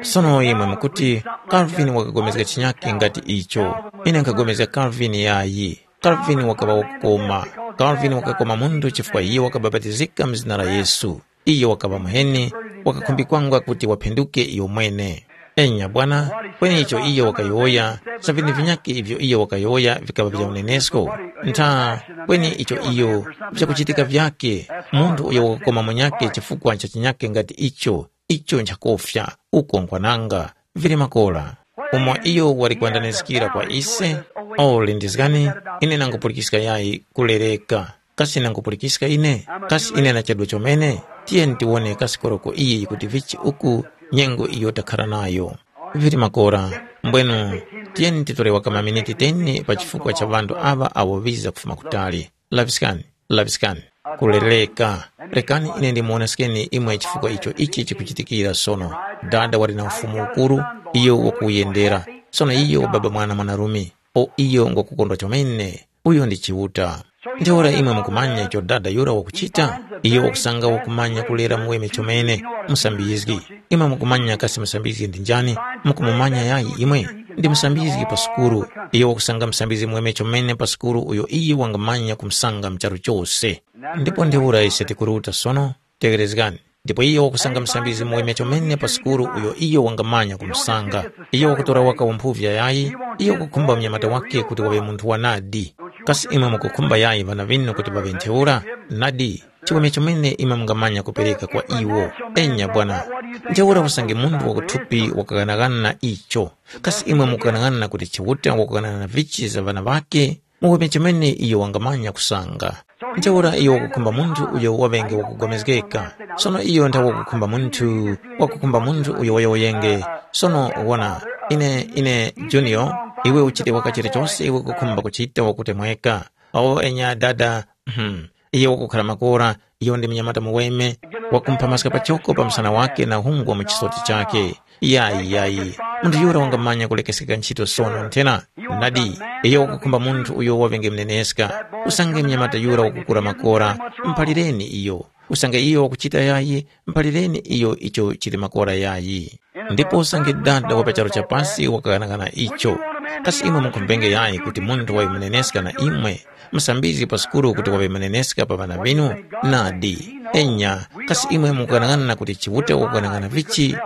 Sono imwe mukuti, Calvin wakapulikana chinyakhe ngati icho. Ine nkhapulikana Calvin yayi. Calvin wakaŵa wakukoma. Calvin wakakoma munthu chifukwa iyo wakabapatizika mu zina la Yesu. Iyo wakaŵa muheni, wakakhumbikwanga kuti waphinduke iyo mwene. Enya bwana, kweni icho iyo wakayowoya, sa vini vinyakhe ivyo iyo wakayowoya vikaŵa vya unenesko? Ntha, kweni icho iyo vyakuchitika vyakhe, munthu uyo wakukoma munyakhe chifukwa cha chinyakhe ngati icho, icho nchakofya, uko nkwananga, vili makora. Umo iyo wali kwandanizikira kwa ise, o lindizgani, ine nangupulikiska yayi kulereka. Kasi nangupulikiska ine? Kasi ine nachedwa chomene? Tiyeni tiwone kasi koroko iyi yikuti vichi uku nyengo iyo takhara nayo. Vili makora, mbwenu, tiyeni titore waka maminiti teni pa chifukwa cha ŵanthu aŵa awo ŵiza kufuma kutali. Laŵiskani, laŵiskani. Kulereka. Rekani ine ndimuwoneskeni imwe chifukwa icho ichi chikuchitikira sono. Dada wali na ufumu ukuru, iyo wakuwuyendera. Sono iyo wababa mwana mwanarume. O iyo ngwakukondwa chomene. Uyo ndi Chiuta. Ntheura imwe mukumanya icho dada yura wakuchita? Iyo wakusanga wakumanya kulera muweme chomene, musambizgi. Imwe mukumanya kasi musambizgi ndi njani? Mukumumanya yayi imwe? ndi musambizgi pa sukulu. Iyo wakusanga musambizgi mweme chomene pa sukulu uyo iye wangamanya kumusanga mu charu chose. Ndipo ntheura ise tikuruta sono, tegherezgani. Ndipo iyo wakusanga musambizgi mweme chomene pa sukulu uyo iyo wangamanya kumusanga. Iyo wakutora waka umphuvya yayi, iyo wakukhumba mnyamata wake kuti waŵe munthu wa nadi. Kasi imwe mukukhumba yayi ŵana ŵinu kuti ŵaŵe ntheura? Nadi, chiweme chomene imwe mungamanya kupereka kwa iwo. Enya bwana, ntheura usange munthu wakuthupi wakaghanagana icho. Kasi imwe mukughanagana kuti Chiuta wakughanagana vichi za ŵana ŵake? Muweme chomene iyo wangamanya kusanga. Ntheura iyo wakukhumba munthu uyo waŵenge wakugomezgeka. Sono iyo nthawe wakukhumba munthu, wakukhumba munthu uyo wayowoyenge. Sono wona, ine, ine, Junior, iwe uchite waka chilichose iwe kukhumba kuchita wakutemweka. Awo enya dada, hmm, iyo wakukhala makora, iyo ndi mnyamata muweme, wakumphamaska pachoko pa msana wake na hungwa mu chisoti chake. Yayi, yayi, munthu yura wangamanya kulekeseka ntchito sono nthena? Nadi, iyo wakukhumba munthu uyo waŵenge mneneska. Usange mnyamata yura wakukura makora, mphalireni iyo. Usange iyo wakuchita yayi, mphalireni iyo icho chili makora yayi. Ndipo usange dada wa pa charu cha pasi wakaghanagana icho. Kasi imwe mukhumbenge yayi kuti munthu wayo muneneska na imwe, musambizgi pa sukuru kuti waŵe muneneska pa ŵana ŵinu? Nadi. Enya, kasi imwe mukughanagana kuti Chiuta wakughanagana vichi?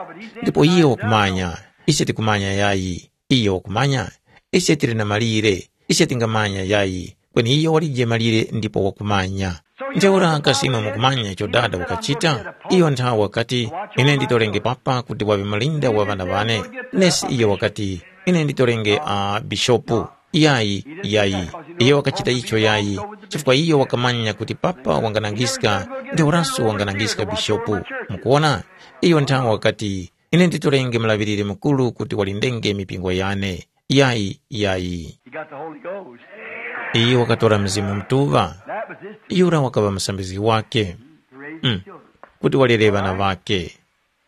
Ndipo iye wakumanya. Ise tikumanya yayi. Iyo wakumanya? Ise tili na malire. Ise tingamanya yayi. Kweni iyo walije malire ndipo wakumanya. Ntheura kasi imwe mukumanya icho dada wakachita? Iyo nthawe wakati, ine nditorenge papa kuti waŵe malinda wa ŵana ŵane. Nesi iyo wakati, ine nditorenge a bishopu. Yayi, yayi. Iyo wakachita icho yayi. Chifukwa iyo wakamanya kuti papa wanganangiska, ntheuranso wanganangiska bishopu. Mukuona? Iyo nthawe wakati, ine nditorenge mulaŵiriri mukuru kuti walindenge mipingo yane. Yayi, yayi. He got the Holy Ghost. Iye wakatora Mzimu Mutuŵa. That was his teaching. Yura wakaŵa musambizgi wake. To raise his children. Kuti walere ŵana ŵake.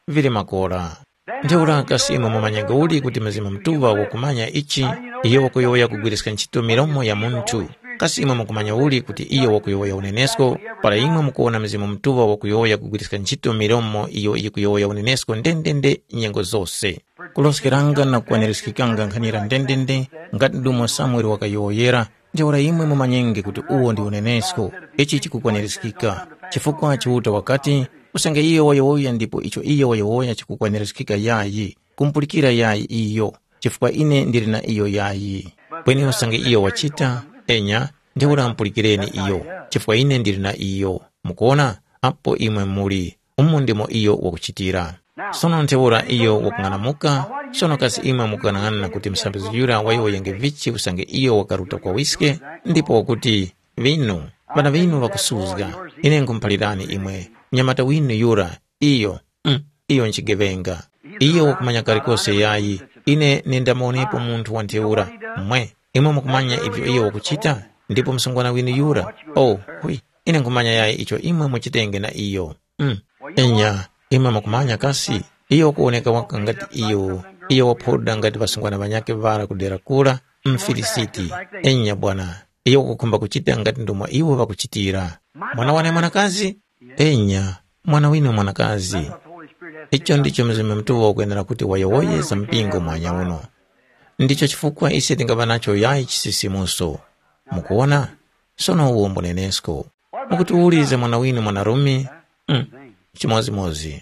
Vili makora. Ntheura kasi imwe mumanya uli kuti Mzimu Mutuŵa wakumanya ichi? Iyo wakuyowoya kugwiriska ntchito milomo ya munthu. Kasi imwe mukumanya uli kuti iyo wakuyowoya unenesko? Para imwe mukuwona Mzimu Mutuŵa wakuyowoya kugwiriska ntchito milomo iyo yikuyowoya unenesko ndendende nyengo zose. Kuloskeranga na kukwanirizgikanga nkhanira ndendende, ngati ndumo Samuele wakayowoyera, ntheura imwe mumanyenge kuti uwo ndi unenesko. Ichi chikukwanirizgika. Chifukwa Chiuta wakati, usange iyo wayowoya ndipo icho iyo wayowoya chikukwanirizgika yayi, kumupulikira yayi iyo, chifukwa ine ndili na iyo yayi. Kweni usange iyo wachita, enya, ntheura mupulikireni iyo, chifukwa ine ndili na iyo. Mukuona? Apo imwe muli. Umu ndimo iyo wakuchitira. Sono ntheura iyo wakung'anamuka, sono kasi imwe mukung'anang'ana kuti msambizgi yura wayowoyenge vichi usange iyo wakaruta kwa wiske? Ndipo wakuti, vinu, ŵana ŵinu ŵakusuzga. Ine nkhumuphalirani imwe, mnyamata winu yura, iyo, mm, iyo nchigeŵenga. Iyo wakumanya kalikose yayi, ine nindamuwonepo munthu wa ntheura. Mwe, imwe mukumanya ivyo iyo wakuchita? Ndipo msungwana winu yura, oh, hwi, ine nkhumanya yayi icho imwe muchitenge na iyo. Mm. Enya, imwe mukumanya kasi? Iyo wakuwoneka waka ngati iyo, iyo waphoda ngati ŵasungwana ŵanyakhe ŵara ku dera kura, Mfilisiti. Enya bwana, iyo wakukhumba kuchita ngati ndomwe iwo ŵakuchitira. Mwana wane mwanakazi? Enya, mwana winu mwanakazi. Icho ndicho Mzimu Mutuŵa ukwenera kuti wayowoye za mpingo mwanya uno. Ndicho chifukwa ise tingaŵa nacho yayi chisisimuso. Mukuwona? Sono uwo mbunenesko. Mukutiwulize mwana winu mwanarume? Mm, chimodzimodzi.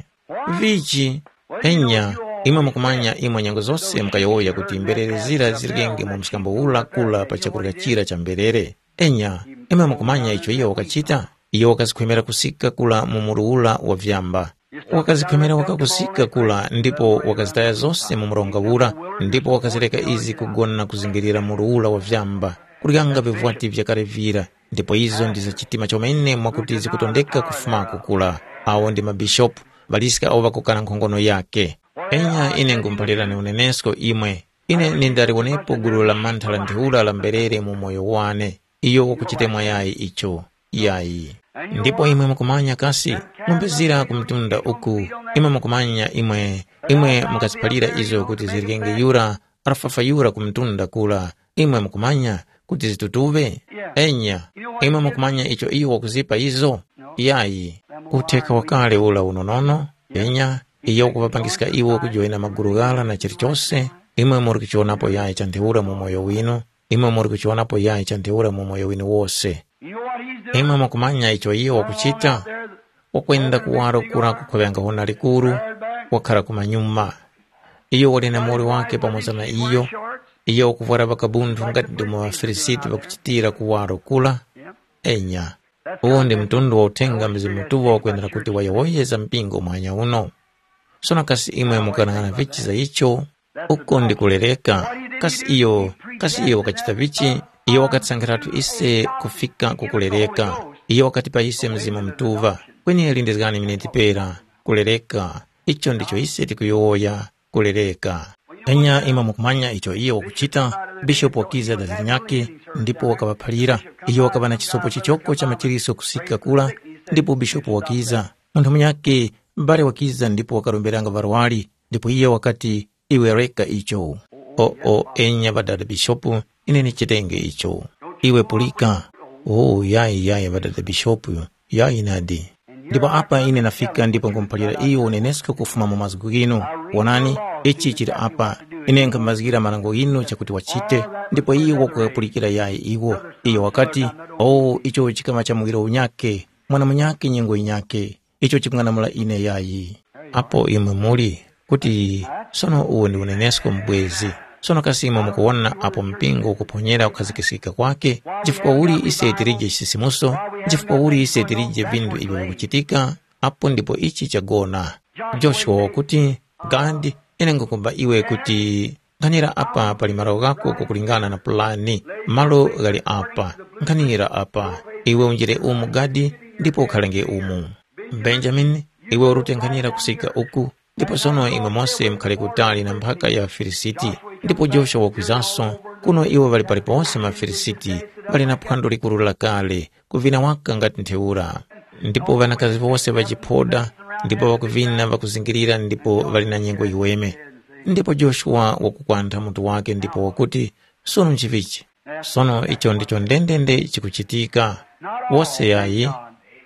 Vichi? Enya, imwe mukumanya imwe nyengo zose mukayowoya kuti mberere zira zirenge mu mskambo ula kula pa chakurya chira cha mberere. Enya, imwe mukumanya icho iyo wakachita? Iyo wakazikhwemera kusika kula mu muru ula wa vyamba. Wakazikhwemera waka kusika kula ndipo wakazitaya zose mu mronga ura, ndipo wakazireka izi kugona na kuzingirira muru ura wa vyamba, kuryanga vivwati vyakale vira. Ndipo izo ndi za chitima chomene mwakuti zikutondeka kufumako kula. Awo ndi mabishopu, ŵaliska awo ŵakukana nkhongono yake. Enya ine nkhumuphalirani unenesko imwe. Ine nindaliwonepo gulu la mantha la ntheura la mberere mu moyo wane. Iyo wakuchitemwa yayi icho. Yayi. Ndipo imwe mukumanya kasi, ng'ombe zira ku mtunda uku, imwe mukumanya imwe, imwe mukaziphalira izo kuti ziryenge yura, arafafa yura ku mtunda kula, imwe mukumanya kuti zitutuŵe? Enya, imwe mukumanya icho iyo wakuzipa izo? Yayi. Utheka wakale ula unonono, enya, iyo wakuŵapangiska iwo kujoyina magulu ghara na chilichose, Imwe muri kuchionapo yayi cha ntheura mu moyo winu, imwe muri kuchionapo yayi cha ntheura mu moyo winu wose. Imwe mukumanya icho iyo wakuchita? Wakwenda kuwaro kura kukhoŵenga hona likuru, wakhara kumanyuma. Iyo wali na muwoli wake pamoza na iyo, iyo wakuvwara ŵakabunthu ngati ndomwe ŵaFilisiti ŵakuchitira kuwaro kura. Enya, uwo ndi mtundu wa uthenga Mzimu Mutuŵa wakwenera kuti wayowoyeza mpingo mwanya uno. Sono kasi imwe mukanang'ana vichi za icho? Uko ndi kulereka. Kasi iyo, kasi iyo wakachita vichi? Iyo wakatisankhiratu ise kufika ku kulereka. Iyo wakatipa ise Mzimu Mutuŵa. Kweni lindizgani miniti pera. Kulereka. Icho ndicho ise tikuyowoya. Kulereka. Enya imwe mukumanya icho iyo wakuchita, bishopu wakiza daziri nyakhe, ndipo wakaŵaphalira. Iyo wakaŵa na chisopo chichoko cha machiriso kusika kura, ndipo bishopu wakiza. Munthu munyakhe, m'bale wakiza ndipo wakaromberanga varwari, ndipo iye wakati, iwe reka icho. O, o, enya ŵadada bishopu, ine ndichitenge icho. Iwe pulika. O, yayi, yayi, ŵadada bishopu, yayi nadi. Ndipo apa ine nafika ndipo nkhumuphalira iyo unenesko kufuma mu mazgu ghinu. Wonani, ichi chili apa. Ine nkhamazgira marango ghinu chakuti wachite, ndipo iyo wakuwapulikira yayi iwo. Iyo wakati, o, icho chikama cha muwiro unyakhe, mwana munyakhe nyengo yinyakhe. Icho chikung'anamula ine yayi. Apo imwe muli, kuti sono uwo ndi unenesko mubwezi. Sono kasi imwe mukuwona apo mpingo ukuphonyera kukhazikisika kwake, chifukwa uli ise tilije chisisimuso, chifukwa uli ise tilije vinthu ivyo vikuchitika, apo ndipo ichi chagona. Joshua wakuti, gadi, ine ngukumba iwe kuti nkhanira apa pali malo ghako kukulingana na pulani, malo ghali apa, nkhanira apa, iwe unjire umu gadi, ndipo ukhalenge umu. Benjamini, iwe urute nkhanira kusika uku, ndipo sono imwe mose mukhale kutali na mphaka ya ŵaFilisiti. Ndipo Joshua wakwizanso, kuno iwo ŵali palipose maFilisiti, ŵali na phwando likuru lakale, kuvina waka ngati ntheura. Ndipo ŵanakazi wose ŵa chiphoda, ndipo ŵakuvina ŵakuzingirira ndipo ŵali na nyengo yiweme. Ndipo Joshua wakukwantha mutu wake ndipo wakuti, sono nchivichi? Sono icho ndicho ndendende chikuchitika. Wose yayi,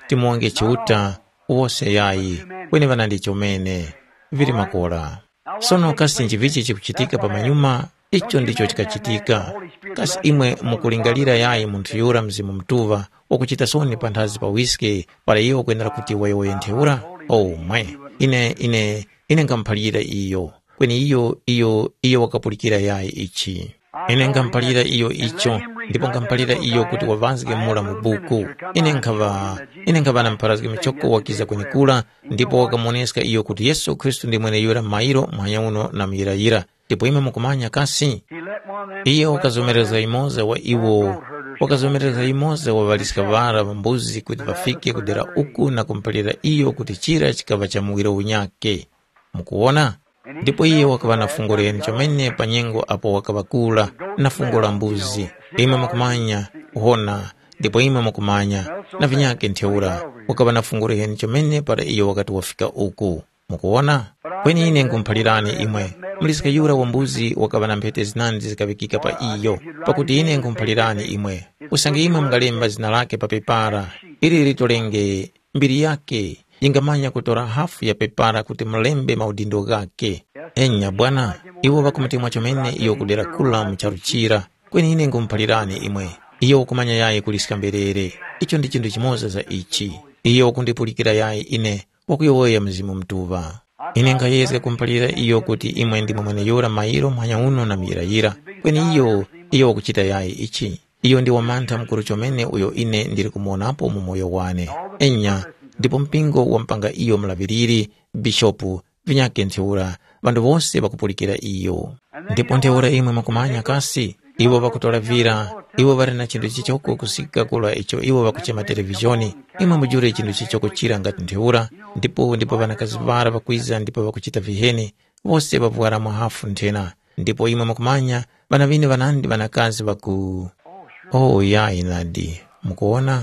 timonge Chiuta, wose yayi, kweni ŵanandi chomene, vili makora. Sono kasi nchivichi chikuchitika pamanyuma? Icho ndicho chikachitika. Kasi imwe mukulingalira yayi munthu yura Mzimu Mutuŵa wakuchita soni panthazi pa wiske para iyo wakwenera kuti wayowoye ntheura? O mwe, ine, ine, ine ngamuphalira iyo. Kweni iyo, iyo, iyo wakapulikira yayi ichi. Ine ngamuphalira iyo icho, ndipo ngamuphalira iyo kuti waŵazge mura mu buku. Ine nkhaŵa, ine nkhaŵa na mupharazgi muchoko wakiza kwenekura, ndipo wakamuwoneska iyo kuti Yesu Khristu ndi mweneyura mairo muhanya uno na muyirayira. Ndipo imwe mukumanya kasi? Iye wakazomerezga yumoza wa iwo, wakazomerezga yumoza wa ŵaliska ŵara ŵa mbuzi kuti ŵafike ku dera uku na kumuphalira iyo kuti chira chikaŵa cha muwiro unyakhe. Mukuwona? Ndipo iye wakaŵa na fungo liheni chomene pa nyengo apo wakaŵa kura, na fungo la mbuzi. Imwe mukumanya, kuhona, ndipo imwe mukumanya, na vinyakhe ntheura, wakaŵa na fungo liheni chomene para iyo wakati wafika uku. Mukuwona? Kweni ine nkhumuphalirani imwe, muliska yura wa mbuzi wakaŵa na mphete zinandi zikaŵikika pa iyo, pakuti ine nkhumuphalirani imwe, usange imwe mungalemba zina lakhe pa pepara, ili litolenge mbiri yakhe yingamanya kutora hafu ya pepara kuti mulembe maudindo ghakhe. Enya bwana, iwo ŵakumutemwa chomene iyo kudera kula mu charu chira, kweni ine nkhumuphalirani imwe, iyo wakumanya yayi kuliska mberere. Icho ndi chinthu chimoza za ichi. Iyo wakundipulikira yayi ine, wakuyowoya Mzimu Mutuŵa. Ine nkhayezga kumuphalira iyo kuti imwe ndimwe mweneyura mairo muhanya uno na muyirayira, kweni iyo, iyo wakuchita yayi ichi. Iyo ndi wamantha mukuru chomene uyo ine ndili kumuwonapo mu moyo wane. Enya, ndipo mpingo wampanga iyo mulaŵiriri, bishopu, vinyakhe ntheura, ŵanthu wose ŵakupulikira iyo. Ndipo ntheura imwe mukumanya kasi, iwo ŵakutora vira, iwo ŵali na chinthu chichoko kusika kula icho iwo ŵakuchema televizhoni, imwe mujule chinthu chichoko chira ngati ntheura, ndipo ndipo ŵanakazi ŵara ŵakwiza ndipo ŵakuchita viheni, wose ŵavwara mwahafu nthena. Ndipo imwe mukumanya, ŵana ŵine ŵanandi ŵanakazi ŵaku. Oh yayi nadi, mukuwona?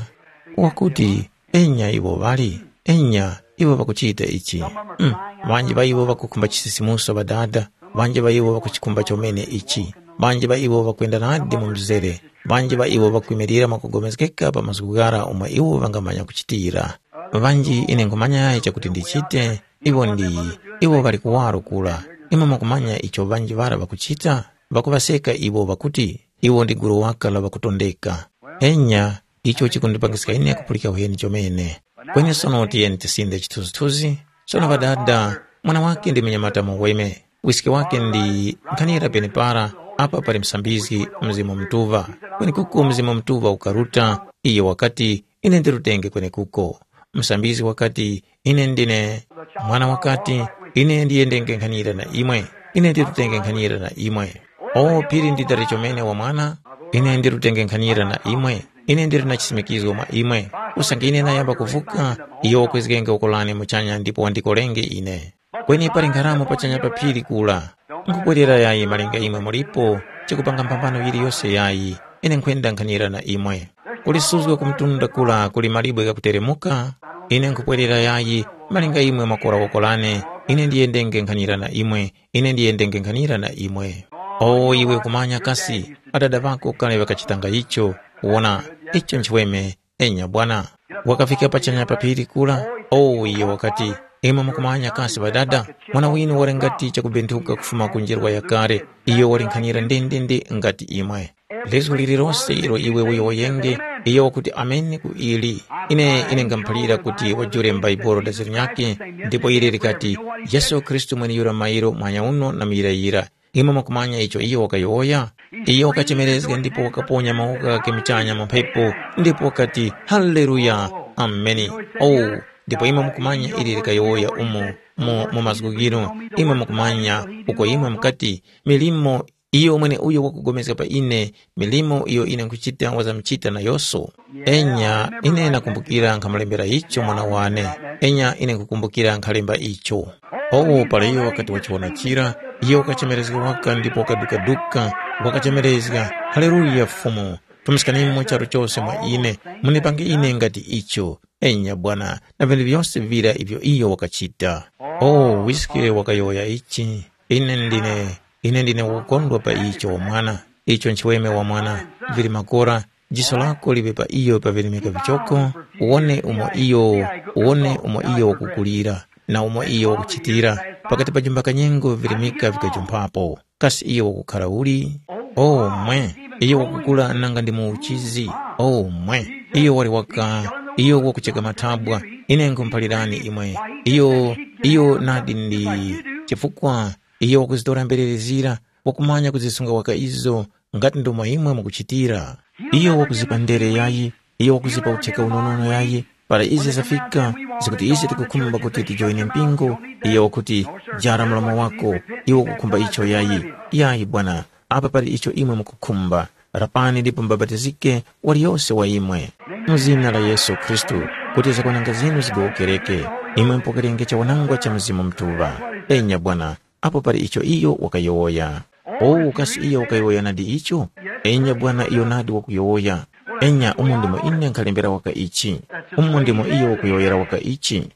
Wakuti, enya iwo ŵali, enya iwo ŵakuchita ichi. Mm, ŵanji ŵa iwo ŵakukhumba chisisimuso ŵadada, ŵanji ŵa iwo ŵakuchikhumba chomene ichi, ŵanji ŵa iwo ŵakwenda nadi mu mzere, ŵanji ŵa iwo ŵakwimirira mwakugomezgeka pa mazgu ghara omwe iwo ŵangamanya kuchitira. Ŵanji ine nkhumanya yayi chakuti ndichite, iwo ndi, iwo ŵali kuwaro kura, Imwe mwakumanya icho ŵanji ŵara ŵakuchita? Ŵakuŵaseka iwo ŵakuti, iwo ndi gulu waka la ŵakutondeka. Enya, icho chikundipangiska ine kupulika uheni chomene. Kweni sono tiyeni tisinde chithunzithunzi. Sono ŵadada, mwana wake ndi munyamata muweme. Wiske wake ndi nkhanira penepara, apa pali msambizgi Mzimu Mutuŵa. Kwenekuko Mzimu Mutuŵa ukaruta, iyo wakati, ine ndirutenge kwenekuko. Msambizgi wakati, ine ndine. Mwana wakati, ine ndiyendenge nkhanira na imwe. Ine ndirutenge nkhanira na imwe. O phiri ndi dali chomene wa mwana, ine ndirutenge nkhanira na imwe. Ine ndiri na chisimikizgo mwa imwe. Usange ine nayamba kuvuka, iyo wakwezgenge uko lane muchanya ndipo wandikolenge ine. Kweni pali nkharamo pachanya pa phiri kula. Nkupwerera yayi malinga imwe mulipo, chikupanga mphambano yiliyose yayi, ine nkhwenda nkhanira na imwe. Kulisuzga ku mtunda kula kuli malibwe ghakuteremuka, ine nkhupwerera yayi, malinga imwe mwakora woko lane, ine ndiyendenge nkhanira na imwe, ine ndiyendenge nkhanira na imwe. O iwe kumanya kasi, adada ŵako kale ŵakachitanga icho, wona, icho nchiweme, enya bwana. Wakafika pachanya pa phiri kula, o iyo wakati, imwe mukumanya kasi ŵadada, mwana winu wali ngati chakubenthuka kufuma ku njerwa yakale, iyo wali nkhanira ndendende ngati imwe. Lizgu lililose ilo iwe uyowoyenge, iyo wakuti ameni ku ili. Ine ine ngamuphalira kuti wajule m'Baibulo daziro nyakhe, ndipo ili likati, Yesu Khristu mweneyura mairo muhanya uno na muyirayira. Imwe mwakumanya icho iyo wakayowoya? Iyo wakachemerezga ndipo wakaponya mawoko ghakhe muchanya mu mphepo, ndipo wakati, Haleluya! Ameni! Oh, ndipo imwe mukumanya ili likayowoya umo mu, mu mazgu ghinu, imwe mukumanya uko imwe mukati, milimo iyo mweneuyo wakupulikana pa ine, milimo iyo ine nkhuchita wazamchita nayose. Enya, ine nakumbukira nkhamulembera icho mwana wane. Enya, ine nkhukumbukira nkhalemba icho. Owo para iyo wakati wachiwona chira, iyo wakachemerezga waka ndipo wakadukaduka, wakachemerezga, Haleluya Fumu! Fumiskanimo charu chose mwa ine, munipange ine ngati icho. Enya Bwana, na vinthu vyose vira ivyo iyo wakachita. O wiske wakayowoya ichi, ine ndine, ine ndine wokondwa pa icho wamwana. Icho nchiweme wamwana, vili makora, jiso lako liŵe pa iyo pavirimika vichoko, uwone umo iyo, uwone umo iyo wakukulira, na umo iyo wakuchitira, pakati pa jumba kanyengo virimika vikajumphapo. Kasi iyo wakukhara uli? O mwe, iyo wakukula nanga ndi mu uchizi. O mwe, iyo wali waka, iyo wakucheka mathabwa. Ine nkhumuphalirani imwe, iyo, iyo nadi ndi chifukwa iyo wakuzitora mberere zira, wakumanya kuzisunga waka izo, ngati ndomo imwe mukuchitira. Iyo wakuzipa ndere yayi, iyo wakuzipa utheka unonono yayi, para izi zafika, zikuti ise tikukhumba kuti tijoine mpingo, iyo wakuti, jara mlomo wako, iwe ukukhumba icho yayi. Yayi Bwana, apa pali icho imwe mukukhumba, rapani ndipo mubapatizike waliyose wa imwe. Mu zina la Yesu Khristu, kuti zakwananga zinu zigowokereke, imwe mupokerenge chawanangwa cha Mzimu Mutuŵa. Enya Bwana, apo pali icho iyo wakayowoya. O kasi iyo wakayowoya nadi icho? Enya Bwana iyo nadi wakuyowoya. Enya umo ndimo ine nkhalembera waka ichi. Umo ndimo iyo wakuyowoyera waka ichi.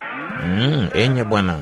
Mm, enya Bwana.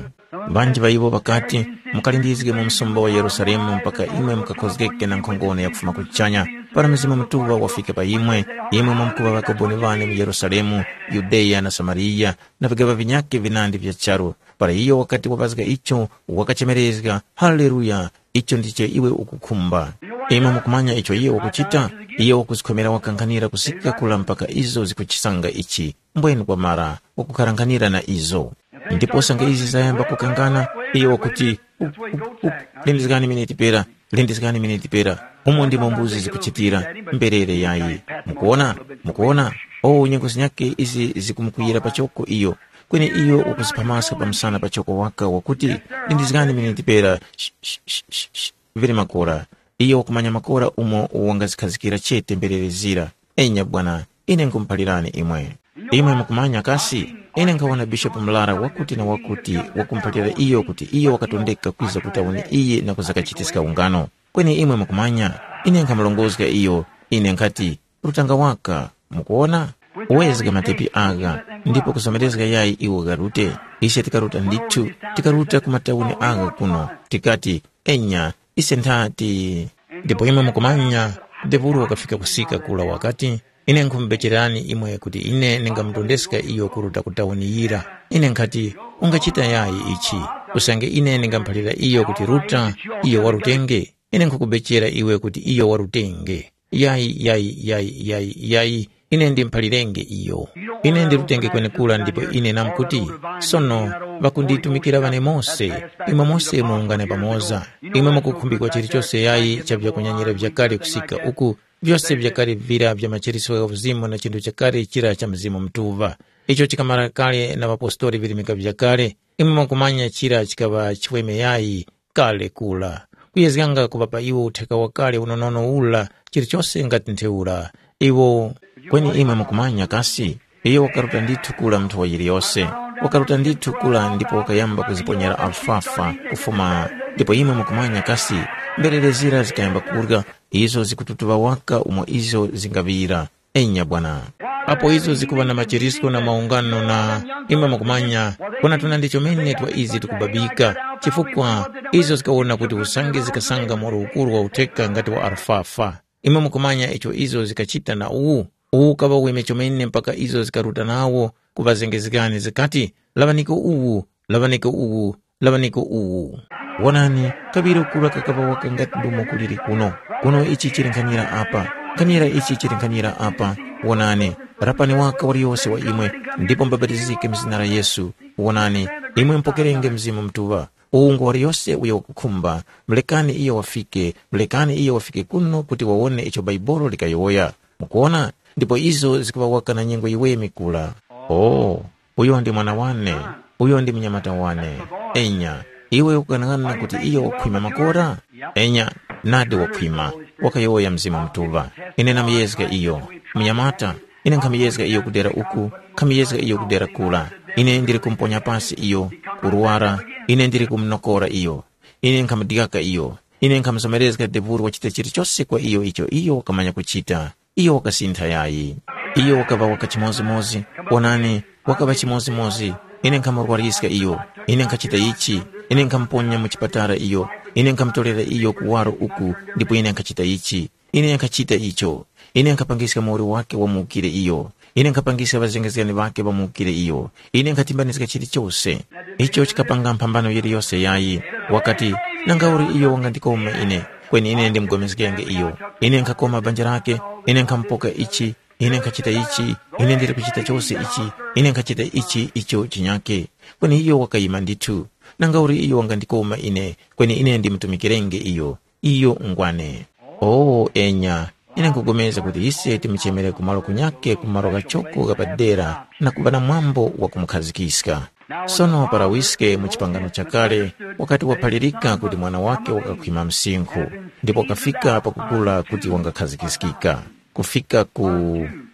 Ŵanji ŵa iwo ŵakati, mukalindizge mu msumba wa Yerusalemu mpaka imwe mukakhozgeke na nkhongono ya kufuma kuchanya. Para Mzimu Mutuŵa wafika pa imwe, imwe mwamkuŵa ŵakaboni ŵane mu Yerusalemu, Yudeya na Samariya, na vigaŵa vinyakhe vinandi vya charu. Para iyo wakati wapazga icho, wakachemerezga, Haleluya! Icho ndicho iwe ukukhumba. Imwe mukumanya icho iyo wakuchita? Iyo wakuzikhomera wakankhanira kusika kula mpaka izo zikuchisanga ichi. Mbwenu kwamara, wakukharanghanira na izo. Ndipo sanga izi zayamba kukangana, iyo wakuti, "Up, up, up, lindizgani miniti pera, lindizgani miniti pera. Umo ndimo mbuzi zikuchitira, mberere yayi. Mukuona? Mukuona? O nyengo zinyakhe izi zikumukwiyira pachoko iyo." Kweni iyo wakuziphamaska pa msana pachoko waka wakuti, "Lindizgani miniti pera, sh- sh- sh- sh- sh-, vili makora." Iyo wakumanya makora umo wangazikhazikira chete mberere zira. Enya bwana, ine nkhumuphalirani imwe. Imwe mukumanya kasi, ine nkhawona bishopu murara wakuti na wakuti wakumuphalira iyo kuti iyo wakatondeka kwiza ku tauni iyi na kuzakachitiska ungano. Kweni imwe mukumanya, ine nkhamurongozga iyo, ine nkhati, rutanga waka, mukuwona? Wezga matepi agha, ndipo kuzomerezga yayi iwo gharute. Ise tikaruta ndithu, tikaruta ku matauni agha kuno, tikati, enya, ise nthati. Ndipo imwe mukumanya, Debulu wakafika kusika kura wakati, ine nkhumubechererani imwe kuti ine ndingamutondeska iyo kuruta ku tauni yira. Ine nkhati, ungachita yayi ichi, usange ine ndingamuphalira iyo kuti ruta, iyo warutenge? Ine nkhukubechera iwe kuti iyo warutenge. Yayi, yayi, yayi, yayi, yayi, ine ndimuphalirenge iyo. Ine ndirutenge kwenekura ndipo ine namkuti, sono, ŵakunditumikira ŵane mose, imwe mose muungane pamoza. Imwe mukukhumbikwa chilichose yayi cha vyakunyanyira vyakale kusika uku, vyose vyakale vira vya machiritso gha uzimu na chinthu chakale chira cha Mzimu Mutuŵa. Icho chikamara kale na ŵapostoli virimika vyakale, imwe mwakumanya chira chikaŵa chiweme yayi kale kura. Kuyezganga kuŵa pa iwo utheka wakale unonono ura chilichose ngati ntheura. Iwo, kweni imwe mukumanya kasi? Iyo wakaruta ndithu kura munthu wa yiliyose. Wakaruta ndithu kura ndipo wakayamba kuziponyera alfafa kufuma, ndipo imwe mukumanya kasi? Mberere zira zikayamba kurya, izo zikututuŵa waka umo izo zingaŵira. Enya bwana. Apo izo zikuŵa na machirisko na maungano na imwe mukumanya, kona tuna ndi chomene twa izi tikubabika, chifukwa izo zikawona kuti usange zikasanga moro ukuru wa utheka ngati wa alfafa. Imwe mukumanya icho izo zikachita na uwu? Uwu ukaŵa weme chomene mpaka izo zikaruta nawo ku ŵazengezgani zikati, laŵaniko uwu, laŵaniko uwu, laŵaniko uwu. Wonani, kaŵiri kura kakaŵa waka ngati ndumo kuliri kuno. Kuno ichi chili nkhanira apa, nkhanira ichi chili nkhanira apa. Wonani, rapani waka waliyose wa imwe, ndipo mubapatizike mu zina la Yesu. Wonani, imwe mupokerenge Mzimu Mutuŵa. Uwu ngwa waliyose uyo wakukhumba, mulekani iyo wafike, mulekani iyo wafike kuno kuti wawone icho Bhaibuli likayowoya. Mukuwona? Ndipo izo zikuŵa waka na nyengo yiweme kura. Oh, uyo ndi mwana wane, uyo ndi munyamata wane. Enya, iwe ukughanaghananga kuti iyo wakhwima makora? Enya, nadi wakhwima, wakayowoya Mzimu Mutuŵa. Ine namuyezga iyo. Munyamata, ine nkhamuyezga iyo kudera uku, nkhamuyezga iyo kudera kura. Ine ndili kumuponya pasi iyo, kurwara, ine ndili kumunokora iyo. Ine nkhamudyaka iyo. Ine nkhamuzomerezga devuru wachita chilichose kwa iyo icho iyo wakamanya kuchita. Iyo wakasintha yayi. Iyo wakaŵa waka chimozimozi. Wonani, wakaŵa chimozimozi. Ine nkhamurwariska iyo. Ine nkhachita ichi. Ine nkhamuponya mu chipatala iyo. Ine nkhamutorera iyo kuwaro uku, ndipo ine nkhachita ichi. Ine nkhachita icho. Ine nkhapangiska muwoli wake wamuwukire iyo. Ine nkhapangiska ŵazengezgani ŵake ŵamuwukire iyo. Ine nkhatimbanizga chilichose. Icho chikapanga mphambano yiliyose yayi. Wakati, nangauli iyo wangandikoma ine, kweni ine ndimugomezgenge iyo. Ine nkhakoma banja lake, ine nkhamupoka ichi, ine nkhachita ichi, ine ndili kuchita chose ichi, ine nkhachita ichi icho chinyake. Kweni iyo wakayima ndithu. Nangauli iyo wangandikoma ine, kweni ine ndimutumikirenge iyo. Iyo ngwane. O enya, ine nkupulikana kuti ise timuchemere ku malo kunyakhe ku malo ghachoko gha padera na kuŵa na mwambo wa kumukhazikika. Sono para wiske mu chipangano chakale wakati waphalirika kuti mwana wake wakakhwima msinkhu, ndipo wakafika pakukura kuti wangakhazikiskika. Kufika ku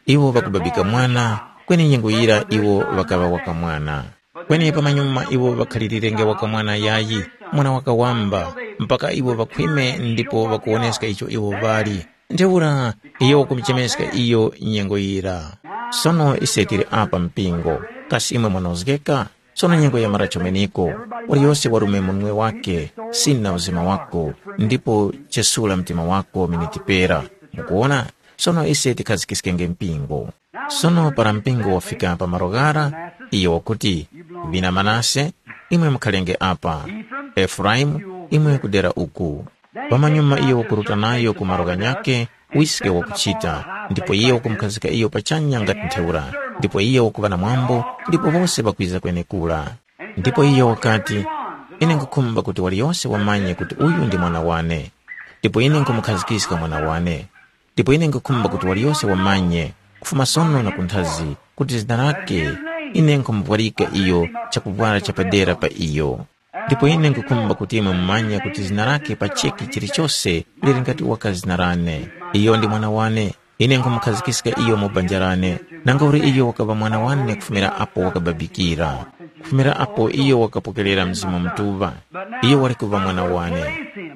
iwo ŵakubabika mwana, kweni nyengo yira iwo ŵakaŵa wakamwana. Kweni pamanyuma iwo ŵakhalilirenge wakamwana yayi, mwana wakawamba, mpaka iwo ŵakhwime ndipo ŵakuwoneska icho iwo ŵali. Ntheura iyo wakumuchemeska iyo nyengo yira. Sono ise tili apa mpingo, kasi imwe mwanozgeka? Sono nyengo yamara chomeneko, waliyose warume munwe wake, sina uzima wako, ndipo chesula mtima wako miniti pera. Mukuona? Sono ise tikhazikiskenge mpingo. Sono para mpingo wafika pa malo ghara, iyo wakuti, vina Manase, imwe mukhalenge apa, Efuraimu, imwe kudera uku. Pamanyuma iyo wakuruta nayo ku malo ghanyakhe, wiske wakuchita, ndipo iye wakumukhazika iyo pachanya ngati ntheura, ndipo iye wakuŵa na mwambo, ndipo wose ŵakwiza kwenekura. Ndipo iyo wakati, ine nkhukhumba kuti waliyose wamanye kuti uyu ndi mwana wane, ndipo ine nkhumukhazikiska mwana wane. Ndipo ine nkhukhumba kuti waliyose wamanye, kufuma sono na kunthazi, kuti zina lake, ine nkhumuvwarika iyo chakuvwara chapadera pa iyo. Ndipo ine nkhukhumba kuti imwe mumanye kuti zina lake pa cheki chilichose lili ngati waka zina lane. Iyo ndi mwana wane. Ine nkhumukhazikiska iyo mu banja lane. Nangauli iyo wakaŵa mwana wane kufumira apo wakababikira. Kufumira apo iyo wakapokerera Mzimu Mutuŵa. Iyo wali kuŵa mwana wane.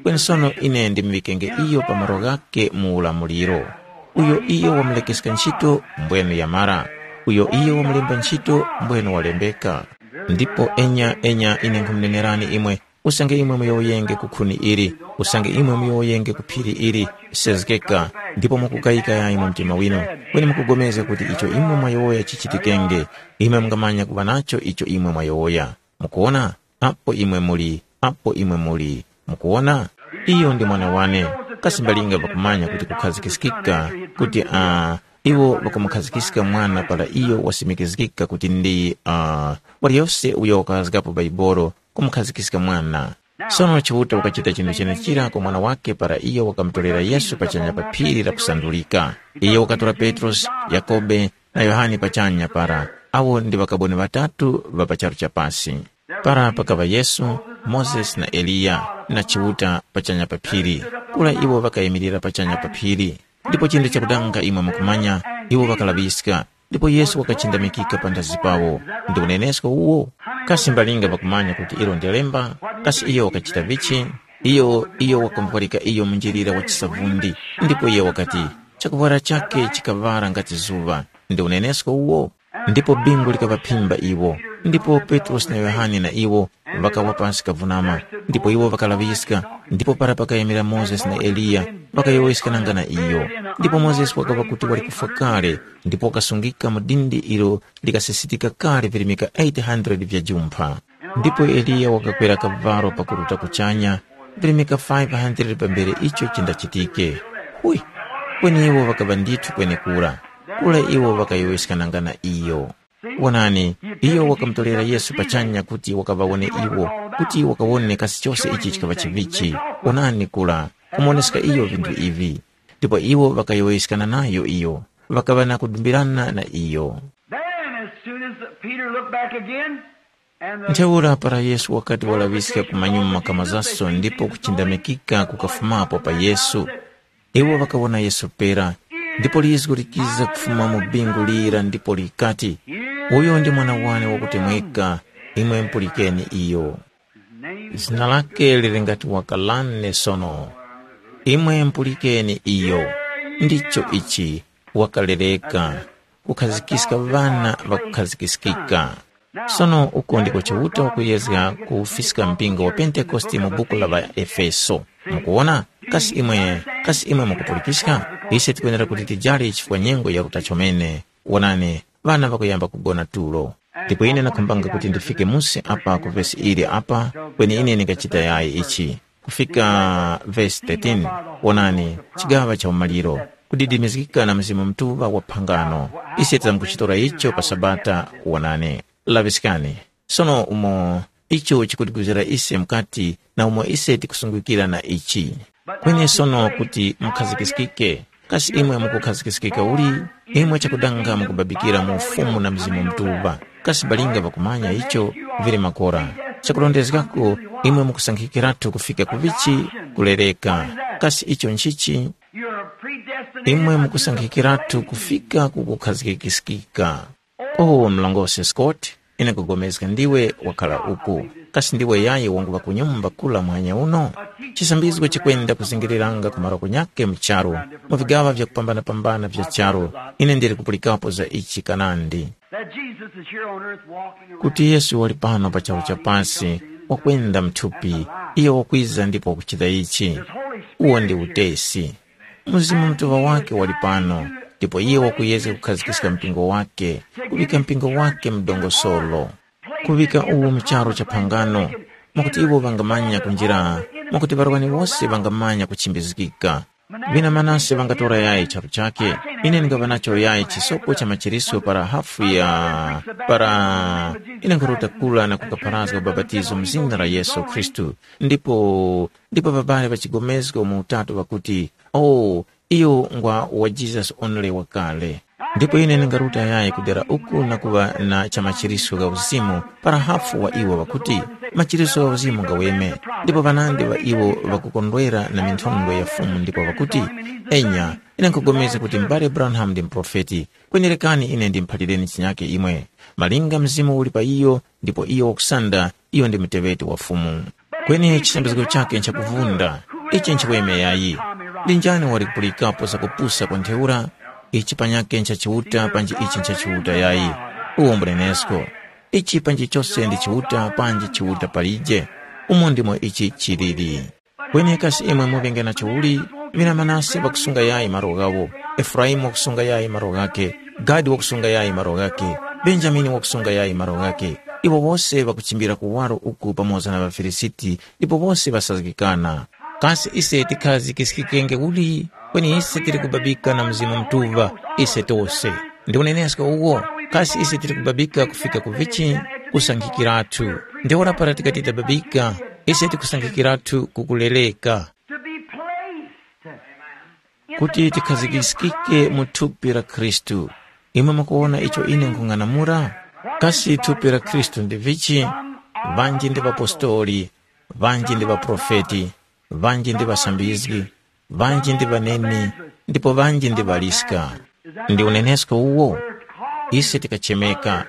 Kweni sono ine ndimuŵikenge iyo pa malo ghake mu ulamuliro. Uyo iyo wamulekeska ntchito, mbwenu yamara. Uyo iyo wamulemba ntchito, mbwenu walembeka. Ndipo enya, enya, ine nkhumunenerani imwe, usange imwe muyowoyenge ku khuni ili, usange imwe muyowoyenge ku phiri ili, sezgeka, Ndipo mukukayika yayi mu mtima winu, kweni mukupulikana kuti icho imwe mwayowoya chichitikenge, imwe mungamanya kuŵa nacho icho imwe mwayowoya. Mukuwona? Apo imwe muli, apo imwe muli. Mukuwona? Iyo ndi mwana wane, kasi mbalinga pakumanya kuti kukhazikiskika, kuti a iwo ŵakamukhazikiska mwana para iyo wasimikizgika kuti ndi uh, waliyose uyo wakazgapo Baibolo kumukhazikiska mwana. Sono Chiuta wakachita chinthu chenechira kwa mwana wake para iyo wakamutorera Yesu pachanya pa phiri la kusandulika. Iyo wakatora Petrosi, Yakobe, na Yohane pachanya para, awo ndi ŵakaboni ŵatatu ŵa pa charu cha pasi. Para pakaŵa Yesu, Mozesi na Eliya, na Chiuta pachanya pa phiri. Kura iwo ŵakayimirira pachanya pa phiri. Ndipo chinthu chakudanga imwe mukumanya, iwo ŵakalaŵiska, ndipo Yesu wakachindamikika panthazi pawo. Ndi unenesko uwo? Kasi mbalinga ŵakumanya kuti ilo ndi lemba? Kasi iyo wakachita vichi? Iyo, iyo wakamuphalika iyo mu njilira wa chisavundi, ndipo iyo wakati, chakuvwara chake chikaŵara ngati zuŵa. Ndi unenesko uwo? Ndipo bingu likaŵaphimba iwo. Ndipo Petrosi na Yohane na iwo ŵakawa pasi kavunama, ndipo iwo ŵakalaŵiska. Ndipo para pakayimira Mozesi na Eliya, ŵakayowoyeskananga na iyo. Ndipo Mozesi wakaŵa kuti wali kufwa kale, ndipo wakasungika mu dindi ilo likasisitika kale virimika eight hundred vya jumpha. Ndipo Eliya wakakwera kavalo pakuruta kuchanya, virimika five hundred pambere icho chindachitike. Hui! Kweni iwo ŵakaŵa ndithu kwenekura. Kura iwo ŵakayowoyeskananga na iyo. Wonani, iyo wakamutolera Yesu pachanya kuti wakaŵawone iwo, kuti wakawone kasi chose ichi chikaŵa chivichi. Wonani kula, kumuwoneska iyo vinthu ivi. Ndipo iwo ŵakayowoyeskana nayo iyo, ŵakaŵa na kudumbirana na iyo. Then, as soon as Peter looked back again, and the Ntheura para Yesu wakati walaŵiska kumanyuma kamazaso ndipo kuchindamikika kukafumapo pa Yesu, iwo ŵakawona Yesu pera, ndipo lizgu likiza kufuma mu bingu lira ndipo likati, uyo ndi mwana wane wakutemweka, imwe mpulikeni iyo. Zina lake lili ngati wakalane sono. Imwe mpulikeni iyo. Ndicho ichi, wakalereka, kukhazikiska ŵana ŵakukhazikiskika. Sono uko ndiko Chiuta wakuyezga kuwufiska mpingo wa Pentekoste mu buku la ŵaEfeso. Mukuwona? Kasi imwe, kasi imwe mukupulikiska? Ise tikwenera kuti tijali chifukwa nyengo yaruta chomene. Wonani, ŵana ŵakuyamba kugona tulo. Ndipo ine ndakhumbanga kuti ndifike musi apa ku vesi ili apa, kweni ine ndingachita yayi ichi. Kufika vesi thirteen, wonani, chigaŵa cha umaliro, kudidimizgika na Mzimu Mutuŵa wa phangano. Ise tamkuchitora icho pa Sabata, wonani. Laŵiskani, sono umo icho chikutiguzira ise mukati na umo ise tikusungikira na ichi. Kweni sono kuti mukhazikiskike, kasi imwe mukukhazikiskika uli? Imwe chakudanga mukubabikira mu Ufumu na Mzimu Mutuŵa. Kasi balinga pakumanya icho vili makora. Chakurondezgako, imwe mukusankhikiratu kufika ku vichi? Kulereka. Kasi icho nchichi? Imwe mukusankhikiratu kufika ku kukhazgikiskika. Oh, mlongosi Scott, ine nkupulikana ndiwe wakhala uku. Kasi ndiwe yayi wanguŵa ku nyumba kula muhanya uno? Chisambizgo chikwenda kuzingiriranga ku malo kunyake mu charu, mu vigaŵa vyakupambana-pambana vya charu. Ine ndili kupulikapo za ichi kanandi. That Jesus is here on earth walking around. Kuti Yesu wali pano pa charu cha pasi, wakwenda mthupi, iyo wakwiza ndipo wakuchita ichi. Uwo ndi utesi. Mzimu Mutuŵa wake wali pano, ndipo iye wakuyezga kukhazikiska mpingo wake, kuŵika mpingo wake mu dongosolo, kuŵika uwu mu charu cha phangano, mwakuti iwo ŵangamanya kunjira, mwakuti ŵarwani wose ŵangamanya kuchimbizgika. Vina Manase ŵangatora yayi charu chake, ine ndingaŵa nacho yayi chisopo cha machiriso para hafu ya para ine nkharota kula na kukapharazga ubapatizo mu zina la Yesu Khristu. Ndipo ndipo ŵabali ŵa chigomezgo mu utatu ŵakuti, oh, iyo ngwa wa Jesus only wakale. Ndipo ine ndingaruta yayi kudera uku na kuŵa na cha machiriso gha uzimu para hafu wa iwo ŵakuti, machiriso gha uzimu ngaweme. Ndipo ŵanandi ŵa iwo ŵakukondwera na minthondwe ya Fumu ndipo ŵakuti, enya, ine nkhupulikana kuti m'bale Branham ndi muprofeti, kweni rekani ine ndimuphalireni chinyake imwe. Malinga Mzimu uli pa iyo, ndipo iyo wakusanda, iyo ndi muteŵeti wa Fumu. Kweni chisambizgo chake nchakuvunda, ichi nchiweme yayi. Ndi njani wali kupulikapo zakupusa kwa ntheura? Ichi panyakhe ncha Chiuta panji ichi ncha Chiuta yayi. Uwo mbunenesko. Ichi panji chose ndi Chiuta panji Chiuta palije. Umo ndimo ichi chiliri. Kweni kasi imwe muŵenge nacho uli? Vina Manase ŵakusunga yayi malo ghawo, Efuraimu wakusunga yayi malo ghakhe, Gadi wakusunga yayi malo ghakhe, Benjamini wakusunga yayi malo ghakhe. Iwo wose ŵakuchimbira kuwaro uku pamoza na ŵaFilisiti, ndipo wose ŵasazgikana. Kasi ise tikhazikiskikenge uli? Kweni ise tili kubabika na Mzimu Mutuŵa, ise tose. Ndi unenesko uwo, kasi ise tili kubabika kufika ku vichi? Kusankhikiratu. Ntheura para tikati tababika, ise tikusankhikiratu kukulereka. To be placed. Kuti tikhazikiskike mu thupi la Khristu. Imwe mukuwona icho ine nkhung'anamula? Kasi thupi la Khristu ndi vichi? Vanji ndi ŵapostoli, vanji ndi ŵaprofeti, vanji ndi ŵasambizgi, vanji ndi ŵaneni, ndipo vanji ndi ŵaliska. Ndi unenesko uwo? Ise tikachemeka,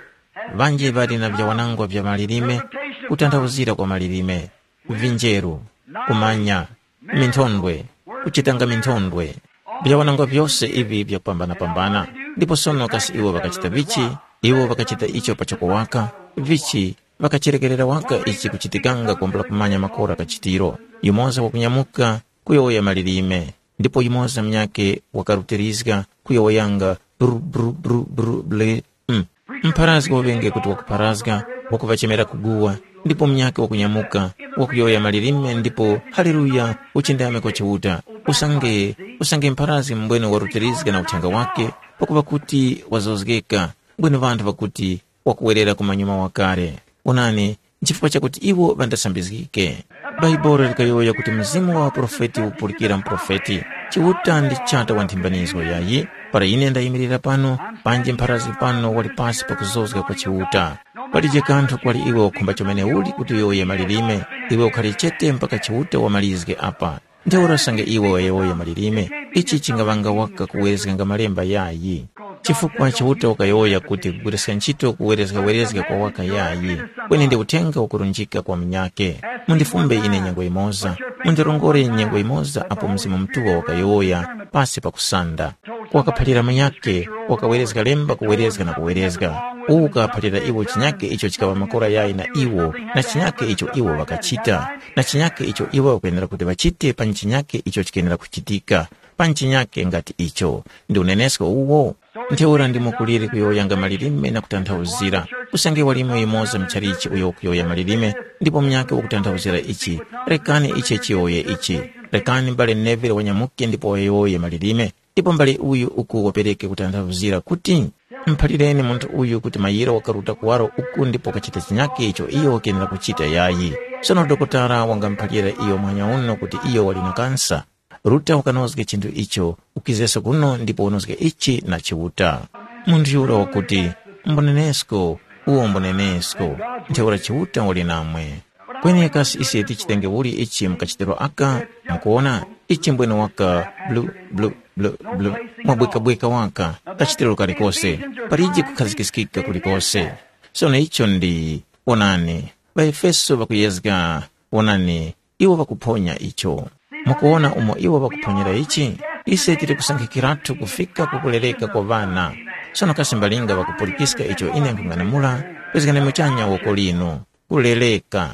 vanji ŵali na vyawanangwa vya malilime, kutanthauzira kwa malilime, vinjeru, kumanya, minthondwe, kuchitanga minthondwe. Vyawanangwa vyose ivi vyakupambana-pambana. Ndipo sono kasi iwo ŵakachita vichi? Iwo ŵakachita icho pachoko waka, vichi ŵakachirekerera waka ichi kuchitikanga kwambula kumanya makora kachitiro. Yumoza wakunyamuka kuyowoya malilime, ndipo yumoza munyakhe wakarutirizga kuyowoyanga bru bru bru bru ble. Mm. Mpharazgi waŵenge kuti wakupharazga, wakuŵachemera kuguwa, ndipo munyakhe wakunyamuka, wakuyowoya malilime ndipo haleluya, uchindame kwa Chiuta. Usange, usange mpharazgi mbwene warutirizga na uthenga wake, pakuŵa kuti wazozgeka, mbwene ŵanthu ŵakuti wakuwerera ku manyuma wakale. Onani, nchifukwa chakuti iwo ŵandasambizgike. Bhaibuli likayowoya kuti mzimu wa uprofeti upulikira muprofeti. Chiuta ndi Chata wa nthimbanizgo yayi. Para ine ndayimirira pano, panji mpharazgi pano wali pasi pa kuzozga kwa Chiuta. Palije kanthu kwali iwe wakhumba chomene uli kuti uyowoye malilime, iwe ukhali chete mpaka Chiuta wamalizge apa. Ntheura usange iwe wayowoya malilime, ichi chingaŵanga waka kuwerezganga malemba yayi. Chifukwa Chiuta wakayowoya kuti kugwiriska ntchito kuwerezgawerezga kwa waka yayi, kweni ndi uthenga wakurunjika kwa munyakhe. Mundifumbe ine nyengo yimoza, mundirongore nyengo yimoza apo Mzimu Mutuŵa wakayowoya pasi pa kusanda. Wakaphalira munyakhe, wakawerezga lemba kuwerezga na kuwerezga. Uwu ukaphalira iwo chinyakhe icho chikaŵa makora yayi na iwo, na chinyakhe icho iwo ŵakachita, na chinyakhe icho iwo ŵakwenera kuti ŵachite pa chinyakhe icho chikenera kuchitika, pa chinyakhe ngati icho. Ndi unenesko uwo? Ntheura ndimo kuliri kuyowoyanga malilime na kutanthauzira. Kusange walimo yumoza muchalichi uyo wakuyowoya malilime, ndipo munyakhe wakutanthauzira ichi, rekani ichi chiyowoye ichi. Rekani mbale Neville wanyamuke ndipo wayowoye malilime. Ndipo mbale uyu uku wapereke kutanthauzira kuti, muphalireni munthu uyu kuti mayiro wakaruta kuwaro uku ndipo wakachita chinyakhe icho iyo wakenera kuchita yayi. Sono dokotala wangamuphalira iyo muhanya uno kuti iyo wali na kansa. Ruta wakanozge chinthu icho, ukizeso kuno ndipo unozge ichi na Chiuta. Munthu yura wakuti, mbunenesko, uwo mbunenesko, ntheura Chiuta wali namwe. Kweni kasi ise tichitenge uli ichi mukachitiro aka? Mukuwona, ichi mbwene waka blu blu blu blu, mwabwekabweka waka, kachitiro kalikose, palije kukhazikiskika kulikose. Sono icho ndi, wonani, ŵaEfeso ŵakuyezga, wonani, iwo ŵakuphonya icho. Mukuwona umo iwo ŵakuphonyera ichi? Ise tili kusankhikiratu kufika ku kulereka kwa ŵana. Sono kasi mbalinga ŵakupulikiska icho ine nkhung'anamula, pezgani muchanya woko linu. Kuleleka.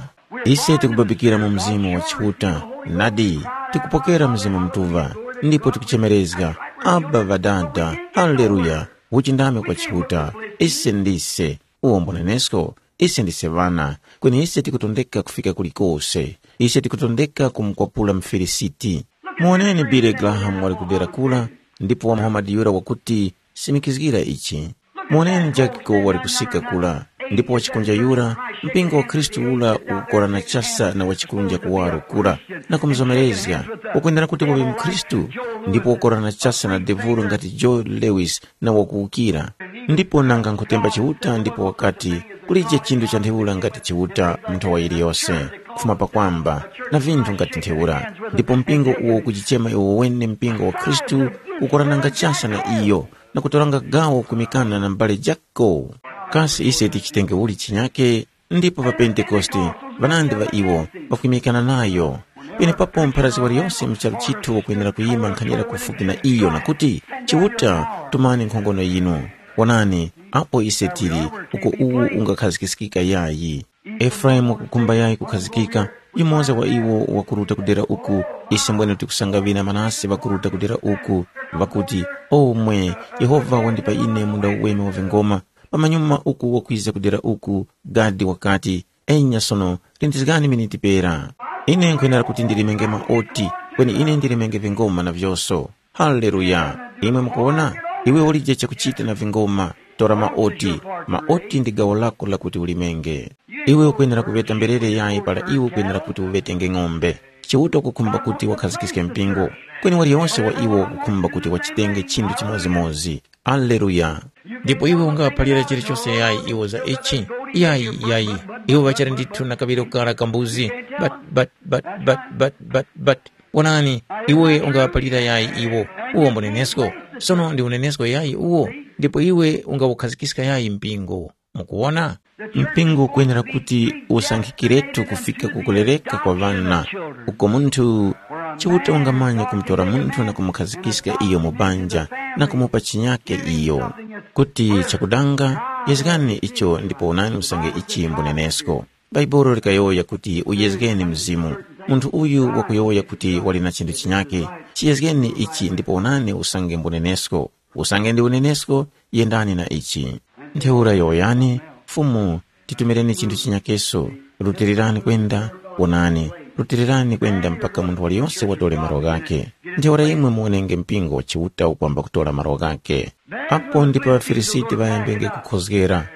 Ise tikubabikira mu Mzimu wa Chiuta, nadi, tikupokera Mzimu Mutuŵa, ndipo tikuchemerezga, Abba Ŵadada, Haleluya, uchindame kwa Chiuta. Ise ndise, uwo mbunenesko, ise ndise ŵana, kweni ise tikutondeka kufika kulikose. Ise tikutondeka kumukwapula Mufilisiti. Muwoneni Billy Graham wali kudera kura, ndipo wa Muhamadi yura wakuti, simikizgira ichi. Muwoneni Jakiko wali kusika kura, ndipo wachikunja yura, mpingo wa Khristu ura ukukorana chasa na wachikunja kuwaro kura, na kumuzomerezga, wakwendera kuti waŵe mukhristu, ndipo wakorana chasa na devuro ngati Joe Lewis na wakuwukira. Ndipo nanga nkhutemba Chiuta ndipo wakati, kulije chinthu cha ntheura ngati Chiuta mu nthowa yiliyose, kufuma pakwamba, na vinthu ngati ntheura. Ndipo mpingo uwo ukujichema iwo wene mpingo wa Khristu, ukurananga chasa na iyo, na kutoranga gawo kumikana na mbale jako. Kasi ise tichitenge uli chinyake? Ndipo pa Pentekoste, ŵanandi ŵa iwo ŵakwimikana nayo. Penepapo mpharazgi waliyose mu charu chithu wakwenera kuyima nkhanira kufupi na iyo na kuti, Chiuta, tumani nkhongono yinu. Wonani, apo ise tili, uko uwu ungakhazikikika yayi. Efraimu wakukhumba yayi kukhazikika, Yumoza wa iwo wakuruta kudera uku, ise mbwene tikusanga ŵina manase ŵakuruta kudera uku, ŵakuti, “Omwe, Yehova wandipa ine munda uweme wa vingoma, pamanyuma uku wakwiza kudera uku, gadi wakati, ‘Enya sono, lindizgani miniti pera. Ine nkhwenera kuti ndilimenge maoti, kweni ine ndilimenge vingoma na vyoso.’ Haleluya! Imwe mukuwona? Iwe ulije chakuchita na vingoma, tora maoti. Maoti ndi gawo lako lakuti ulimenge. Iwe ukwenera kuŵeta mberere yayi para iwe ukwenera kuti uŵetenge ng'ombe. Chiuta ukukhumba kuti wakhazikiske mpingo, kweni waliyonse wa iwo wakukhumba kuti wachitenge chinthu chimodzimodzi. Aleluya! Ndipo iwe ungaphalira chilichose yayi iwo za ichi? Yayi, yayi. Iwo ŵachali ndithu na kaŵiro kara ka mbuzi. But, but, but, but, but, but, but. Wonani, iwe ungaŵaphalira yayi iwo? Uwo mbunenesko. Sono ndi unenesko yayi uwo? Ndipo iwe ungawukhazikiska yayi mpingo? Mukuwona? Mpingo ukwenera kuti usankhikiretu kufika ku kulereka kwa ŵana, uko munthu Chiuta ungamanya kumutora munthu na kumukhazikiska iyo mu banja na kumupa chinyake iyo. Kuti chakudanga, yezgani icho ndipo wonani usange ichi mbunenesko. Bhaibuli likayowoya kuti uyezgeni Mzimu. Munthu uyu wakuyowoya kuti wali na chinthu chinyake, chiyezgeni ichi ndipo wonani usange mbunenesko. Usange ndi unenesko, yendani na ichi. Ntheura yowoyani, Fumu, titumireni chinthu chinyakeso, rutirirani kwenda, wonani, rutirirani kwenda mpaka munthu waliyose watore malo ghakhe. Ntheura imwe muwonenge mpingo wa Chiuta ukwamba kutora malo ghakhe. Apo ndipo ŵaFilisiti ŵayambenge kukhozgera,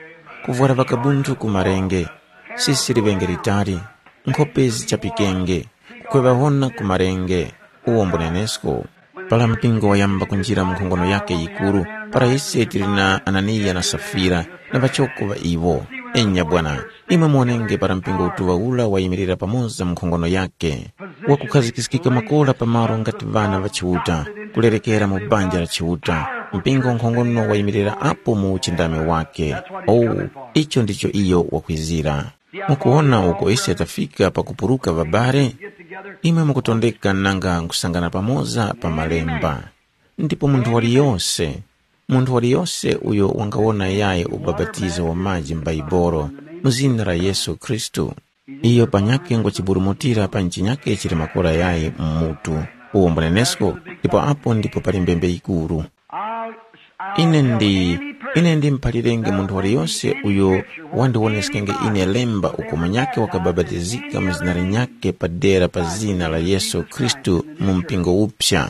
kuvwara ŵakabunthu ku marenge, sisi liŵenge litali, nkhope zichapikenge, kukhweŵahona ku marenge, uwo mbunenesko. Para mpingo wayamba kunjira mu nkhongono yakhe yikuru, para ise tili na Ananiya na Safira na ŵachoko ŵa iwo. Enya bwana, imwe muwonenge para mpingo utuŵa ura wayimirira pamoza mu nkhongono yakhe, wakukhazikiskika makora pa malo ngati ŵana ŵa Chiuta, kulerekera mu banja la Chiuta, mpingo nkhongono wayimirira apo mu uchindami wakhe. Oh, icho ndicho iyo wakwizira. Mukuwona uko ise tafika pakupuruka ŵabale? Imwe mukutondeka nanga nkusangana pamoza pa malemba. Ndipo munthu waliyose, munthu waliyose uyo wangawona yayi ubapatizo wa maji m'Baibolo mu zina la Yesu Khristu, iyo panyakhe ngwachiburumutira pa nchinyakhe chili makora yayi mu mutu, uwo mbunenesko, ndipo apo ndipo pali mbembe yikuru. Ine ndi ine ndimuphalirenge munthu waliyose uyo wandiwoneskenge ine lemba uko munyakhe wakabapatizika mu zina linyakhe padera pa zina la Yesu Khristu mu mpingo uphya.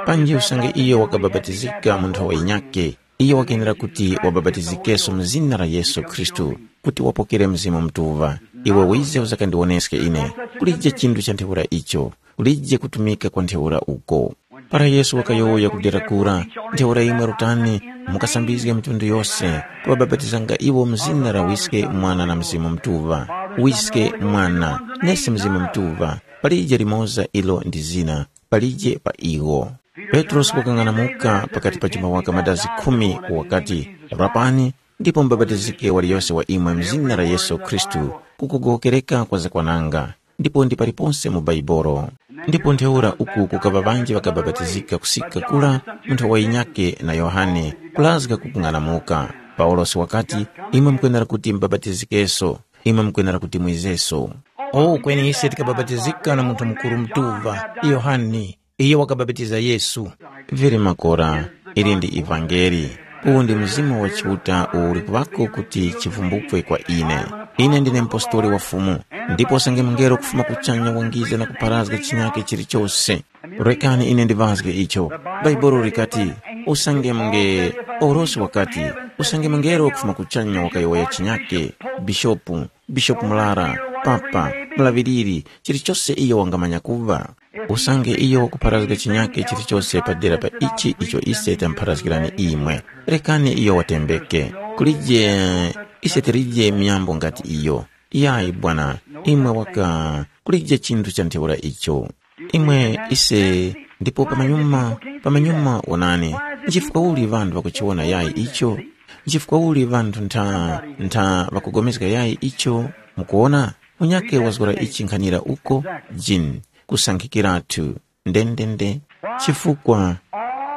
Panji usange iyo wakabapatizika mu nthowa yinyakhe, iyo wakenera kuti wabapatizikenso mu zina la Yesu Khristu, kuti wapokere Mzimu Mutuŵa. Iwe wize uzakandiwoneske ine. Kulije chinthu cha ntheura icho. Kulije kutumika kwa ntheura uko. Para Yesu wakayowoya kudera kura, ntheura imwe rutani, mukasambizge mitundu yose, kuŵabapatizanga iwo mu zina la Wiske, Mwana na Mzimu Mutuŵa. Wiske, Mwana, nesi Mzimu Mutuŵa, palije limoza ilo ndi zina, palije pa iwo. Petrosi wakang'anamuka pakati pa chimawaka madazi khumi wakati, “Rapani, ndipo mubapatizike waliyose wa imwe mu zina la Yesu Khristu, kukugowokereka kwa zakwananga.” Ndipo ndi paliponse mu Baibolo. Ndipo ntheura uku kukaŵa ŵanji ŵakabapatizika kusika kura munthu wa yinyakhe na Yohane, kulazga ku kung'anamuka. Paulosi wakati, “Imwe mukwenera kuti mubapatizikenso, imwe mukwenera kuti mwizeso.” O, kweni ise tikabapatizika na munthu mukuru mutuŵa, Yohane, iyo wakabapatiza Yesu. Vili makora, ili ndi ivangeli. Uwu ndi Mzimu wa Chiuta uwo uli kuŵako kuti chivumbukwe kwa ine. Ine ndine mupostoli wa Fumu, ndipo usange mungelo kufuma kuchanya wangiza na kupharazga chinyake chilichose. Rekani ine ndiŵazge icho. Bhaibuli likati, usange munge, Paulosi wakati, usange mungelo kufuma kuchanya wakayowoya chinyake, bishopu, bishopu murara, papa, mulaŵiriri, chilichose iyo wangamanya kuŵa. Usange iyo wakupharazga chinyake chilichose padera pa ichi icho ise tamupharazgirani imwe, rekani iyo watembeke. Kulije, ise tilije miyambo ngati iyo. Yayi bwana, imwe waka, kulije chinthu cha ntheura icho. Imwe ise, ndipo pamanyuma, pamanyuma wonani, nchifukwa uli ŵanthu ŵakuchiwona yayi icho? Nchifukwa uli ŵanthu ntha, ntha ŵakugomezga yayi icho? Mukuwona, munyakhe wazgora ichi nkhanira uko, Jean, kusankhikiratu, ndendende. Chifukwa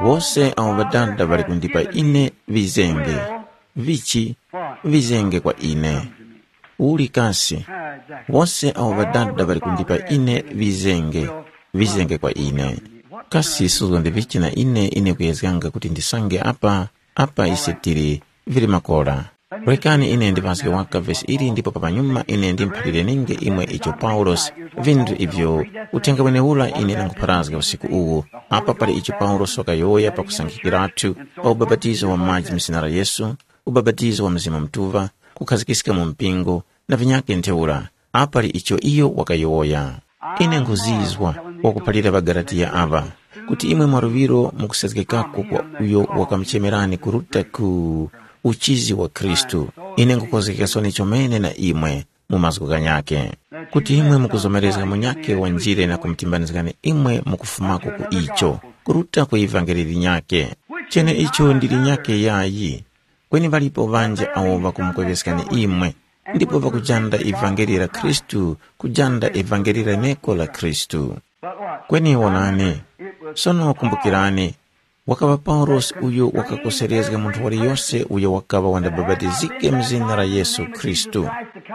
wose awo Ŵadada ŵali kundipa ine ŵizenge, vichi, vizenge kwa ine. Uli kasi, Wose awo Ŵadada ŵali kundipa ine ŵizenge, ŵizenge kwa ine. Kasi suzgondivichi na ine, ine kuyezganga kuti ndisange apa, apa ise tili, vili makora. Rekani ine ndiŵazge waka vesi ili ndipo pamanyuma ine ndimuphalirenge imwe icho Paulosi, vinthu ivyo uthenga wenewura ine ndangupharazga usiku uwu. Apa pali icho Paulosi wakayowoya pakusankhikiratu pa ubapatizo wa maji mu zina la Yesu, ubapatizo wa Mzimu Mutuŵa, kukhazikiska mu mpingo, na vinyakhe ntheura. Apali icho iyo wakayowoya. Ine nkhuzizwa wakuphalira ŵaGalatiya aŵa, kuti imwe mwaluŵiro mukusezgekako kwa uyo wakamuchemerani kuruta ku uchizi wa Khristu. Ine nkhukhozgeka soni chomene na imwe mu mazgu ghanyakhe, kuti imwe mukuzomerezga munyakhe wanjire na kumutimbanizgani imwe mukufumako ku icho, kuruta ku ivangeli linyakhe. Cheneicho ndi linyakhe yayi. Kweni ŵalipo ŵanji awo ŵakumukweveskani imwe, ndipo ŵakujanda ivangeli la Khristu, kujanda ivangeli leneko la Khristu. Kweni wonani, sono kumbukirani, wakaŵa Paulosi uyo wakakoserezga munthu waliyose uyo wakaŵa wandabapatizike mu zina la Yesu Khristu,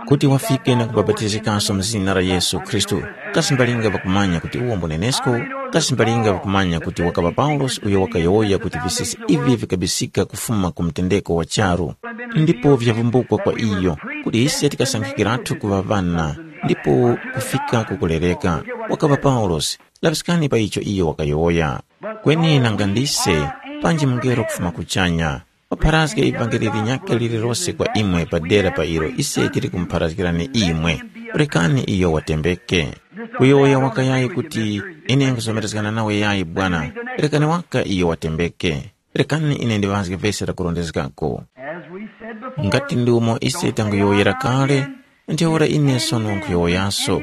kuti wafike na kubapatizikanso mu zina la Yesu Khristu. Kasi mbalinga ŵakumanya kuti uwo mbunenesko? Kasi mbalinga ŵakumanya kuti wakaŵa Paulosi uyo wakayowoya kuti visisi ivi vikabisika kufuma ku mtendeko wa charu, ndipo vyavumbukwa kwa iyo, kuti ise tikasankhikiratu kuŵa ŵana, ndipo kufika ku kulereka? Wakaŵa Paulosi, laŵiskani pa icho iyo wakayowoya. Kweni nanga ndise, panji mungelo kufuma kuchanya, wapharazge ivangeli linyakhe lililose kwa imwe padera pa ilo ise tili kumupharazgirani imwe, rekani iyo watembeke. Kuyowoya wakayayi kuti, ine nkuzomerezgana nawe yayi Bwana, rekani waka iyo watembeke. Rekani ine ndiŵazge vesi lakurondezgako. As we said before, ngati ndi umo ise tanguyowoyera kale, ntheura ine sono nkhuyowoyaso.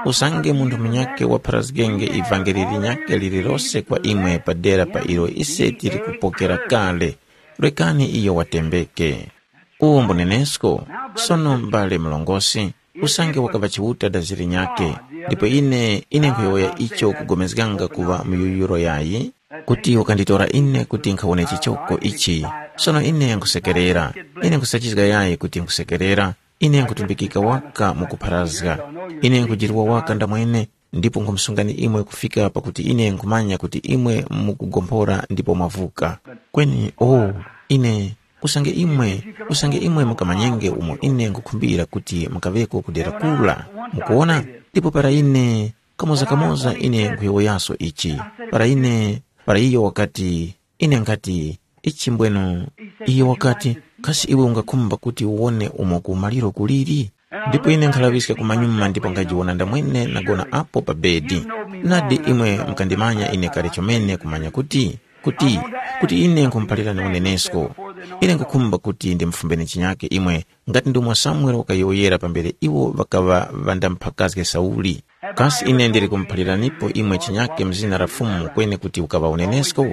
Usange munthu munyakhe wapharazgenge ivangeli linyakhe lililose kwa imwe padera pa ilo ise tili kupokera kale, rekani iyo watembeke. Uwo mbunenesko, sono m'bale mlongosi, usange wakaŵa Chiuta daziri nyakhe, ndipo ine, ine nkhuyowoya icho kugomezganga kuŵa muyuyuro yayi, kuti wakanditora ine kuti nkhawone chichoko ichi. Sono ine nkhusekerera, ine nkhusachizga yayi kuti nkhusekerera, ine nkhutumbikika waka mukupharazga. Ine nkhujirwa waka ndamwene, ndipo nkhumsungani imwe kufika pakuti ine nkhumanya kuti imwe mukugomphora ndipo mwavuka. Kweni, oh, ine, usange imwe, usange imwe mukamanyenge umo ine nkhukhumbira kuti mukaŵeko ku dera kula. Mukuwona? Ndipo para ine, kamoza-kamoza ine nkhuyowoyaso ichi, para ine, para iyo wakati, ine nkhati, ichi mbwenu. Iyo wakati, kasi iwe ungakhumba kuti uwone umo ku maliro kuliri? Ndipo ine nkhalaŵiska kumanyuma ndipo nkhajiwona ndamwene nagona apo pa bedi. Nadi imwe mukandimanya ine kale chomene kumanya kuti, kuti, kuti ine nkhumuphalirani unenesko. Ine nkhukhumba kuti ndimufumbeni chinyake imwe, ngati ndomwe Samuele wakayowoyera pambere iwo ŵakaŵa ŵandamphakazge Sauli. Kasi ine ndili kumuphaliranipo imwe chinyake mu zina la Fumu kweni kuti ukaŵa unenesko?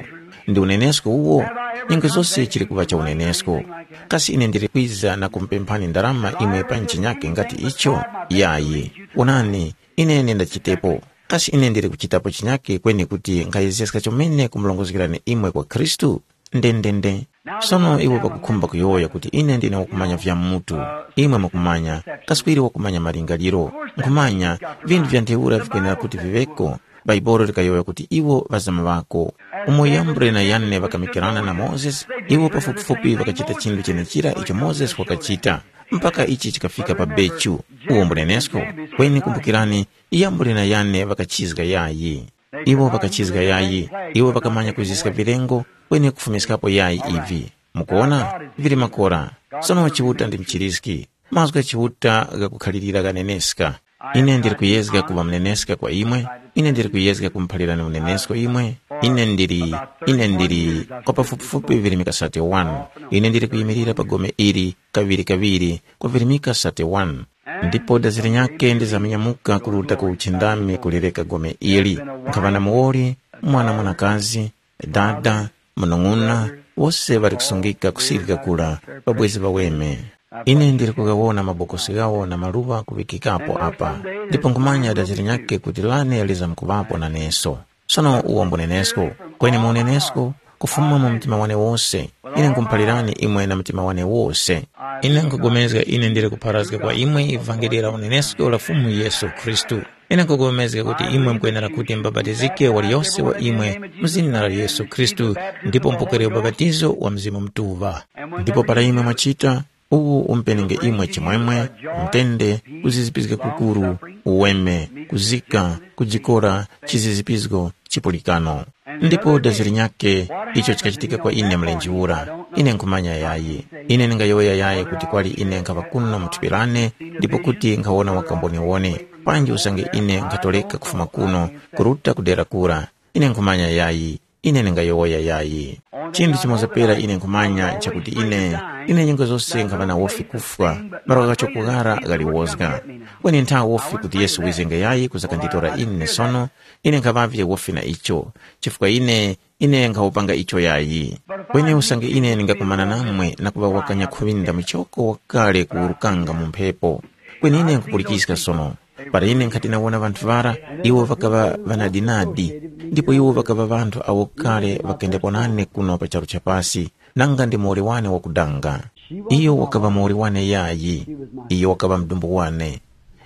Ndi unenesko uwo? Nyengo zose chili kuŵa cha unenesko. Kasi ine ndili kwiza na kumupemphani ndarama imwe pa nchinyake ngati icho? Yayi. Wonani, ine nendachitepo. Kasi ine ndili kuchitapo chinyake kweni kuti nkhayezeska chomene kumurongozgerani imwe kwa Khristu? Ndendende. Sono iwo pakukhumba kuyowoya kuti ine ndine wakumanya vya mutu. Imwe mukumanya, kaswiri wakumanya malingaliro. Nkhumanya, vinthu vya ntheura vikwenera kuti viŵeko. Bhaibuli likayowoya kuti iwo ŵazama ŵako. Umo Yambure na Yane ŵakamikirana na Mozesi, iwo pafupifupi ŵakachita chinthu chenechira icho Mozesi wakachita, mpaka ichi chikafika pa bechu. Uwo mbunenesko? Kweni kumbukirani, Yambure na Yane ŵakachizga yayi. Iwo ŵakachizga yayi, iwo ŵakamanya kuziska vilengo, kweni kufumiskapo yayi ivi. Mukuwona? Vili makora. Sono Chiuta ndi mchiriski. Mazgu gha Chiuta ghakukhalirira ghaneneska. Ine ndili kuyezga kuŵa muneneska kwa imwe, ine ndili kuyezga kumuphalirani unenesko imwe, ine ndili, ine ndili kwa pafupifupi virimika thirty-one. Ine ndili kuyimirira pa gome ili kaŵiri-kaŵiri kwa virimika thirty-one. Ndipo dazi linyakhe ndizaminyamuka kuruta ku uchindami kulireka gome ili. Nkhaŵa na muwoli, mwana mwanakazi, dada, munung'una, wose ŵali kusungika kusirika kura, ŵabwezi ŵaweme. Ine ndili kughawona mabokosi ghawo na maluŵa kuŵikikapo apa, ndipo nkhumanya dazi linyakhe kuti lane lizamkuŵapo naneso. Sono uwo mbunenesko, kweni mu unenesko, kufuma mu mtima wane wose. Ine nkhumuphalirani imwe na mtima wane wose. Ine nkhupulikana ine ndili kupharazga kwa imwe ivangeli la unenesko la Fumu Yesu Khristu. Ine nkhupulikana kuti imwe mukwenera kuti mubapatizike waliyose wa imwe mu zina la Yesu Khristu, ndipo mupokere ubapatizo wa Mzimu Mutuŵa. Ndipo para imwe mwachita, uwu umpenenge imwe chimwemwe, mtende, kuzizipizga kukuru, uweme, kuzika, kujikora, chizizipizgo, chipulikano. Ndipo dazi linyakhe, icho chikachitika kwa ine mlenje ura, ine nkhumanya yayi. Ine ndingayowoya yayi kuti kwali ine nkhaŵa kuno mu thupi lane, ndipo kuti nkhawona wakamboniwone, panji usange ine nkhatoreka kufuma kuno, kuruta ku dera kura, ine nkhumanya yayi. Ine ndingayowoya yayi. Chinthu chimoza pera ine nkhumanya nchakuti ine, ine nyengo zose nkhaŵa na wofi kufwa, malo ghacho kughara ghaliwozga. Kweni nthawe wofi kuti Yesu wizenge yayi kuzakanditora ine sono, ine nkhaŵavye wofi na icho, chifukwa ine, ine nkhawupanga icho yayi. Kweni usange ine ndingakumana namwe na kuŵa wakanya khuŵinda muchoko wakale kuwurukanga mu mphepo, kweni ine nkhupulikiska sono. Para ine nkhati nawona ŵanthu ŵara, iwo ŵakaŵa ŵanadinadi, ndipo iwo ŵakaŵa ŵanthu awo kale ŵakendepo nane kuno pa charu cha pasi, nanga ndi muwoli wane wakudanga. Iyo wakaŵa muwoli wane yayi, iyo wakaŵa mdumbu wane.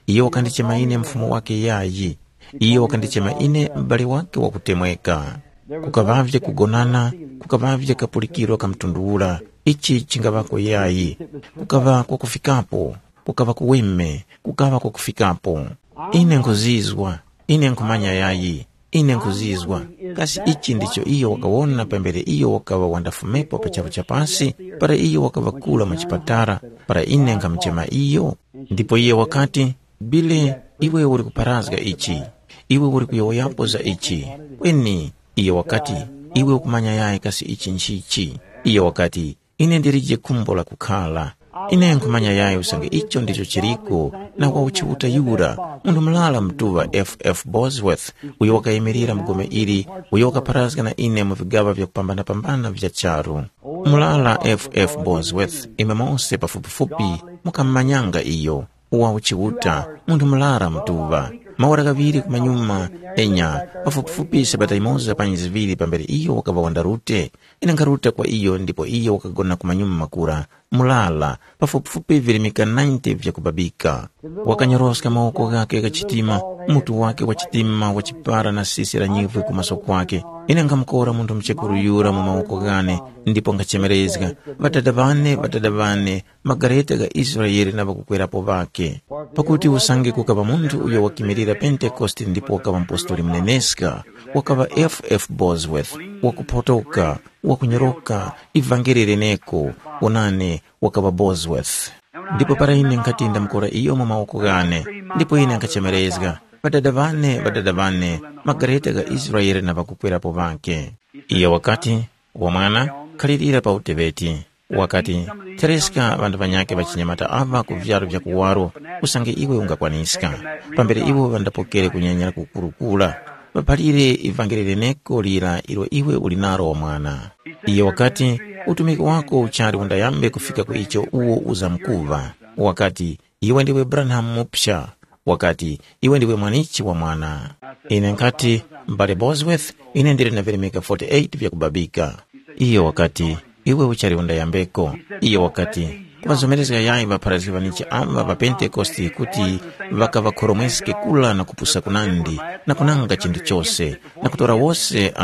Iyo wakandichema ine mfumu wake yayi, iyo wakandichema ine m'bale wake wakutemweka. Kukaŵavye kugonana, kukaŵavye kapulikiro ka mtundu ura, ichi chingaŵako yayi, kukaŵa kwakufikapo. Kukaŵa kuweme, kukaŵa kwakufikapo. Ine nkhuzizwa, ine nkhumanya yayi, ine nkhuzizwa. Kasi ichi ndicho iyo wakawona pambere iyo wakaŵa wandafumepo pa charu cha pasi, para iyo wakaŵa kura mu chipatara, para ine nkhamuchema iyo? Ndipo iye wakati, Bile, iwe uli kupharazga ichi, iwe uli kuyowoyapo za ichi. Kweni iyo wakati, iwe ukumanya yayi kasi ichi nchichi? Iyo wakati, Ine ndilije khumbo la kukhala. Ine nkhumanya yayi usange icho ndicho chiriko na wa uchiuta yura, munthu murara mutuŵa F F Bosworth, uyo wakayimirira mu gome ili, uyo wakapharazga na ine mu vigaŵa vyakupambana-pambana vya charu. Murara F F Bosworth, imwe mose pafupifupi mukamumanyanga iyo, wa uchiuta, munthu murara mutuŵa. Maora ghaŵiri kumanyuma, enya, pafupifupi sabata yimoza panyi ziŵiri pambere iyo wakaŵa wandarute, ine nkharuta kwa iyo ndipo iyo wakagona kumanyuma makura, mulala, pafupifupi virimika ninety vyakubabika. Wakanyoroska mawoko ghakhe gha chitima, mutu wake wa chitima wa chipara na sisi la nyivwe ku maso kwake. Ine nkhamukora munthu muchekuru yura mu mawoko ghane, ndipo nkhachemerezga, Ŵadada ŵane, ŵadada ŵane, magareta gha Israele na ŵakukwerapo ŵakhe. Pakuti usange kukaŵa munthu uyo wakimirira Pentekoste ndipo wakaŵa mpostoli muneneska, wakaŵa F F Bosworth, wakuphotoka, wakunyoroka, ivangeli leneko, wonani, wakaŵa Bosworth. Ndipo para ine nkhati ndamukora iyo mu mawoko ghane, ndipo ine nkhachemerezga, Ŵadada ŵane, ŵadada ŵane, magareta gha Israele na ŵakukwerapo ŵakhe. Iyo wakati, Wamwana, khalirira pa uteŵeti. Wakati, Thereska ŵanthu ŵanyakhe ŵachinyamata aŵa ku vyaru vya kuwaro, usange iwe ungakwaniska. Pambere iwo ŵandapokere kunyanyira kukurukura, ŵaphalire ivangeli leneko lira ilo iwe uli nalo wamwana. Iyo wakati, Utumiki wako uchali undayambe kufika ku icho uwo uzamkuŵa. Wakati, Iwe ndiwe Branham muphya. Wakati, Iwe ndiwe mwanichi wa mwana. Ine nkhati, M'bale Bosworth, ine ndili na virimika forty-eight vyakubabika. Iyo wakati, Iwe uchali undayambeko. Iyo wakati, Kuŵazomerezga yayi ŵapharazgi ŵanichi aŵa ŵa Pentekoste kuti ŵakaŵakhoromweske kula na kupusa kunandi, na kunanga chinthu chose, na kutora wose uh,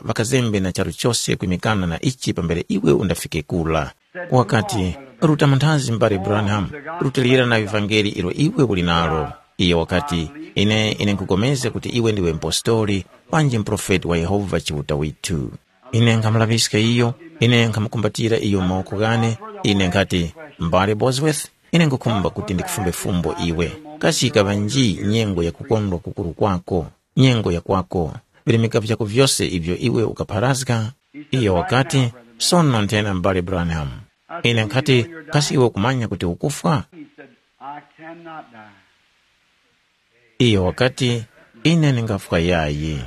ŵakazembe na charu chose kwimikana na ichi pambere iwe undafike kula. Wakati, Ruta munthazi m'bale Branham, rutilira na ivangeli ilo iwe uli nalo. Iyo wakati, Ine, ine nkupulikana kuti iwe ndiwe mpostoli, panji muprofeti wa Yehova Chiuta withu. Ine nkhamulaŵiska iyo, ine nkhamukumbatira iyo mu mawoko ghane, ine nkhati, M'bale Bosworth, ine nkhukhumba kuti ndikufumbe fumbo iwe. Kasi yikaŵa nji nyengo ya kukondwa kukuru kwako, nyengo ya kwako, virimika vyako vyose ivyo iwe ukapharazga? Iyo wakati, Sono nthena m'bale Branham. Ine nkhati, Kasi iwe ukumanya kuti ukufwa? He said, I cannot die. Iyo wakati, Ine ndingafwa yayi.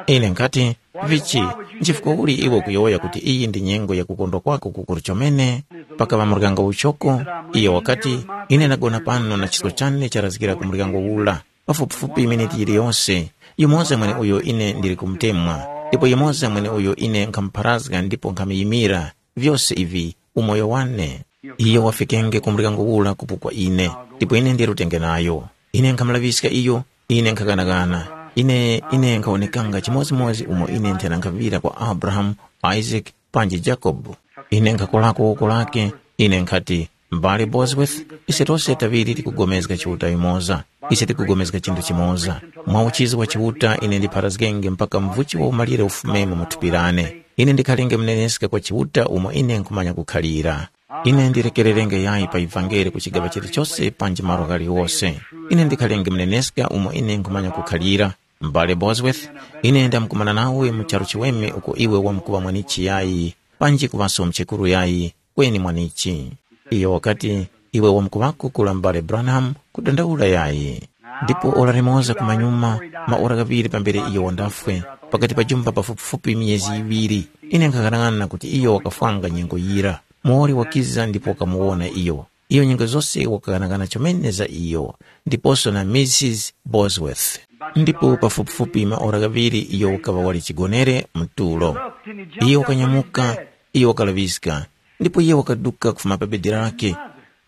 Ine nkhati, Vichi, nchifukwa uli iwe ukuyowoya kuti iyi ndi nyengo ya kukondwa kwako kukuru chomene? Pakaŵa muryango uchoko, iyo wakati, Ine ndagona pano na chisko chane charazgira ku muryango ula, pafupifupi miniti yiliyose, yumoza mweneuyo ine ndili kumutemwa. Ndipo yumoza mweneuyo ine nkhamupharazga ndipo nkhamuyimira, vyose ivi, umoyo wane. Iyo wafikenge ku muryango ura kupo kwa ine, ndipo ine ndirutenge nayo. Ine nkhamulaŵiska iyo, ine nkhaghanaghana. Ine, ine nkhawonekanga chimodzimodzi umo ine nthena nkhaŵira kwa Abrahamu, Isaac, panji Jacob. Ine nkhakolako woko lake, ine nkhati, M'bale Bosworth, ise tose taŵiri tikugomezga Chiuta yumoza. Ise tikugomezga chinthu chimoza. Mwa uchizi wa Chiuta ine ndipharazgenge mpaka mvuchi wa umalire ufumemo mu thupi lane. Ine ndikhalenge muneneska kwa Chiuta umo ine nkhumanya kukhalira. Ine ndirekererenge yayi pa ivangeli ku chigaŵa chilichose panji malo ghaliwose. Ine ndikhalenge muneneska umo ine nkhumanya kukhalira. M'bale Bosworth, ine ndamkumana nawe mu charu chiweme uko iwe wamkuŵa mwanichi yayi, panji kuŵaso mchekuru yayi, kweni mwanichi. Iyo wakati, iwe wamkuŵako kula m'bale Branham, kudandaula yayi. Ndipo ora limoza kumanyuma, maora ghaŵiri pambere iyo wandafwe, pakati pa jumba pafupifupi miyezi yiŵiri, ine nkhaghanag'ana kuti iyo wakafwanga nyengo yira. Muwoli wakiza ndipo wakamuwona iyo. Iyo nyengo zose wakaghanagana chomene za iyo, ndiposo na Mrs Bosworth. Ndipo pafupifupi maora ghaŵiri iyo wakaŵa wali chigonere mu tulo. Iyo wakanyamuka, iyo wakalaŵiska, ndipo iyo wakaduka kufuma pa bedi lake.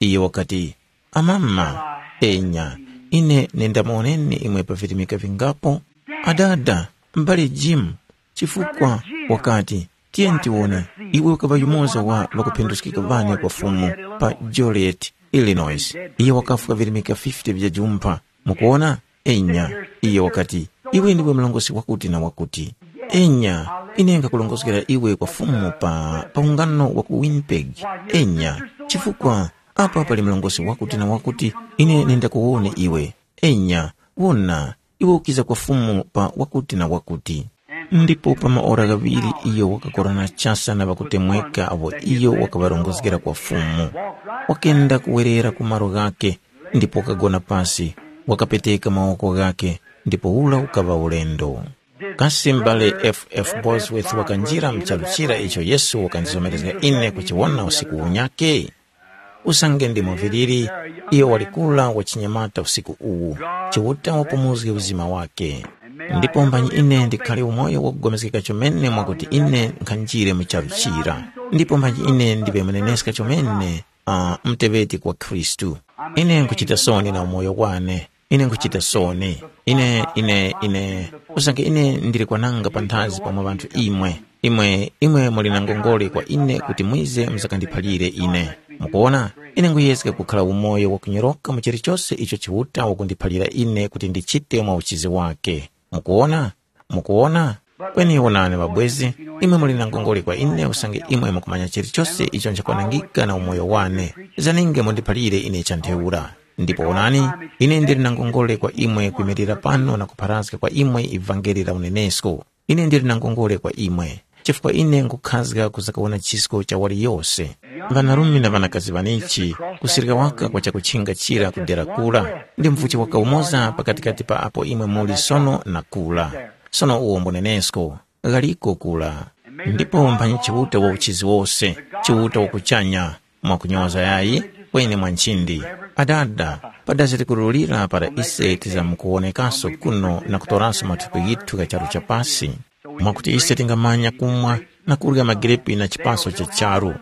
Iyo wakati, amama, enya, ine nendamuwoneni imwe pa virimika vingapo. Adada, m'bale Jim, chifukwa wakati, tiyeni tiwone, iwe ukaŵa yumoza wa ŵakuphinduskika ŵane kwa Fumu pa Joliet, Illinois. Iye wakafwa virimika fifty vya jumpha. Mukuwona? Enya. Iye wakati, iwe ndiwe mlongosi wakuti na wakuti. Enya, ine nkhakulongozgera iwe kwa Fumu pa, pa ungano wa ku Winnipeg. Enya, chifukwa apa pali mlongosi wakuti na wakuti, ine nindakuwone iwe. Enya, wona, iwe ukiza kwa Fumu pa wakuti na wakuti. Ndipo pa maora ghaŵiri iyo wakakorana chasa na ŵakutemweka apo iyo wakaŵarongozgera kwa Fumu. Wakenda kuwerera ku malo ghakhe, ndipo wakagona pasi, wakapeteka mawoko ghakhe, ndipo ura ukaŵa ulendo. Kasi m'bale F F Bosworth wakanjira mu charu chira icho Yesu wakandizomerezga ine kuchiwona usiku unyakhe? Usange ndi muviliri, iyo wali kura wachinyamata usiku uwu, Chiuta wapumuzge uzima wakhe. Ndipo mbani ine ndikhale umoyo wakugomezgeka chomene mwakuti ine nkhanjire mu charu chira. Ndipo mbani ine ndiŵe muneneska chomene, uh, muteŵeti kwa Khristu. Ine nkuchita soni na umoyo wane. Ine nkuchita soni. Ine, ine, ine, usange ine ndili kwananga panthazi pamwe ŵanthu imwe. Imwe, imwe muli na ngongole kwa ine kuti mwize muzakandiphalire ine. Mukuwona? Ine nguyezga kukhala umoyo wakunyoroka mu chilichose icho Chiuta wakundiphalira ine kuti ndichite mwa uchizi wake. Mukuwona? Mukuwona? Kweni wonani ŵabwezi, imwe muli na ngongole kwa ine usange imwe mukumanya chilichose icho nchakwanangika na umoyo wane. Zaninge mundiphalire ine cha ntheura. Ndipo wonani, ine ndili na ngongole kwa imwe kwimirira pano na kupharazga kwa imwe ivangeli la unenesko. Ine ndili na ngongole kwa imwe, chifukwa ine nkhukhazga kuzakawona chisko cha waliyose. Ŵanarume na ŵanakazi ŵanichi, kusirika waka kwa chakutchinga chira kudera kura, ndi mvuchi waka umoza pakatikati pa apo imwe muli sono na kura. Sono uwo mbunenesko, ghaliko kura. Ndipo mphanyi Chiuta wa uchizi wose, Chiuta wa kuchanya, mwakunyoza yayi, kweni mwa nchindi. Adada, padazi likurulira para ise tizamkuwonekaso kuno na kutoraso mathupi ghithu gha charu cha pasi. Mwakuti ise tingamanya kumwa na kurya magirepi na chipaso cha charu.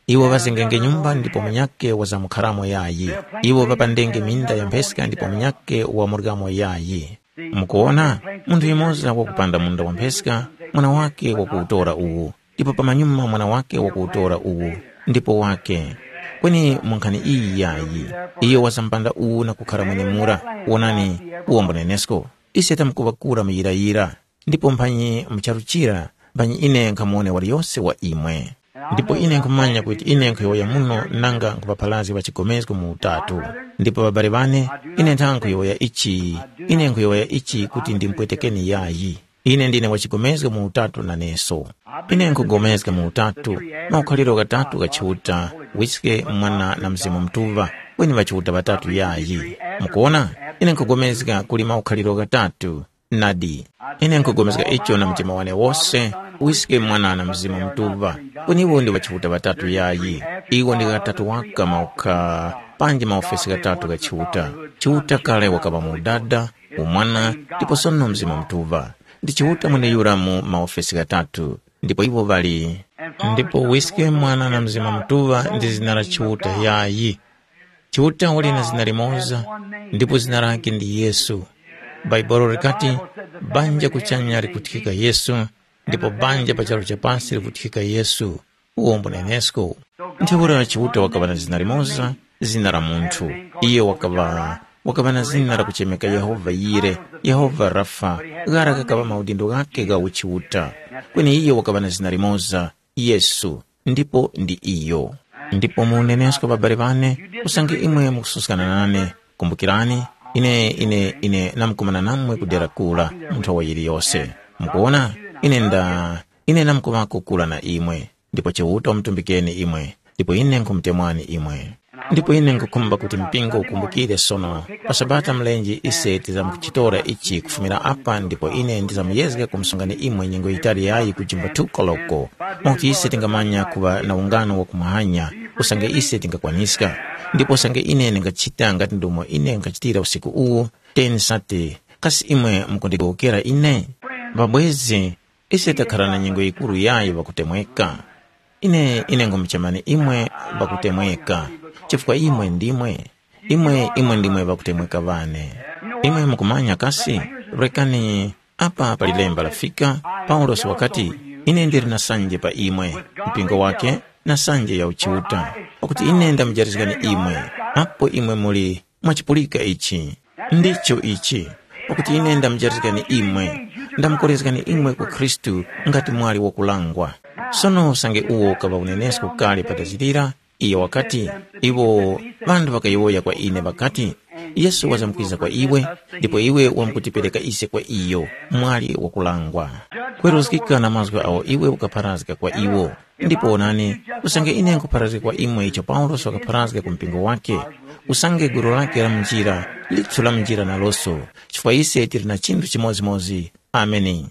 Iwo ŵazengenge nyumba ndipo munyakhe wazamkharamo yayi. Iwo ŵapandenge minda ya mpheska ndipo munyakhe wamuryamo yayi. Mukuwona, munthu yumoza wakupanda munda wa mpheska, mwana wake wakuwutora uwu, ndipo pamanyuma mwana wake wakuwutora uwu, ndipo wake. Kweni mu nkhani iyi yayi, iyo wazambanda uwu na kukhara mwenemura. Wonani, uwo mbunenesko. Ise tamkuŵa kura muyirayira, ndipo mphanyi mu charu chira, mphanyi ine nkhamuwone waliyose wa imwe. Ndipo ine nkhumanya kuti ine nkhuyowoya muno nanga nkhupapharazga pa chigomezgo mu utatu. Ndipo ŵabale ŵane, ine nthanga nkhuyowoya ichi, ine nkhuyowoya ichi kuti ndimupwetekeni yayi. Ine ndine wa chigomezgo mu utatu naneso. Ine nkhugomezga mu utatu, maukhaliro ghatatu gha Chiuta, Wiske, Mwana na Mzimu Mutuŵa, kweni ŵachiuta ŵatatu yayi. Mukuwona? Ine nkhugomezga kuli maukhaliro ghatatu. Nadi, ine nkhugomezga icho na mtima wane wose, Wiske, Mwana na Mzimu Mutuŵa, kweni iwo ndi ŵachiuta ŵatatu yayi. Iwo ndi ghatatu waka maukha, panji maofesi ghatatu gha Chiuta. Chiuta kale wakaŵa mu Udada, Umwana, ndipo sono Mzimu Mutuŵa. ndi Chiuta mweneyura mu maofesi ghatatu, ndipo iwo ŵali, ndipo Wiske, Mwana na Mzimu Mutuŵa ndi zina la Chiuta yayi. Chiuta wali na zina limoza, ndipo zina lake ndi Yesu. Bhaibuli likati, banja kuchanya likuthikika Yesu, ndipo banja pa charu cha pasi likuthikika Yesu. Uwo mbunenesko. Ntheura Chiuta wakaŵa na zina limoza, zina la munthu. Iyo wakaŵa wakaŵa na zina lakuchemeka Yehova Yire, Yehova Rafa, ghara ghakaŵa maudindo ghake gha uchiuta. Kweni iyo wakaŵa na zina limoza, Yesu, ndipo ndi iyo. Ndipo mu unenesko, ŵabale ŵane, usange imwe mukususkana nane, kumbukirani, ine ine ine namkumana namwe ku dera kura mu nthowa yiliyose. Mukuona, ine nda ine namkuŵako kura na imwe, ndipo Chiuta wamutumbikeni imwe, ndipo ine nkhumutemwani imwe. Ndipo ine nkhukhumba kuti mpingo ukumbukire sono, pa Sabata mlenje ise tizamkuchitora ichi kufumira apa ndipo ine ndizamuyezga kumsungani imwe nyengo yitali yayi ku jimbo two koloko, mwakuti ise tingamanya kuŵa na ungano wa kumuhanya, usange ise tingakwaniska. Ndipo usange ine ndingachita ngati ndomo ine nkhachitira usiku uwu, teni sate, kasi imwe mukundigowokera ine? Ŵabwezi, ise takhara na nyengo yikuru yayi ŵakutemweka. Ine ine ngumuchemani imwe ŵakutemweka, chifukwa imwe ndimwe, imwe imwe ndimwe ŵakutemweka ŵane. Imwe mukumanya kasi, rekani, apa pali lemba lafika, Paulosi wakati, ine ndili na sanje pa imwe, mpingo wake, na sanje ya uchiuta, pakuti ine ndamujarizgani imwe, apo imwe muli, mwachipulika ichi. Ndicho ichi, pakuti ine ndamujarizgani imwe, ndamukorezgani imwe ku Khristu ngati mwali wakulangwa. Sono usange uwo ukaŵa unenesko kale patazirira, iyo wakati, iwo ŵanthu ŵakayowoya kwa ine ŵakati, Yesu wazamkwiza kwa iwe, ndipo iwe wamkutipereka ise kwa iyo, mwali wakulangwa. Kweruzgika na mazgu agho iwe ukapharazga kwa iwo. Ndipo wonani, usange ine nkhupharazga kwa imwe icho Paulosi wakapharazga ku mpingo wake, usange gulu lake la munjira, lithu la munjira naloso, chifukwa ise tili na chinthu chimodzimodzi. Ameni.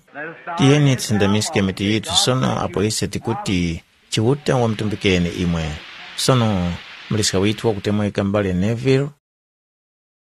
Tiyeni tisindamiske mitu yithu sono apo ise tikuti, Chiuta wamutumbikeni imwe. Sono, muliska withu wakutemweka m'bale Neville,